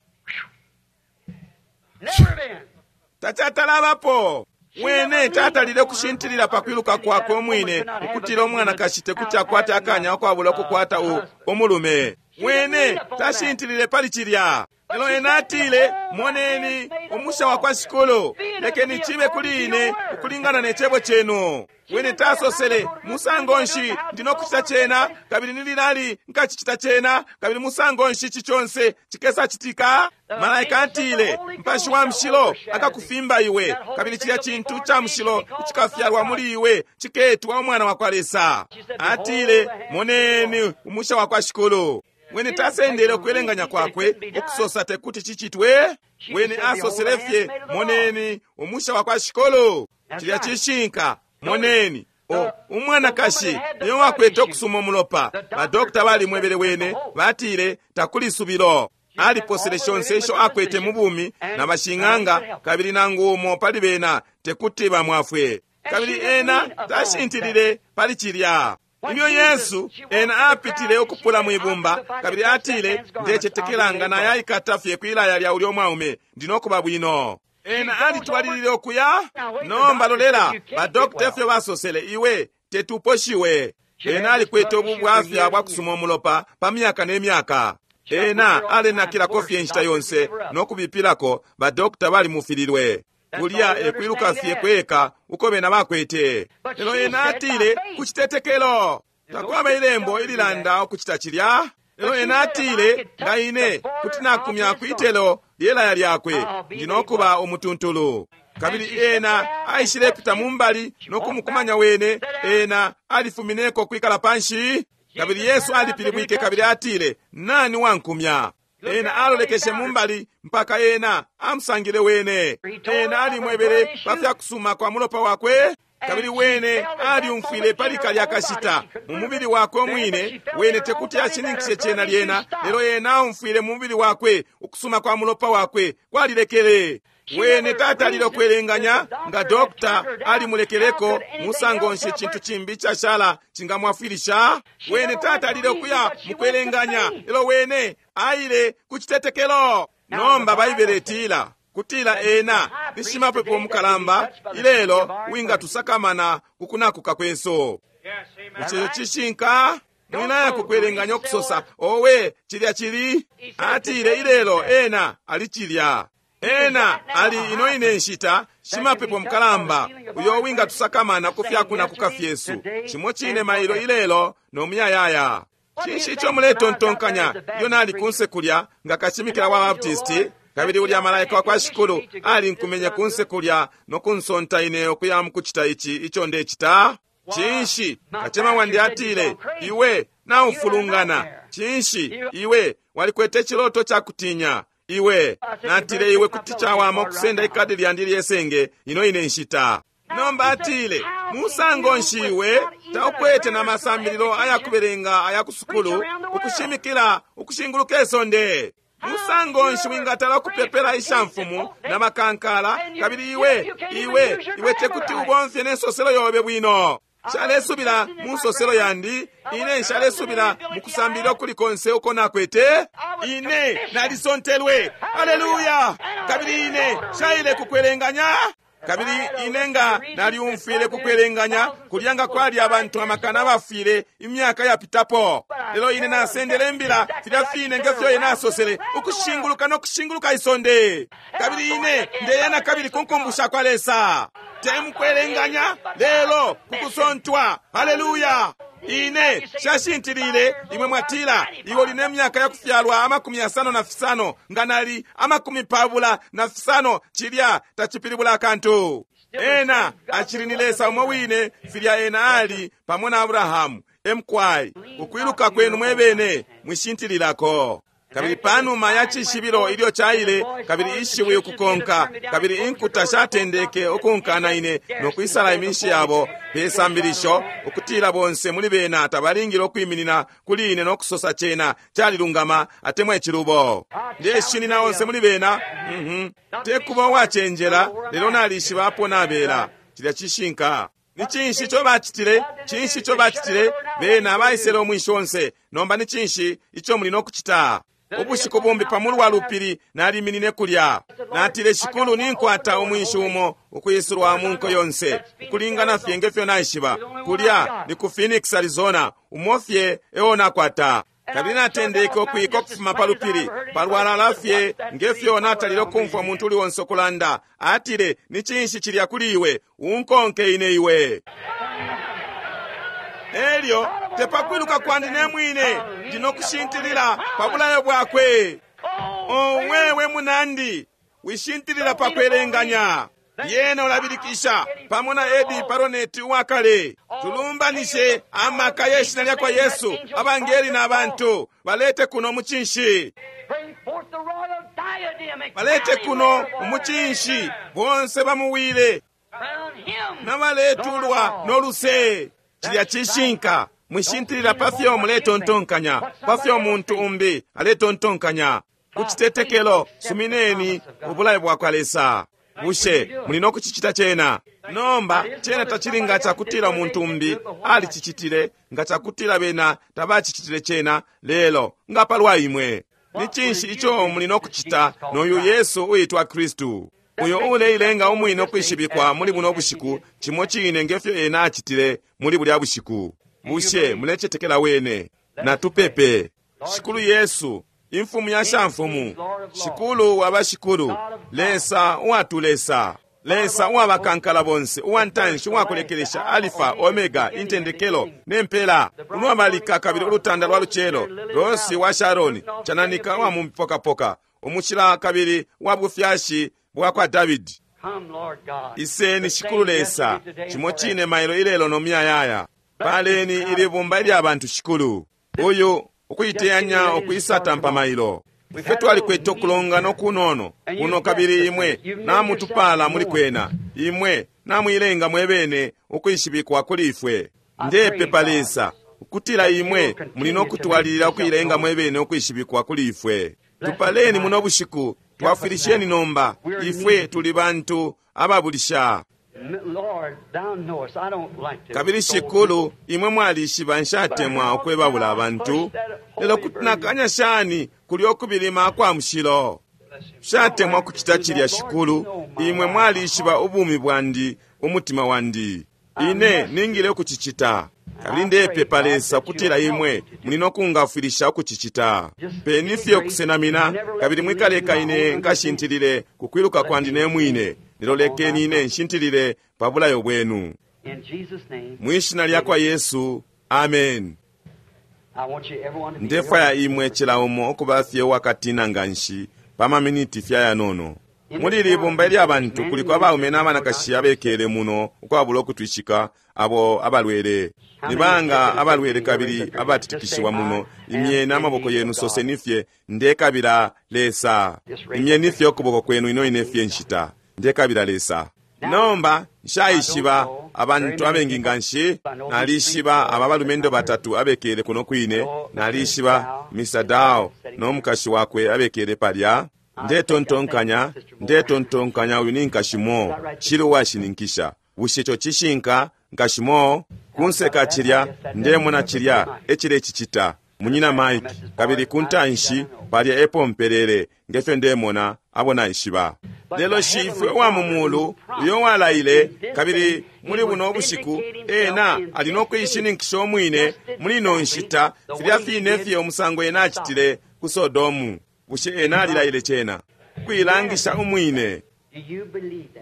Tacatalabapo. Wene tatalile ukushintilila pa kwiluka kwakwe umwine ukutila umwanakashi tekuti akwate akanya ukwabula ukukwata umulume. Wene tashintilile pali cilya. Lelo ena atile, moneni umusha wa kwa shikulu, lekeni chibe kuli ine ukulingana ne cebo chenu. Wene tasosele, musango nshi ndinokuchita chena, kabili nililali nkachichita chena, kabili musango nshi ichi chonse chikesa chitika. Malaika atile, mpashi wa mshilo akakufimba iwe, kabili chilya chintu cha mshilo chikafyalwa muli iwe chiketwa umwana wa kwa Lesa. Atile, moneni umusha wa kwa shikulu. Wene tasendele okwelenganya kwakwe okusosa tekuti chichitwe. Wene asosele fye, moneni umusha wa kwa shikulu. Chilya chishinka, moneni o umwanakashi niyo wakwete okusuma umulopa. Badokita balimwebele wene, batile takuli subilo. Aliposele shonse isho akwete mu bumi na bashing'anga, kabili nangu umo pali bena tekuti bamwafwe. Kabili ena tashintilile pali chilya. Ilyo Yesu ena apitile ukupula mwibumba, kabili atile, ndecetekelanga na yaikata fye kwilaya lya ulyo mwaume, ndinokuba bwino. Ena alitwalilile okuya. Nomba lolela, badokita efyo basosele, iwe tetuposhiwe. Ena alikwete ububwafya bwa kusuma umulopa pa myaka ne myaka. Ena alenakilako fye inshita yonse no kubipilako, badokita balimufililwe. Kulya ekwiluka fye kweka uko bena bakwete. Lelo ena atile, kucitetekelo. Takwaba ilembo ililanda okucita chilya. Lelo ena atile, nga ine kuti nakumya kwitelo lyelaya lyakwe, ndinokuba umutuntulu. Kabili ena aishilepita mumbali no kumukumanya wene, ena alifumineko kwikala panshi. Kabili Yesu alipilibwike kabili atile, nani wankumya? Ena alolekeshe mumbali mpaka ena amusangile wene. Ena alimwebele pa fyakusuma kwa mulopa wakwe, kabili wene alyumfwile pali kalya kashita mu mubili wakwe umwine. Wene tekuti ashininkishe cena lyena, lelo ena aumfwile mu mubili wakwe ukusuma kwa mulopa wakwe kwalilekele. Wene tatalile ukwelenganya nga dokta alimulekeleko musango nshi cintu cimbi cashala cingamwafwilisha. Wene tatalile ukuya mukwelenganya, lelo wene aile ku citetekelo. Nomba Baibele itila kutila ena ni shimapepo mukalamba ilelo wingatusakamana kukunakuka kwesu. Ico cishinka. Mwinaya kukwelenganya okusosa owe cilya cili. Atile ilelo ena ali cilya. Ena ali ino ine nshita shimapepo mukalamba uyo wingatusakamana ku fyakunakuka fyesu, cimo cine mailo ilelo no muyayaya. Cinshi ico muletontonkanya iyo nali kunse kulya nga kashimikila wa Baptisti, kabili ulya malaika wa kwa Shikulu alinkumenye kunse kulya no kunsonta ine ukuya mukucita ici ico ndecita? Cinshi kacema wandi atile, iwe naufulungana. Cinshi iwe walikwete ciloto ca kutinya iwe. Natile, iwe kuti cawama ukusenda ikadi lyandi lyesenge ino ine nshita. Nomba atile, musango nshi iwe taukwete na masambililo ayakubelenga aya kusukulu ukushimikila ukushinguluka isonde? Musango nshi wingatala ukupepela ishamfumu na makankala, kabili iwe iwe iwe tekuti ubomfye n'ensoselo yobe bwino? Nshalesubila mu nsoselo yandi, ine nshalesubila mu kusambilila ukuli konse uko nakwete. Ine nalisontelwe, haleluya, kabili ine shaile kukwelenganya. Kabili ine nga nalyumfwile kukwelenganya kulya nga kwali abantu amakana abafwile imyaka yapitapo, lelo ine nasendele imbila filya fine ngefyo ine asosele, ukushinguluka no kushinguluka isonde. Kabili ine ndeya na kabili kunkumbusha kwa Lesa, te mukwelenganya lelo kukusontwa. Haleluya. Ine shashintilile. Imwe mwatila, iwe uli ne myaka yakufyalwa amakumi yasano na fisano, nga nali amakumi pabula na fisano, cilya tacipilibula akantu. Ena acili ni Lesa umo wine filya ena ali pamo na Abrahamu. Emkwai ukwiluka kwenu mwebene mwishintililako. Kabili panuma ya cishibilo ilyo caile, kabili ishiwi ukukonka, kabili inkuta shatendeke ukunkana ine no kwisala iminshi yabo pe sambilisho, ukutila bonse muli bena tabalingile ukwiminina kuli ine no kusosa cena calilungama atemwa icilubo. Ndeshinina onse muli bena. Mm-hmm. Tekuba uwacenjela, lelo nalishiba apo nabela. Cilya cishinka. Ni cinshi ico bacitile? Cinshi ico bacitile? Bena baisele umwinshi onse. Nomba ni cinshi ico muli no kucita? Ubushiku bumbi pamulu wa lupili naliminine kulya. Natile, Shikulu, ninkwata umwinshi umo ukuisulwa mu nko yonse, ukulingana fye ngefyo naishiba. Kulya ni ku Phoenix, Arizona, umo fye eo nakwata. Kabili natendeke ukwika ukufuma pa lupili palwalala fye ngefyo natalile ukumfwa umuntu uli onse ukulanda. Atile, ni cinshi cilya kuli iwe? Unkonke ine iwe. Elyo tepakwiluka kwandi ne mwine, ndino kushintilila pa bulayo bwakwe. Owewe munandi, wishintilila pa kwelenganya. Yena ulabilikisha pamo na Edi Paroneti uwakale. Tulumbanishe amaka yeshina lya kwa Yesu, abangeli na bantu balete kuno mucinshi, balete kuno umucinshi, bonse bamuwile na baletulwa no luse. Cilya cishinka. Mwishintilila pa fyo muletontonkanya, pa fyo muntu umbi aletontonkanya. Ku citetekelo sumineni ubulayo bwa kwa Lesa. Bushe muli no kucicita cena? Nomba cena tacili nga cakutila umuntu umbi alicicitile, nga cakutila bena tabacicitile cena, lelo nga palwa imwe. Ni cinshi ico muli no kucita noyu Yesu uitwa Kristu, uyo uleilenga umwine ukwishibikwa muli buno bushiku, cimo cine ngefyo ena acitile muli bulya bushiku? Bushe mulecetekela wene? Natupepe. Shikulu Yesu, Imfumu ya shamfumu, Shikulu wa bashikulu, Lesa uwatulesa, Lesa uwabakankala bonse, uwantanshi uwakulekelesha, Alifa, Omega, intendekelo nempela, unwabalika kabili ulutanda lwa lucelo, Rosi wa Sharoni, chananika wa mumpokapoka, umushila kabili wa bufyashi bwa kwa Davidi. Iseni Shikulu Lesa, cimo cine mailo ilelo no muyayaya. Paleni ili bumba ilya bantu Shikulu, uyu ukuiteyanya ukuisa tampa mailo. Ifwe twalikwete ukulongana ukunono kuno, kabili imwe namutupala muli kwena. Imwe namuilenga mwebene ukwishibikwa kuli ifwe. Ndepepa Lesa ukutila imwe muli nokutwalilila ukuilenga mwebene ukwishibikwa kuli ifwe. Tupaleni muno bushiku, twafwilisheni nomba. Ifwe tuli bantu ababulisha. Kabili Shikulu, imwe mwalishiba nshatemwa ukwebabula abantu, lelo kuti nakanya shani kulyo ukubilima kwa mushilo? Nshatemwa kucita cilya, Shikulu. Imwe mwalishiba ubumi bwandi, umutima wandi. Ine ningile ukucicita. Kabili ndepepa Lesa ukutila imwe muli nokungafwilisha ukucicita. Peni fye ukusenamina, kabili mwikaleka ine nkashintilile kukwiluka kwandi ne mwine, lelo lekeni ine nshintilile pa bulayo bwenu. Mwishina lya kwa Yesu, amen. Ndefwaya imwe cila umo ukuba fye uwakatina nganshi pa maminiti fye ayanono. Muli ili ibumba ilya bantu kuliko abaume n'abanakashi abekele muno ukwabula ukutwishika abo abalwele. Ni banga abalwele kabili abatitikishiwa muno? Imyeni amaboko yenu, soseni fye, ndekabila Lesa. Imyeni fye ukuboko kwenu ino ine fye nshita, ndekabila Lesa. Nomba nshaishiba abantu abengi nganshi. Nalishiba aba balumendo batatu abekele kuno kwine. Nalishiba Mister Dow n'omukashi wakwe abekele palya. Ndetontonkanya ndetontonkanya uyu ni nkashimo shili uwashininkisha. Bushe ico cishinka, nkashimo? Kunseka cilya, ndemona cilya ecilecicita munyina Mike, kabili kuntanshi palya epo mpelele ngefyo ndemona abo naishiba. Lelo Shifwe wa mu mulu uyo walaile, kabili muli buno bushiku ena ali nokuishininkisha umwine muli ino nshita, filya fine fye umusango ena acitile ku Sodomu. Bushe ena alilaile cena kuilangisha umwine?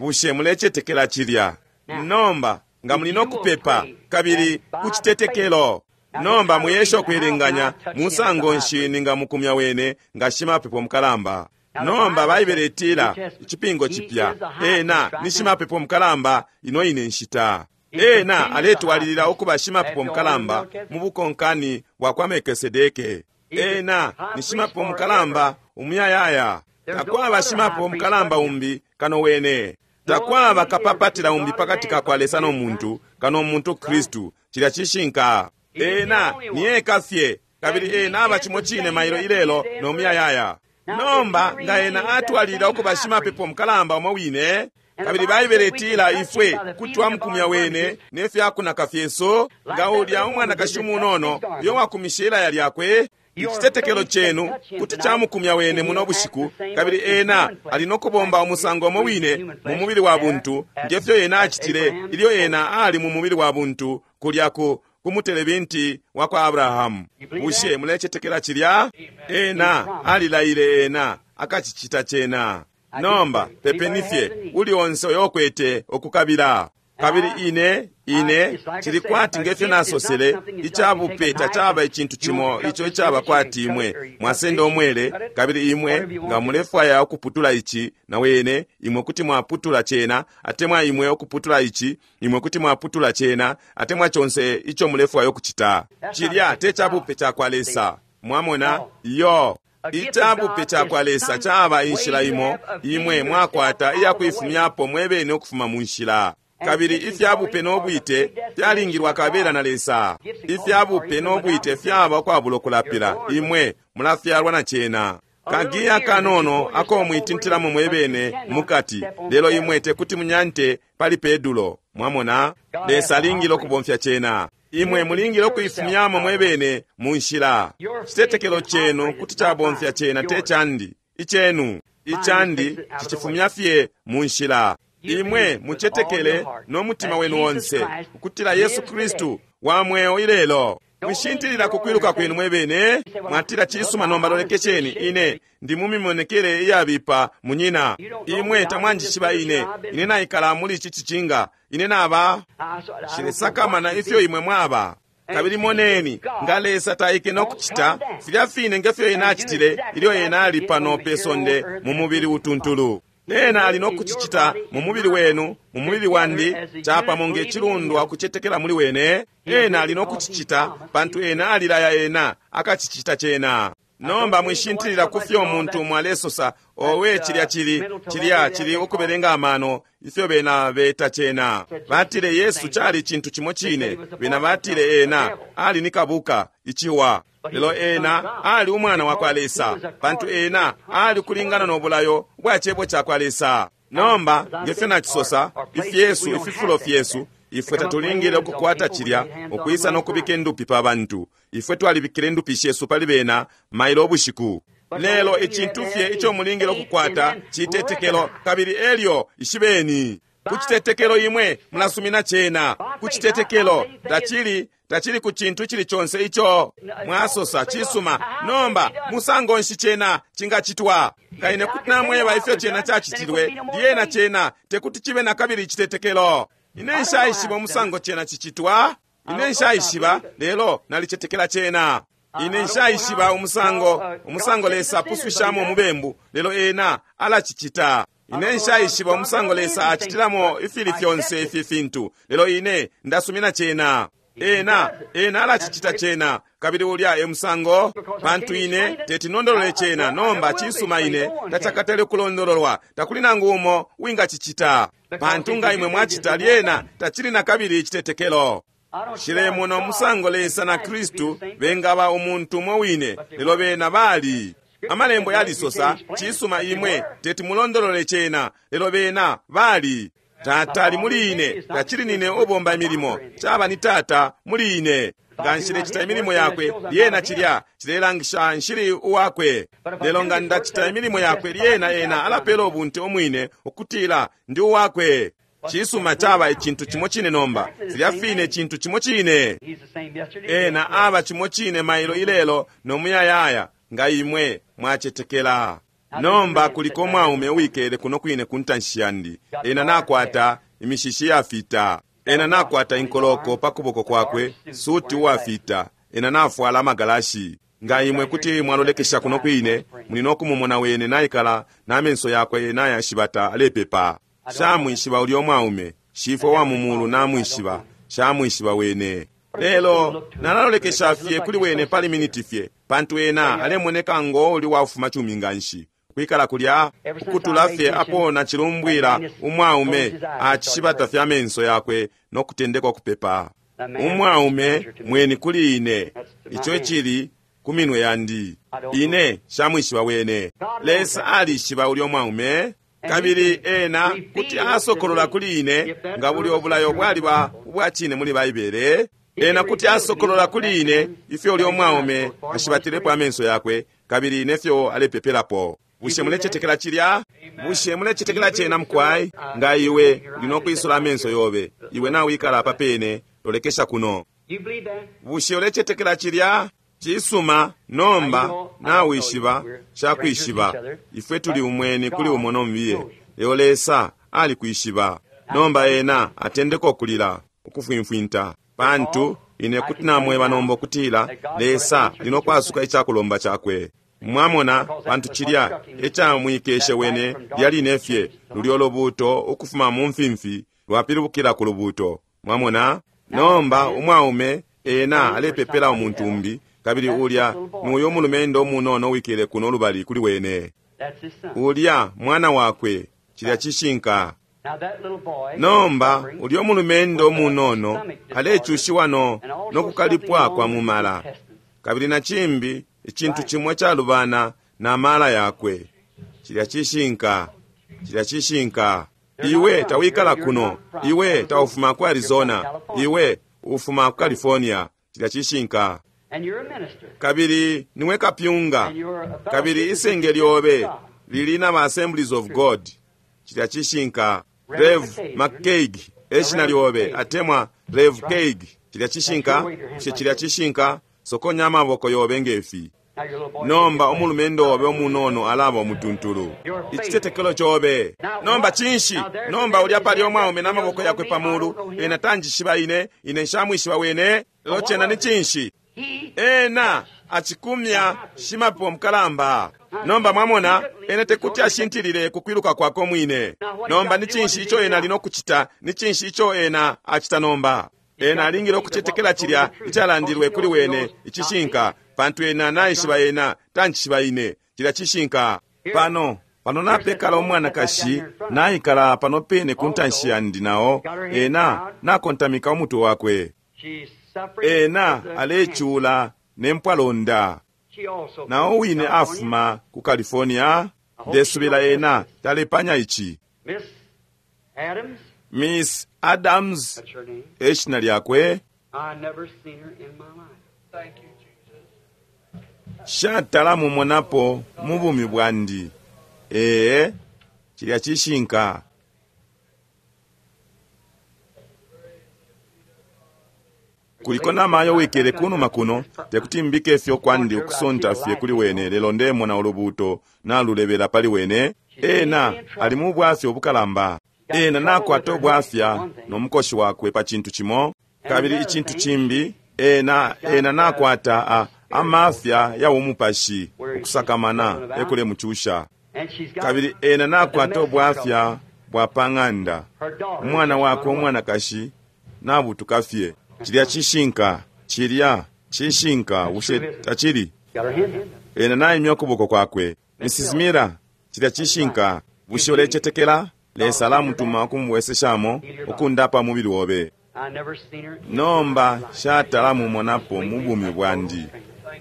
Bushe mulecetekela cilya? Nomba nga muli nokupepa kabili kucitetekelo. Nomba muyesha ukwilinganya musango nshi ningamukumya wene nga shimapepo mukalamba. Nomba Baibele itila icipingo cipya, ena ni shimapepo mukalamba ino ine nshita. Ena aletwalilila ukuba shimapepo mukalamba mu bukonkani bwa kwa Melkisedeke. Ena ni shimapepo mukalamba umuyayaya. Takwaba shimapepo mukalamba umbi kano wene. Takwaba kapapatila umbi pakati ka kwa Lesa no muntu kano muntu Kristu. Cilya cishinka. Ena ni eka fye, kabili ena aba cimo cine mailo ilelo no muyayaya. Nomba nga ena atwalilila ukuba shimapepo mukalamba umo wine, kabili Baibele itila ifwe kuti twamukumya wene ne fyakunaka fyesu, nga ulya umwanakashi umunono uyo wakumishe ilaya lyakwe, icitetekelo cenu kuti camukumya wene muno bushiku, kabili ena ali nokubomba umusango umo wine mu mubili wa buntu ngefyo ena acitile ilyo ena ali mu mubili wa buntu kulya ku kumutelebinti wa kwa Abrahamu. Bushe mulecetekela cilya? Ena alilaile ena akacicita cena. Nomba pepeni fye uli onse uyo ukwete okukabila. Kabili ine ine cili kwati ngefyo nasosele, icabupe tacaba icintu cimo ico icaba kwati imwe mwasenda omwele, kabili imwe nga mulefwaya ukuputula ici na wene, imwe kuti mwaputula cena, atemwa imwe ukuputula ici, imwe kuti mwaputula cena, atemwa conse ico mulefwaya ukucita. Cilya te cabupe ca kwa Lesa. Mwamona? Iyo. Icabupe ca kwa Lesa caba inshila imo imwe mwakwata iyakuifumyapo mwebene ukufuma mu nshila. Kabili ifyabupe n'obwite fyalingilwa kabela na Lesa. Ifyabupe n'obwite fyaba ukwabula okulapila, imwe mulafyalwa na cena. Kagiya kanono ako mwitintilamo mwebene mukati, lelo imwe tekuti munyante pali pedulo. Mwamona? Lesa alingile okubomfya cena. Imwe mulingile okuifumyamo mwebene mu nshila. Citetekelo cenu kuti cabomfya cena, te candi. Icenu icandi cicifumya fye mu nshila. Imwe mucetekele n'omutima wenu onse ukutila Yesu Kristu wa mweo ilelo. Mwishintilila kukwiluka kwenu mwebene. Mwatila, cisuma, nomba lolekesheni ine ndi mumimonekele iyabipa munyina. Imwe tamwanjishiba ine. Ine naikala muli ici cicinga. Ine naba shilesakamana ifyo imwe mwaba. Kabili moneni nga Lesa taike nokucita filya fine ngefyo ena acitile ilyo ena ali pano pe sonde mu mubili utuntulu. Ena ali nokucicita mu mubili wenu, mu mubili wandi, capamo nge cilundwa ukucetekela muli wene. Ena ali nokucicita pantu ena alilaya ena akacicita cena. Nomba mwishintilila ku fyo umuntu mwalesosa, owe cilya cili, cilya cili ukubelenga amano, ifyo bena beta cena. Batile Yesu cali cintu cimo cine, bena batile ena ali ni kabuka, iciwa. Lelo ena ali umwana wa kwa Lesa, pantu ena ali kulingana no bulayo bwa cebo ca kwa Lesa. Nomba ngefyo nacisosa, ifyesu ififulo fyesu, ifwe tatulingile ukukwata cilya ukwisa nokubika indupi pa bantu. Ifwe twalibikile indupi shesu pali bena mailo ubushiku. Lelo icintu fye ico mulingile ukukwata citetekelo, kabili elyo ishibeni ku citetekelo imwe mulasumina cena. Ku citetekelo tacili tacili ku cintu cili conse ico mwasosa cisuma. Nomba musango nshi cena cingacitwa? Nga ine kuti namweba ifyo cena cacitilwe, lyena cena tekuti cibe na kabili icitetekelo. Ine nshaishiba umusango cena cicitwa, ine nshaishiba, lelo nalicetekela cena. Ine nshaishiba umusango umusango Lesa apusushamo umubembu, lelo ena alacicita. Ine nshaishiba umusango Lesa acitilamo ifili fyonse ifi fintu, lelo ine ndasumina cena. Ena ena alacicita cena, kabili ulya e musango, pantu ine teti nondolole cena. Nomba cisuma, ine tacakatale kulondololwa, takuli nangu umo wingacicita, pantu nga imwe mwacita lyena tacili na kabili icitetekelo. Shilemona umusango Lesa na Kristu bengaba umuntu umo wine, lelo bena bali. Amalembo yalisosa, cisuma, imwe teti mulondolole cena, lelo bena bali. Tata ali muli ine, tacili nine ubomba imilimo, caba ni Tata muli ine. Nga nshilecita imilimo yakwe, lyena cilya cilelangisha nshili uwakwe. Lelo nga ndacita imilimo yakwe, lyena ena alapela ubunte umwine ukutila ndi uwakwe. Cisuma, caba icintu cimo cine nomba, filya fine cintu cimo cine. Ena aba cimo cine mailo ilelo no muyayaya, nga imwe mwacetekela. Nomba kuliko mwaume uwikele kuno kwine ku ntanshi yandi. Ena nakwata imishishi yafita, ena nakwata inkoloko pa kuboko kwakwe, suti uwafita, ena nafwala amagalashi. Nga imwe kuti mwalolekesha kuno kwine, muli nokumumona wene naikala na menso yakwe nayashibata alepepa. Shamwishiba ulyo mwaume, shifwe wa mumulu namwishiba, shamwishiba wene. Lelo nalalolekesha fye kuli wene pali miniti fye, pantu ena alemoneka ngo uli wafuma cumi nganshi. Kwikala kulya ukutula fye apo nacilumbwila umwaume acishibata fya menso yakwe no kutendeka kupepa. Umwaume mweni kuli ine, ico cili ku minwe yandi. Ine shamwishiba wene. Lesa alishiba ulyo mwaume, kabili ena kuti asokolola kuli ine nga buli obulayo bwaliba ubwa cine muli Baibele. Ena kuti asokolola kuli ine ifyo ulyo mwaume ashibatilepo amenso yakwe, kabili nefyo alepepelapo. Bushe mulecetekela cilya? Bushe mulecetekela cena mukwai? Nga iwe uli nokwisula amenso yobe, iwe nawikala apa pene, lolekesha kuno. Bushe ulecetekela cilya? Cisuma, nomba nawishiba cakwishiba, ifwe tuli umweni kuli umo nombiye, lelo Lesa alikwishiba. Nomba ena atendeka ukulila, ukufwimfwinta, pantu ine kuti namweba nomba ukutila Lesa ali nokwasuka icakulomba cakwe. Mwamona, pantu cilya ecamwikeshe wene lyaline fye lulyo lubuto ukufuma mu mfimfi lwapilibukila ku lubuto. Mwamona, nomba umwaume ena alepepela umuntu umbi, kabili ulya nuyo umulumendo umunono wikele kuno lubali kuli wene. Ulya mwana wakwe, cilya cishinka. Nomba ulya umulumendo umunono alecushiwa no nokukalipwa kwa mumala, kabili na cimbi icintu cimwe calubana na mala yakwe. Cilya cishinka, cilya cishinka. Iwe tawikala kuno, iwe taufuma ku Arizona, iwe ufuma ku California. Cilya cishinka. Kabili niwe kapyunga, kabili isenge lyobe lili na ba Assemblies of God. Cilya cishinka. Rev McCaig eshina lyobe, atemwa Rev Caig. Cilya cishinka. Bushe cilya cishinka? Sokonya amaboko yobe ngefi. Nomba umulumendo obe umunono alaba umutuntulu. Icitetekelo cobe. Nomba cinshi? Nomba ulya pali omwaume n'amaboko yakwe pamulu, ena tanjishiba ine, ine nshamwishiba wene. Lelo cena ni cinshi? Ena acikumya shimapepo mukalamba. Nomba mwamona, ena tekuti ashintilile ku kwiluka kwakwe mwine. Nomba ni cinshi ico ena ali nokucita? Ni cinshi ico ena acita nomba? Ena alingile ukucetekela cilya icalandilwe kuli wene icishinka, pantu ena naishiba ena tanjishiba ine. Cilya cishinka. Pano pano napekala umwanakashi naikala pano pene ku ntanshi yandi, nao ena nakontamika umutwe wakwe. Ena alecula nempwalonda. Nao wine afuma ku California. Ndesubila ena talepanya ici. Miss Adams eshina lyakwe. Shatala mumonapo mu bumi bwandi. Ee, cilya cishinka. Kuliko namayo wikele kunuma kuno, tekuti mbike fyo kwandi ukusonta fye kuli wene, lelo ndemona ulubuto nalulebela pali wene. Ena ali mu bwafya obukalamba. Ena nakwata obwafya n'omukoshi wakwe pa cintu cimo, kabili icintu cimbi ena ena nakwata a amafya ya umupashi ukusakamana ekule muchusha. Kabili ena nakwata obwafya bwa pang'anda, umwana wakwe umwanakashi nabutuka fye. Cilya cishinka, cilya cishinka, bushe tacili? Ena naimya ukuboko kwakwe. Missus Mira, cilya cishinka, bushe ulecetekela Lesa alamutuma ukumubweseshamo ukundapa mubili wobe? Nomba shatala mumonapo mu bumi bwandi.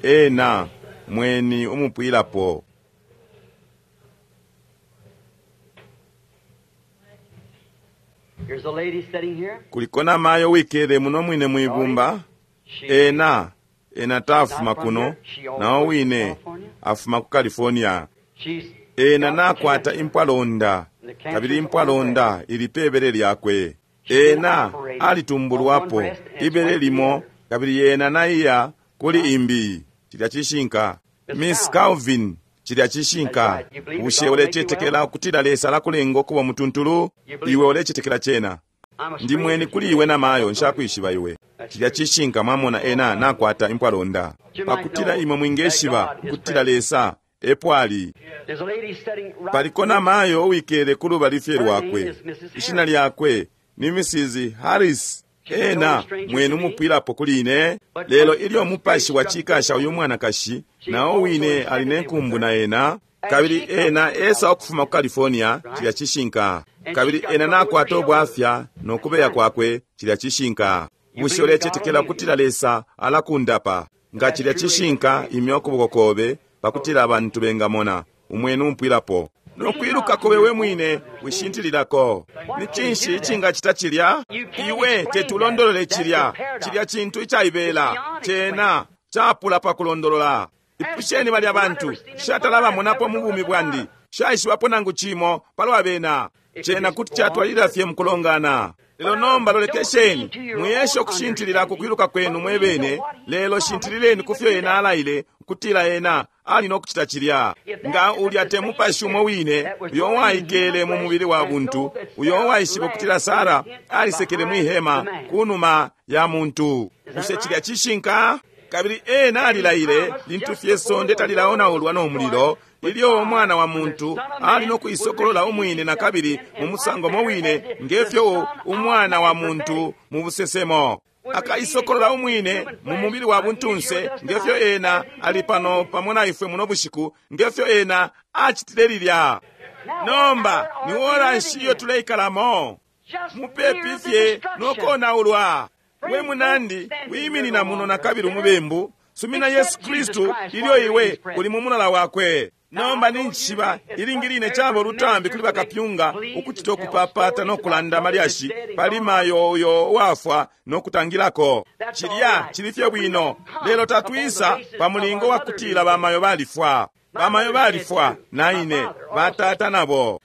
Ena mweni umupwilapo. Kuliko namayo wikele muno mwine mwibumba. Ena ena tafuma kuno, nao wine afuma ku California. Ena nakwata impwalonda, kabili impwalonda ili pebele lyakwe. Ena alitumbulwapo ibele limo, kabili ena naiya kuli imbi. Cilya cishinka. Miss Calvin, cilya cishinka. Bushe ulecetekela ukutila Lesa alakulenga ukuba mutuntulu? Iwe ulecetekela cena? Ndi mweni kuli iwe namayo, nshakwishiba iwe. Cilya cishinka. Mwamona, ena nakwata impwalonda, pakutila imwe mwingeshiba ukutila Lesa epo ali. Paliko namayo uwikele ku lubali fye lwakwe. Ishina lyakwe ni Missus Harris. Ena mwenu mupwilapo kuli ine. Lelo ilyo mupashi wacikasha uyu mwanakashi, nao wine ali nenkumbu na ena, kabili ena esa ukufuma ku California. Cilya cishinka. Kabili ena nakwata obwafya nokubeya kwakwe. Cilya cishinka. Bushe ulecetekela ukutila Lesa alakundapa? Nga cilya cishinka, imya ukuboko kobe pakutila abantu bengamona umwenu umpwilapo. Nokwiluka kobe we mwine wishintililako. Ni cinshi icingacita cilya? Iwe tetulondolole cilya. Cilya cintu icaibela, cena capula pa kulondolola. Ipusheni balya bantu, shatala bamonapo mu bumi bwandi, shaishibapo nangu cimo palwa bena. Cena kuti catwalilila fye mukulongana. Lelo nomba lolekesheni, mwiyesha ukushintilila ku kwiluka kwenu mwebene, lelo shintilileni ku fyo ena alaile ukutila ena ali nokucita cilya. Nga ulya te mupashi umo wine uyo waikele mu mubili wa buntu, uyo waishiba ukutila Sara alisekele mwi hema kunuma ya muntu. Bushe cilya cishinka? Kabili ena alilaile lintu fye sonde talilaonaulwa no mulilo, ilyo umwana wa muntu ali nokuisokolola umwine na kabili mu musango mo wine ngefyo umwana wa muntu mu busesemo akaisokolola umwine mu mubili wa buntunse, ngefyo ena ali pano pamo na ifwe muno bushiku, ngefyo ena acitile lilya. Nomba ni ora nshi iyo tuleikalamo? Mupepi fye nokonaulwa. We munandi, wiminina muno na kabili umubembu. Sumina Yesu Kristu ilyo iwe uli mu mulala wakwe. Nomba ninjishiba ilingi line caba olutambi kuli bakapyunga ukucita okupapata nokulanda malyashi pali mayo uyo wafwa nokutangilako. Cilya cili fye bwino, lelo tatwisa pa mulingo wa kutila bamayo balifwa. Bamayo balifwa na ine, batata nabo.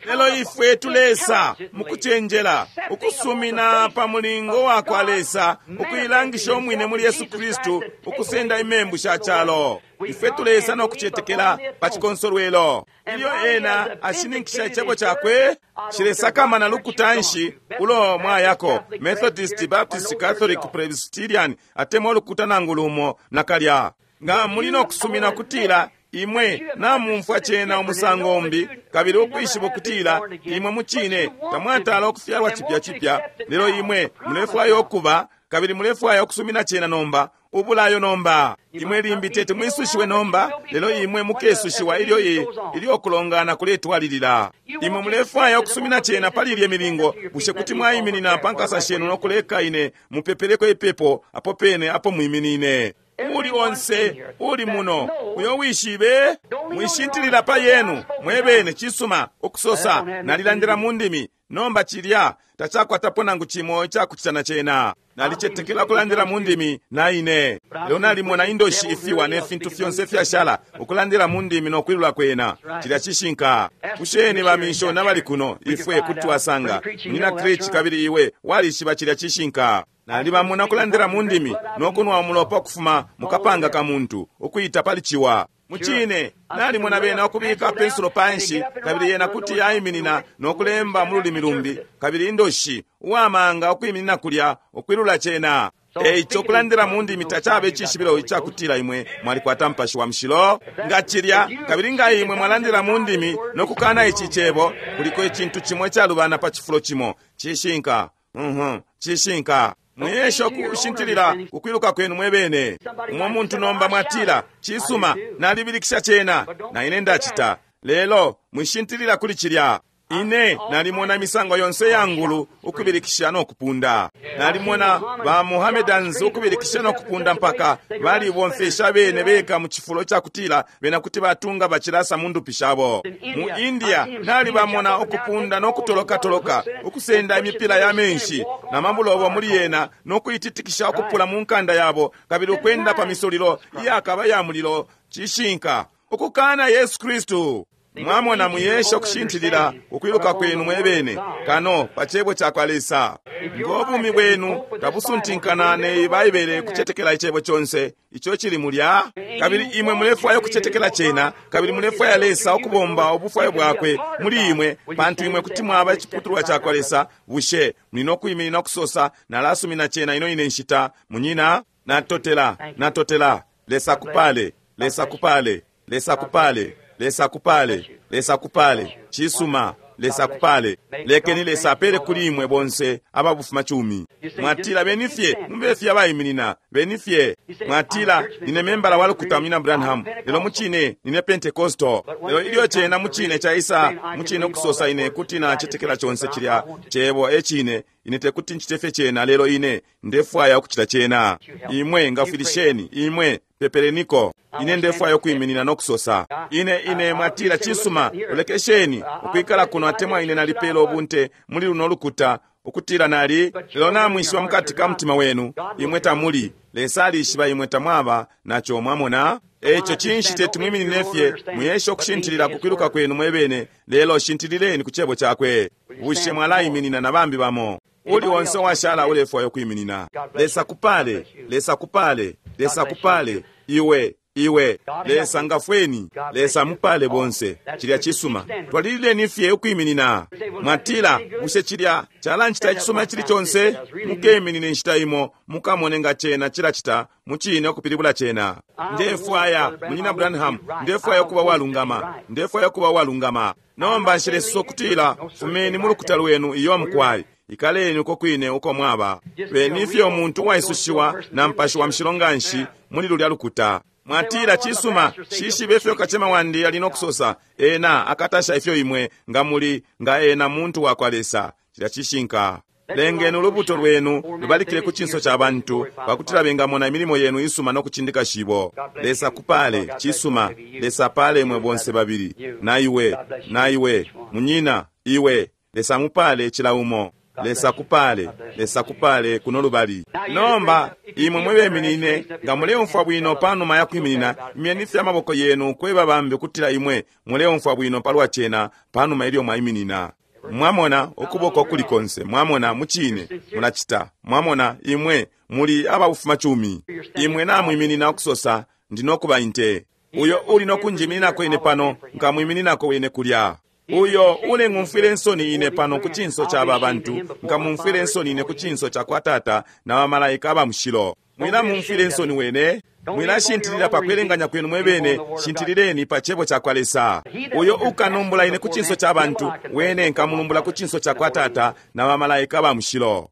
Lelo ifwe tulesa mukucenjela ukusumina pa mulingo wa kwa Lesa ukuilangisha umwine muli Yesu Kristu ukusenda imembu sha calo. Ifwe tulesa nokucetekela pa chikonsolwelo. Ilyo ena ashininkisha icebo cakwe, cilesakamana lukuta nshi ulo mwayako, Methodist, Baptist, Catholic, Presbyterian, atemwa ulukuta nangu lumo nakalya. Nga muli nokusumina kutila imwe namumfwa cena umusango umbi, kabili ukwishiba ukutila imwe mucine tamwatala ukufyalwa cipya cipya, lelo imwe mulefwaya ukuba kabili mulefwaya ukusumina cena nomba Ubulayo nomba. Imwe limbi teti mwisushiwe nomba, lelo imwe mukesushiwa ilyo i ilyo kulongana kuletwalilila. Imwe mulefwaya ukusumina cena pali ilye milingo, bushe kuti mwaiminina pa nkasa shenu no kuleka ine mupepeleko ipepo apo pene apo mwiminine. Uli onse uli muno uyo wishibe, mwishintilila pa yenu mwebene. Cisuma ukusosa nalilandila mu ndimi, nomba cilya tacakwatapo nangu cimo icakucita na cena. Nalicetekela ukulandila mu ndimi na ine, lelo nalimona indoshi ifiwa ne fintu fyonse fyashala ukulandila mu ndimi no kwilula kwena. Cilya cishinka. Kusheni bamishona bali kuno, ifwe kuti twasanga munyina Creech, kabili iwe walishiba cilya cishinka. Nalibamona ukulandila mu ndimi no kunwa umulopa ukufuma mukapanga ka muntu ukuita pali ciwa. Mucine nalimona bena ukubika pensulo panshi, kabili yena kuti yaiminina no kulemba mu lulimi lumbi, kabili indoshi uwamanga ukwiminina kulya ukwilula cena. Eico ukulandila mu ndimi tacabe icishibilo icakutila imwe mwalikwata Mupashi wa Mushilo. Nga cilya, kabili nga imwe mwalandila mu ndimi no kukana ici cebo, kuliko icintu cimo icalubana pa cifulo cimo. Cishinka. Mhm, cishinka. Mwiyesha ukushintilila kukwiluka kwenu mwebene. Umwe muntu nomba mwatila, cisuma, nalibilikisha cena, na ine ndacita. Lelo mwishintilila kuli cilya. Ine nalimona imisango yonse ya ngulu ukubilikisha no kupunda. Nalimona ba Mohammedans ukubilikisha no kupunda mpaka balibomfesha bene beka mu cifulo cakutila bena kuti batunga bacilasa mu ndupi shabo. Mu India nalibamona ukupunda no kutoloka-toloka, ukusenda imipila ya menshi na mabulobo muli yena no kuititikisha ukupula mu nkanda yabo, kabili ukwenda pa misulilo iyakaba ya mulilo. Cishinka. Ukukana Yesu Kristu. Mwamona, mwiyesha ukushintilila ukwiluka kwenu mwebene kano pa cebo cakwa Lesa. Ngo bumi bwenu tabusuntinkana ne Baibele kucetekela icebo conse ico cili mulya, kabili imwe mulefwaya ukucetekela cena, kabili mulefwaya Lesa ukubomba ubufwayo bwakwe muli imwe, pantu imwe kuti mwaba iciputulwa cakwa Lesa. Bushe muli no kwiminina ukusosa, nalasumina cena ino ine nshita, munyina? Natotela, natotela. Lesa kupale, Lesa kupale, Lesa kupale, Lesa kupale, Lesa kupale. Cisuma, Lesa kupale. Lekeni Lesa apele kuli imwe bonse ababufuma cumi. Mwatila, beni fye mube fye abaiminina, beni fye. Mwatila, nine membala wa lukuta munyina Branham, lelo mucine nine Pentecostal. Lelo ilyo cena mucine caisa mucine ukusosa ine kuti nacetekela conse cilya cebo e cine, ine tekuti ncite fye cena, lelo ine ndefwaya ukucita cena. Imwe ngafwilisheni, imwe pepeleniko. Ine ndefwaya ukwiminina no kusosa ine ine. Mwatila, cisuma, ulekesheni ukwikala kuno, atemwa ine nalipela ubunte muli luno lukuta ukutila nali, lelo namwishiba mukati ka mutima wenu imwe tamuli. Lesa alishiba imwe tamwaba naco. Mwamona? Eico cinshi teti mwiminine fye, mwiyesha ukushintilila kukwiluka kwenu mwebene, lelo shintilileni ku cebo cakwe. Bushe mwalaiminina na bambi bamo? Uli onse washala ulefwaya ukwiminina. Lesa kupale, Lesa kupale, Lesa kupale, iwe iwe. Lesa ngafweni, Lesa mupale bonse. Cilya cisuma. Twalilileni fye ukwiminina. Mwatila, bushe cilya calanchita icisuma cili conse? Mukeminine inshita imo mukamone nga cena cilacita mucine ukupilibula cena. Ndefwaya munyina Branham, ndefwaya ukuba walungama, ndefwaya ukuba walungama. Nomba nshilesisa ukutila fumeni mu lukuta lwenu iyo mukwai, ikaleni uko kwine uko mwaba. Beni fye umuntu uwaisushiwa na Mupashi wa Mushilo nganshi muli lulya lukuta. Mwatila, cisuma, shishibe ifyo kacema wandi ali no kusosa, ena akatasha ifyo imwe nga muli nga ena muntu wakwa Lesa. Cilya cishinka. Lengeni ulubuto lwenu lubalikile ku cinso ca bantu, pakutila bengamona imilimo yenu isuma no kucindika shibo. Lesa kupale, cisuma. Lesa pale imwe bonse babili, na iwe, na iwe, munyina, iwe. Lesa mupale cila umo. Lesa kupale, Lesa kupale kuno lubali. Nomba imwe mwebeminine nga muleumfwa bwino panuma ya kwiminina, imyeni fye amaboko yenu kweba bambi ukutila imwe muleumfwa bwino palwa cena panuma ilyo mwaiminina. Mwamona ukuboko kuli konse, mwamona mucine mulacita. Mwamona imwe muli ababufuma cumi. Imwe namwiminina ukusosa, ndinokuba inte. Uyo uli nokunjimininako ine pano, nkamwimininako wene kulya. Uyo uleng'umfwile nsoni ine pano ku cinso ca aba bantu, nkamumfwile nsoni ine ku cinso ca kwa Tata na bamalaika aba mushilo. Mwilamumfwile nsoni wene. Mwilashintilila pa kwelenganya kwenu mwebene, shintilileni pa cebo ca kwa Lesa. Uyo ukanumbula ine ku cinso ca bantu, wene nkamulumbula ku cinso ca kwa Tata na bamalaika ba mushilo.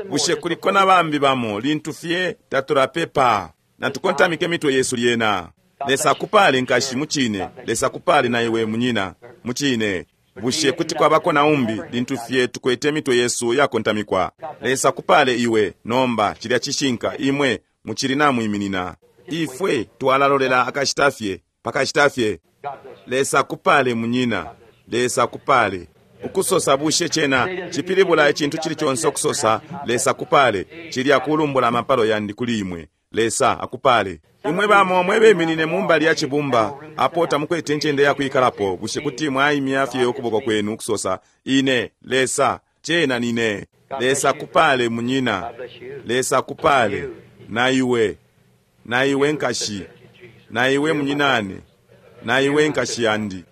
Bushe kuliko na bambi bamo lintu fye tatulapepa? Natukontamike mitwe yesu lyena. Lesa akupale, nkashi, mucine. Lesa akupale na iwe, munyina, mucine. Bushe kuti kwabako na umbi lintu fye tukwete mitwe yesu yakontamikwa? Lesa akupale iwe nomba. Cilya cishinka, imwe mucili namwiminina. Ifwe twalalolela akashita fye, pakashita fye. Lesa akupale, munyina. Lesa akupale. Ukusosa bushe cena cipilibula icintu cili conse ukusosa Lesa akupale? Cilya kulumbula amapalo yandi kuli imwe. Lesa akupale. Imwe bamo mwebeminine mumbali ya cibumba apo tamukwete incende yakwikalapo, bushe kuti mwaimya fye ukuboko kwenu ukusosa ine Lesa cena nine? Lesa akupale, munyina. Lesa akupale na iwe, na iwe nkashi, na iwe munyinane, na iwe nkashi yandi.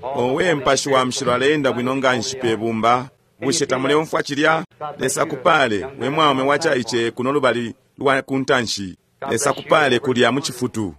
Owe mpashi wa mshilo aleenda bwino nganshi pe bumba. Bushe tamuleumfwa cilya? Lesa akupale we mwaume wacaice kuno lubali lwa kuntanshi. Lesa akupale kulya mu cifutu.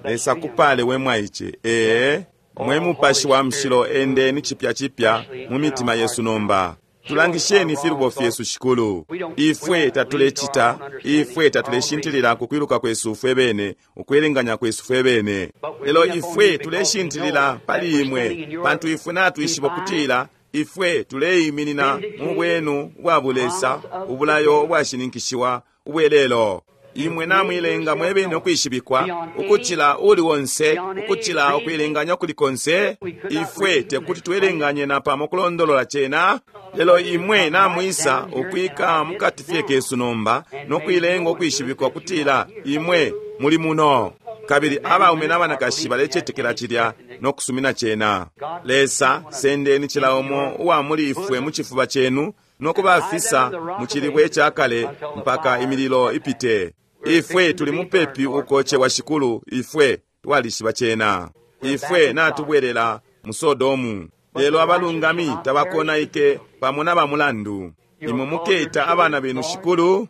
Lesa akupale we mwaice. Ee, mwe mupashi wa mshilo endeni chipya chipya mu mitima yesu nomba. Tulangisheni filubo fyesu, Shikulu. Ifwe tatulecita, ifwe tatuleshintilila kukwiluka kwesu fwe bene, ukwelenganya kwesu fwe bene, lelo ifwe tuleshintilila pali imwe, pantu ifwe natwishiba kutila ifwe tuleiminina mu bwenu bwa bulesa, ubulayo ubwashininkishiwa ubwelelo. Imwe namwilenga mwebene ukwishibikwa ukucila uli wonse, ukucila ukwilenganya kuli konse. Ifwe tekuti twelenganye na pamo kulondolola cena, lelo imwe namwisa ukwika mukati fye kesu nomba nokwilenga ukwishibikwa kutila imwe muli muno. Kabili abaume n'abanakashi balecetekela cilya nokusumina cena. Lesa, sendeni cila umo uwa muli ifwe mu cifuba cenu nokubafisa mu cilibwe cakale mpaka imililo ipite. Ifwe tuli mupepi ukochewa, Shikulu. Ifwe twalishiba cena. Ifwe natubwelela mu Sodomu. Lelo abalungami tabakonaike pamo na bamulandu. Imwe muketa abana benu, Shikulu.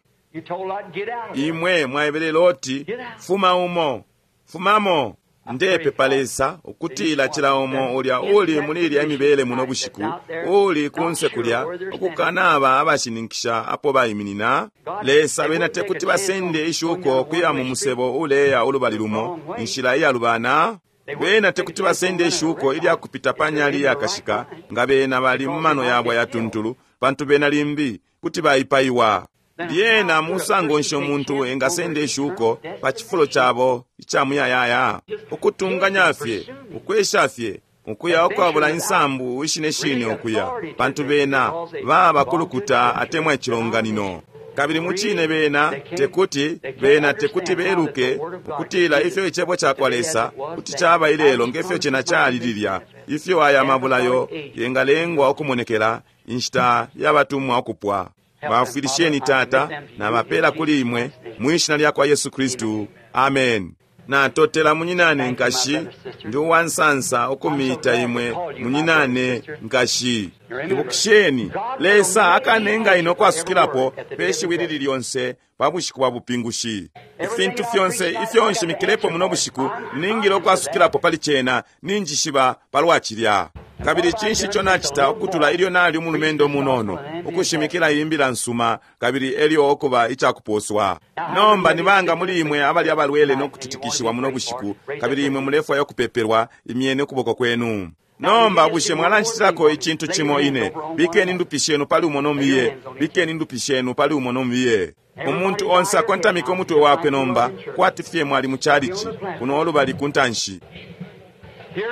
Imwe mwaebele Loti, fuma umo, fumamo. Ndepepa Lesa ukutila cila umo ulya uli muli ilya imibele muno bushiku, uli kunse kulya ukukanaba abashininkisha apo baiminina. Lesa, bena tekuti basende ishuko kuya mu musebo uleya ulubali lumo, inshila iyalubana. Bena tekuti basende ishuko ilya kupita pa nyali yakashika nga bena bali mu mano yabo yatuntulu, pantu bena limbi kuti baipaiwa. Lyena musango nshi umuntu engasenda ishuko pa cifulo cabo ica muyayaya? Ukutunganya fye, ukwesha fye, ukuya ukwabula insambu ishine shine ukuya, pantu bena baba kulukuta atemwa icilonganino. Kabili mucine bena tekuti, bena tekuti beluke ukutila ifyo icebo cakwa Lesa kuti caba ilelo ngefyo cena cali lilya, ifyo aya mabulayo yengalengwa ukumonekela inshita yabatumwa ukupwa. Bafwilisheni, Tata, na bapela kuli imwe mwishina lya kwa Yesu Kristu. Amen. Natotela munyinane nkashi, ndi uwansansa ukumita imwe munyinane nkashi. Ibukisheni, Lesa akanenga ino kwasukilapo pe shiwi lili lyonse pa bushiku bwa bupingushi. Ifintu fyonse ifyo nshimikilepo muno bushiku ningile ukwasukilapo pali cena, ninjishiba palwa cilya. Kabili cinshi ico nacita ukutula ilyo nali umulumendo munono, ukushimikila imbila nsuma, kabili elyo okuba icakuposwa. Nomba nibanga muli imwe abali abalwele nokutitikishiwa muno bushiku, kabili imwe mulefwaya ukupepelwa, imyeni ukuboko kwenu. Nomba bushe mwalanchitilako icintu cimo ine? Bikeni ndupi shenu pali umo nomiye, bikeni ndupi shenu pali umo nomiye. Umuntu onse akontamike umutwe wakwe nomba, kwati fye mwali mu chalichi, kuno olubali kuntanshi.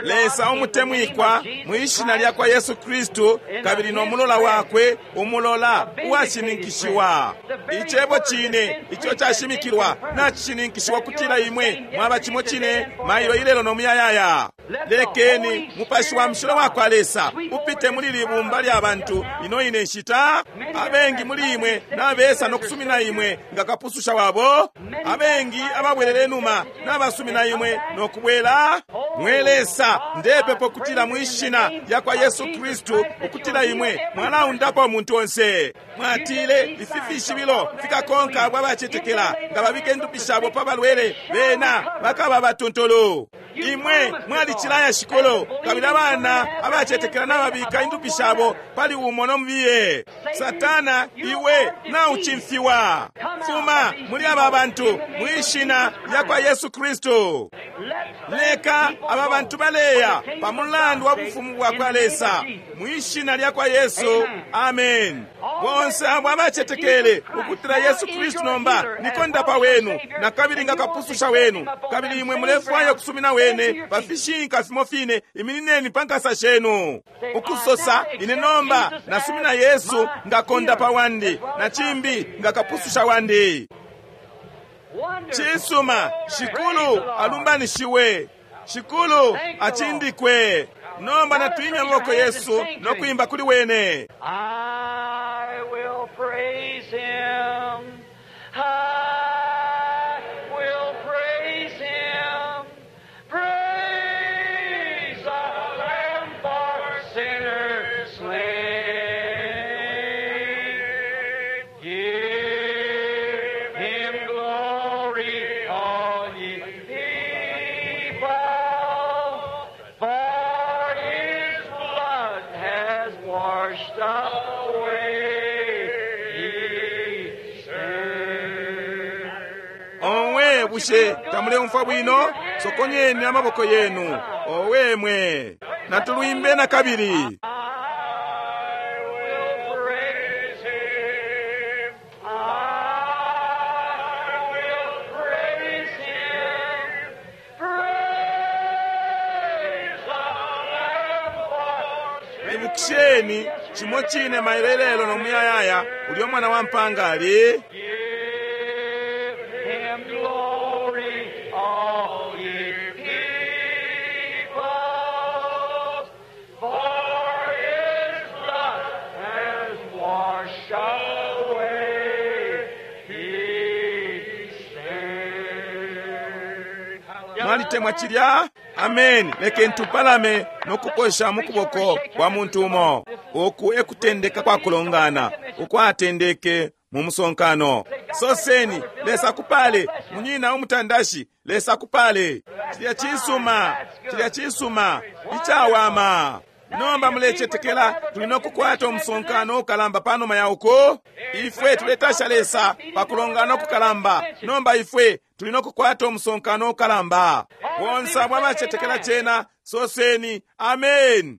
Lesa umutemwikwa, mwishina lya kwa Yesu Kristu, kabili no mulola wakwe, umulola uwashininkishiwa. Icebo cine ico cashimikilwa nacishininkishiwa kutila imwe mwaba cimo cine mailo ilelo no muyayaya. Lekeni mupashi wa mshilo wa kwa Lesa upite muli libumba lya bantu ino ine nshita. Abengi muli imwe nabesa nokusumina imwe nga kapususha wabo. Abengi ababwelele numa nabasumina imwe nokubwela. Mwe Lesa, ndepepo kutila mwishina lya kwa Yesu Kristu ukutila imwe mwalaundapo umuntu onse. Mwatile ifi fishibilo fikakonka abo abacetekela, nga babike ndupi shabo pa balwele bena bakaba batuntulu. Imwe mwalicilaya Shikulu, kabili abana abacetekela nababika indupi shabo pali umo nomubiye. Satana, iwe naucimfiwa. Fuma muli aba bantu mwishina lya kwa Yesu Kristu. Leka aba bantu baleya pa mulandu wa bufumu bwa kwa Lesa mwishina lya kwa Yesu. Amen. Bonse abo abacetekele ukutila Yesu Kristu nomba nikondapa wenu na kabili nga kapususha wenu, kabili imwe mulefwaya kusumina wene pa fishinka fimo fine, iminineni pa nkasa shenu ukusosa, ine nomba nasumina Yesu nga kondapa wandi na chimbi nga kapususha wandi. Cisuma, Shikulu alumbanishiwe, Shikulu achindikwe. Nomba natwimya amaboko Yesu nokuimba kuli wene. I will praise him. I will praise him. Praise the Lamb for sinners slain. Give him glory, all ye people, for his blood has washed away his sin. Onwe bushe tamuleumfwa bwino? Sokonyeni amaboko yenu. Owe mwe, natulwimbe na kabili. I will praise him. I will praise him. Praise the Lamb for Ibukisheni chimo chine mailelelo nomuyayaya ulyo mwana wa mpanga ali. Give him glory, all ye people, for his blood has washed away his sin. Mwalitemwa chilya? Amen. Lekeni tupalame nokukosha mukuboko kwa muntu umo. Oku ekutendeka kwa kulongana ukwatendeke mu musonkano. Soseni, Lesa kupale munyina umutandashi, Lesa kupale. Chilya chisuma, chilya chisuma, ichawama. Nomba mulecetekela tuli nokukwata umusonkano ukalamba panuma ya uko. Ifwe tuletasha Lesa pakulongana okukalamba. Nomba ifwe tuli nokukwata umusonkano ukalamba. Bonse abo abacetekela chena, soseni amen.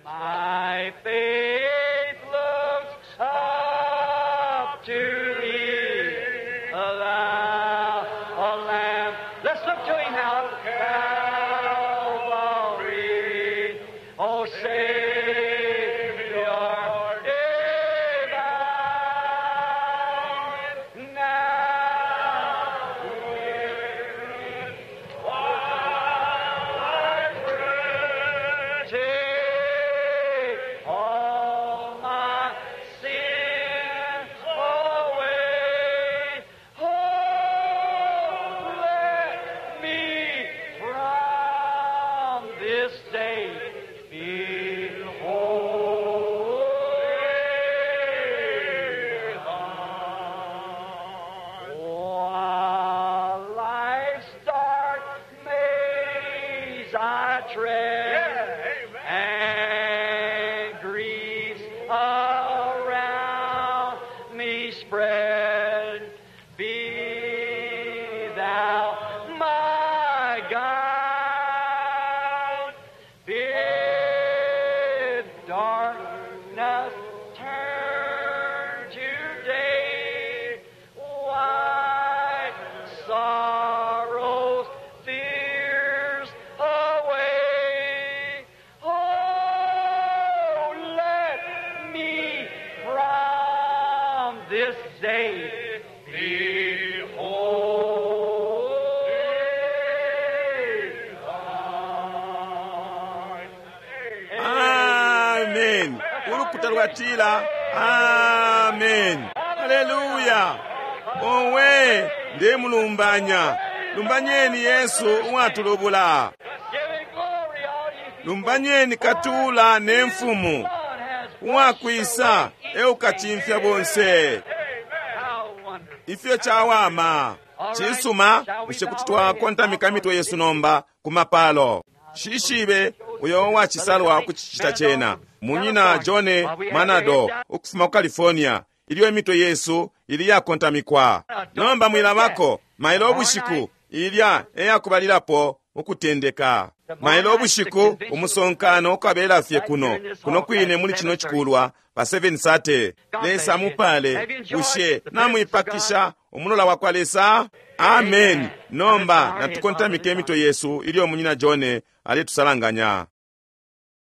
My faith looks up to thee, thou, O Lamb. Let's look to him now. Calvary, O Savior divine, now Take all my sins away. Oh, let me from this day be holy. While life's dark maze I tread, and griefs around me spread, be thou my guide. Bid darkness turn to day, wipe sorrows, fears away. Oh, let me from this day be holy. Amen. Ulukuta lwatila amen. Haleluya. Owe ndemulumbanya. Lumbanyeni Yesu uwatulubula. Give him glory, all ye people. Lumbanyeni katula ne mfumu God has uwakwisa eukachimfya bonse. How wonderful. Ifyo chawama. Cisuma, bushe kuti twakontamika imitwe yesu nomba ku mapalo? Shishibe uyo uwacisalwa ukucicita cena, Munyina John Manado ukufuma ku California, ilyo imitwe yesu ili yakontamikwa. Nomba mwilabako, mailo ubushiku ilya eyakubalilapo ukutendeka. Mailo ubushiku umusonkano ukabela fye kuno kuno kwine muli cino cikulwa pa seven thirty. Lesa mupale. Bushe namuipakisha umulola wa kwa Lesa? Amen. Nomba natukontamike imitwe yesu ilyo Munyina John aletusalanganya.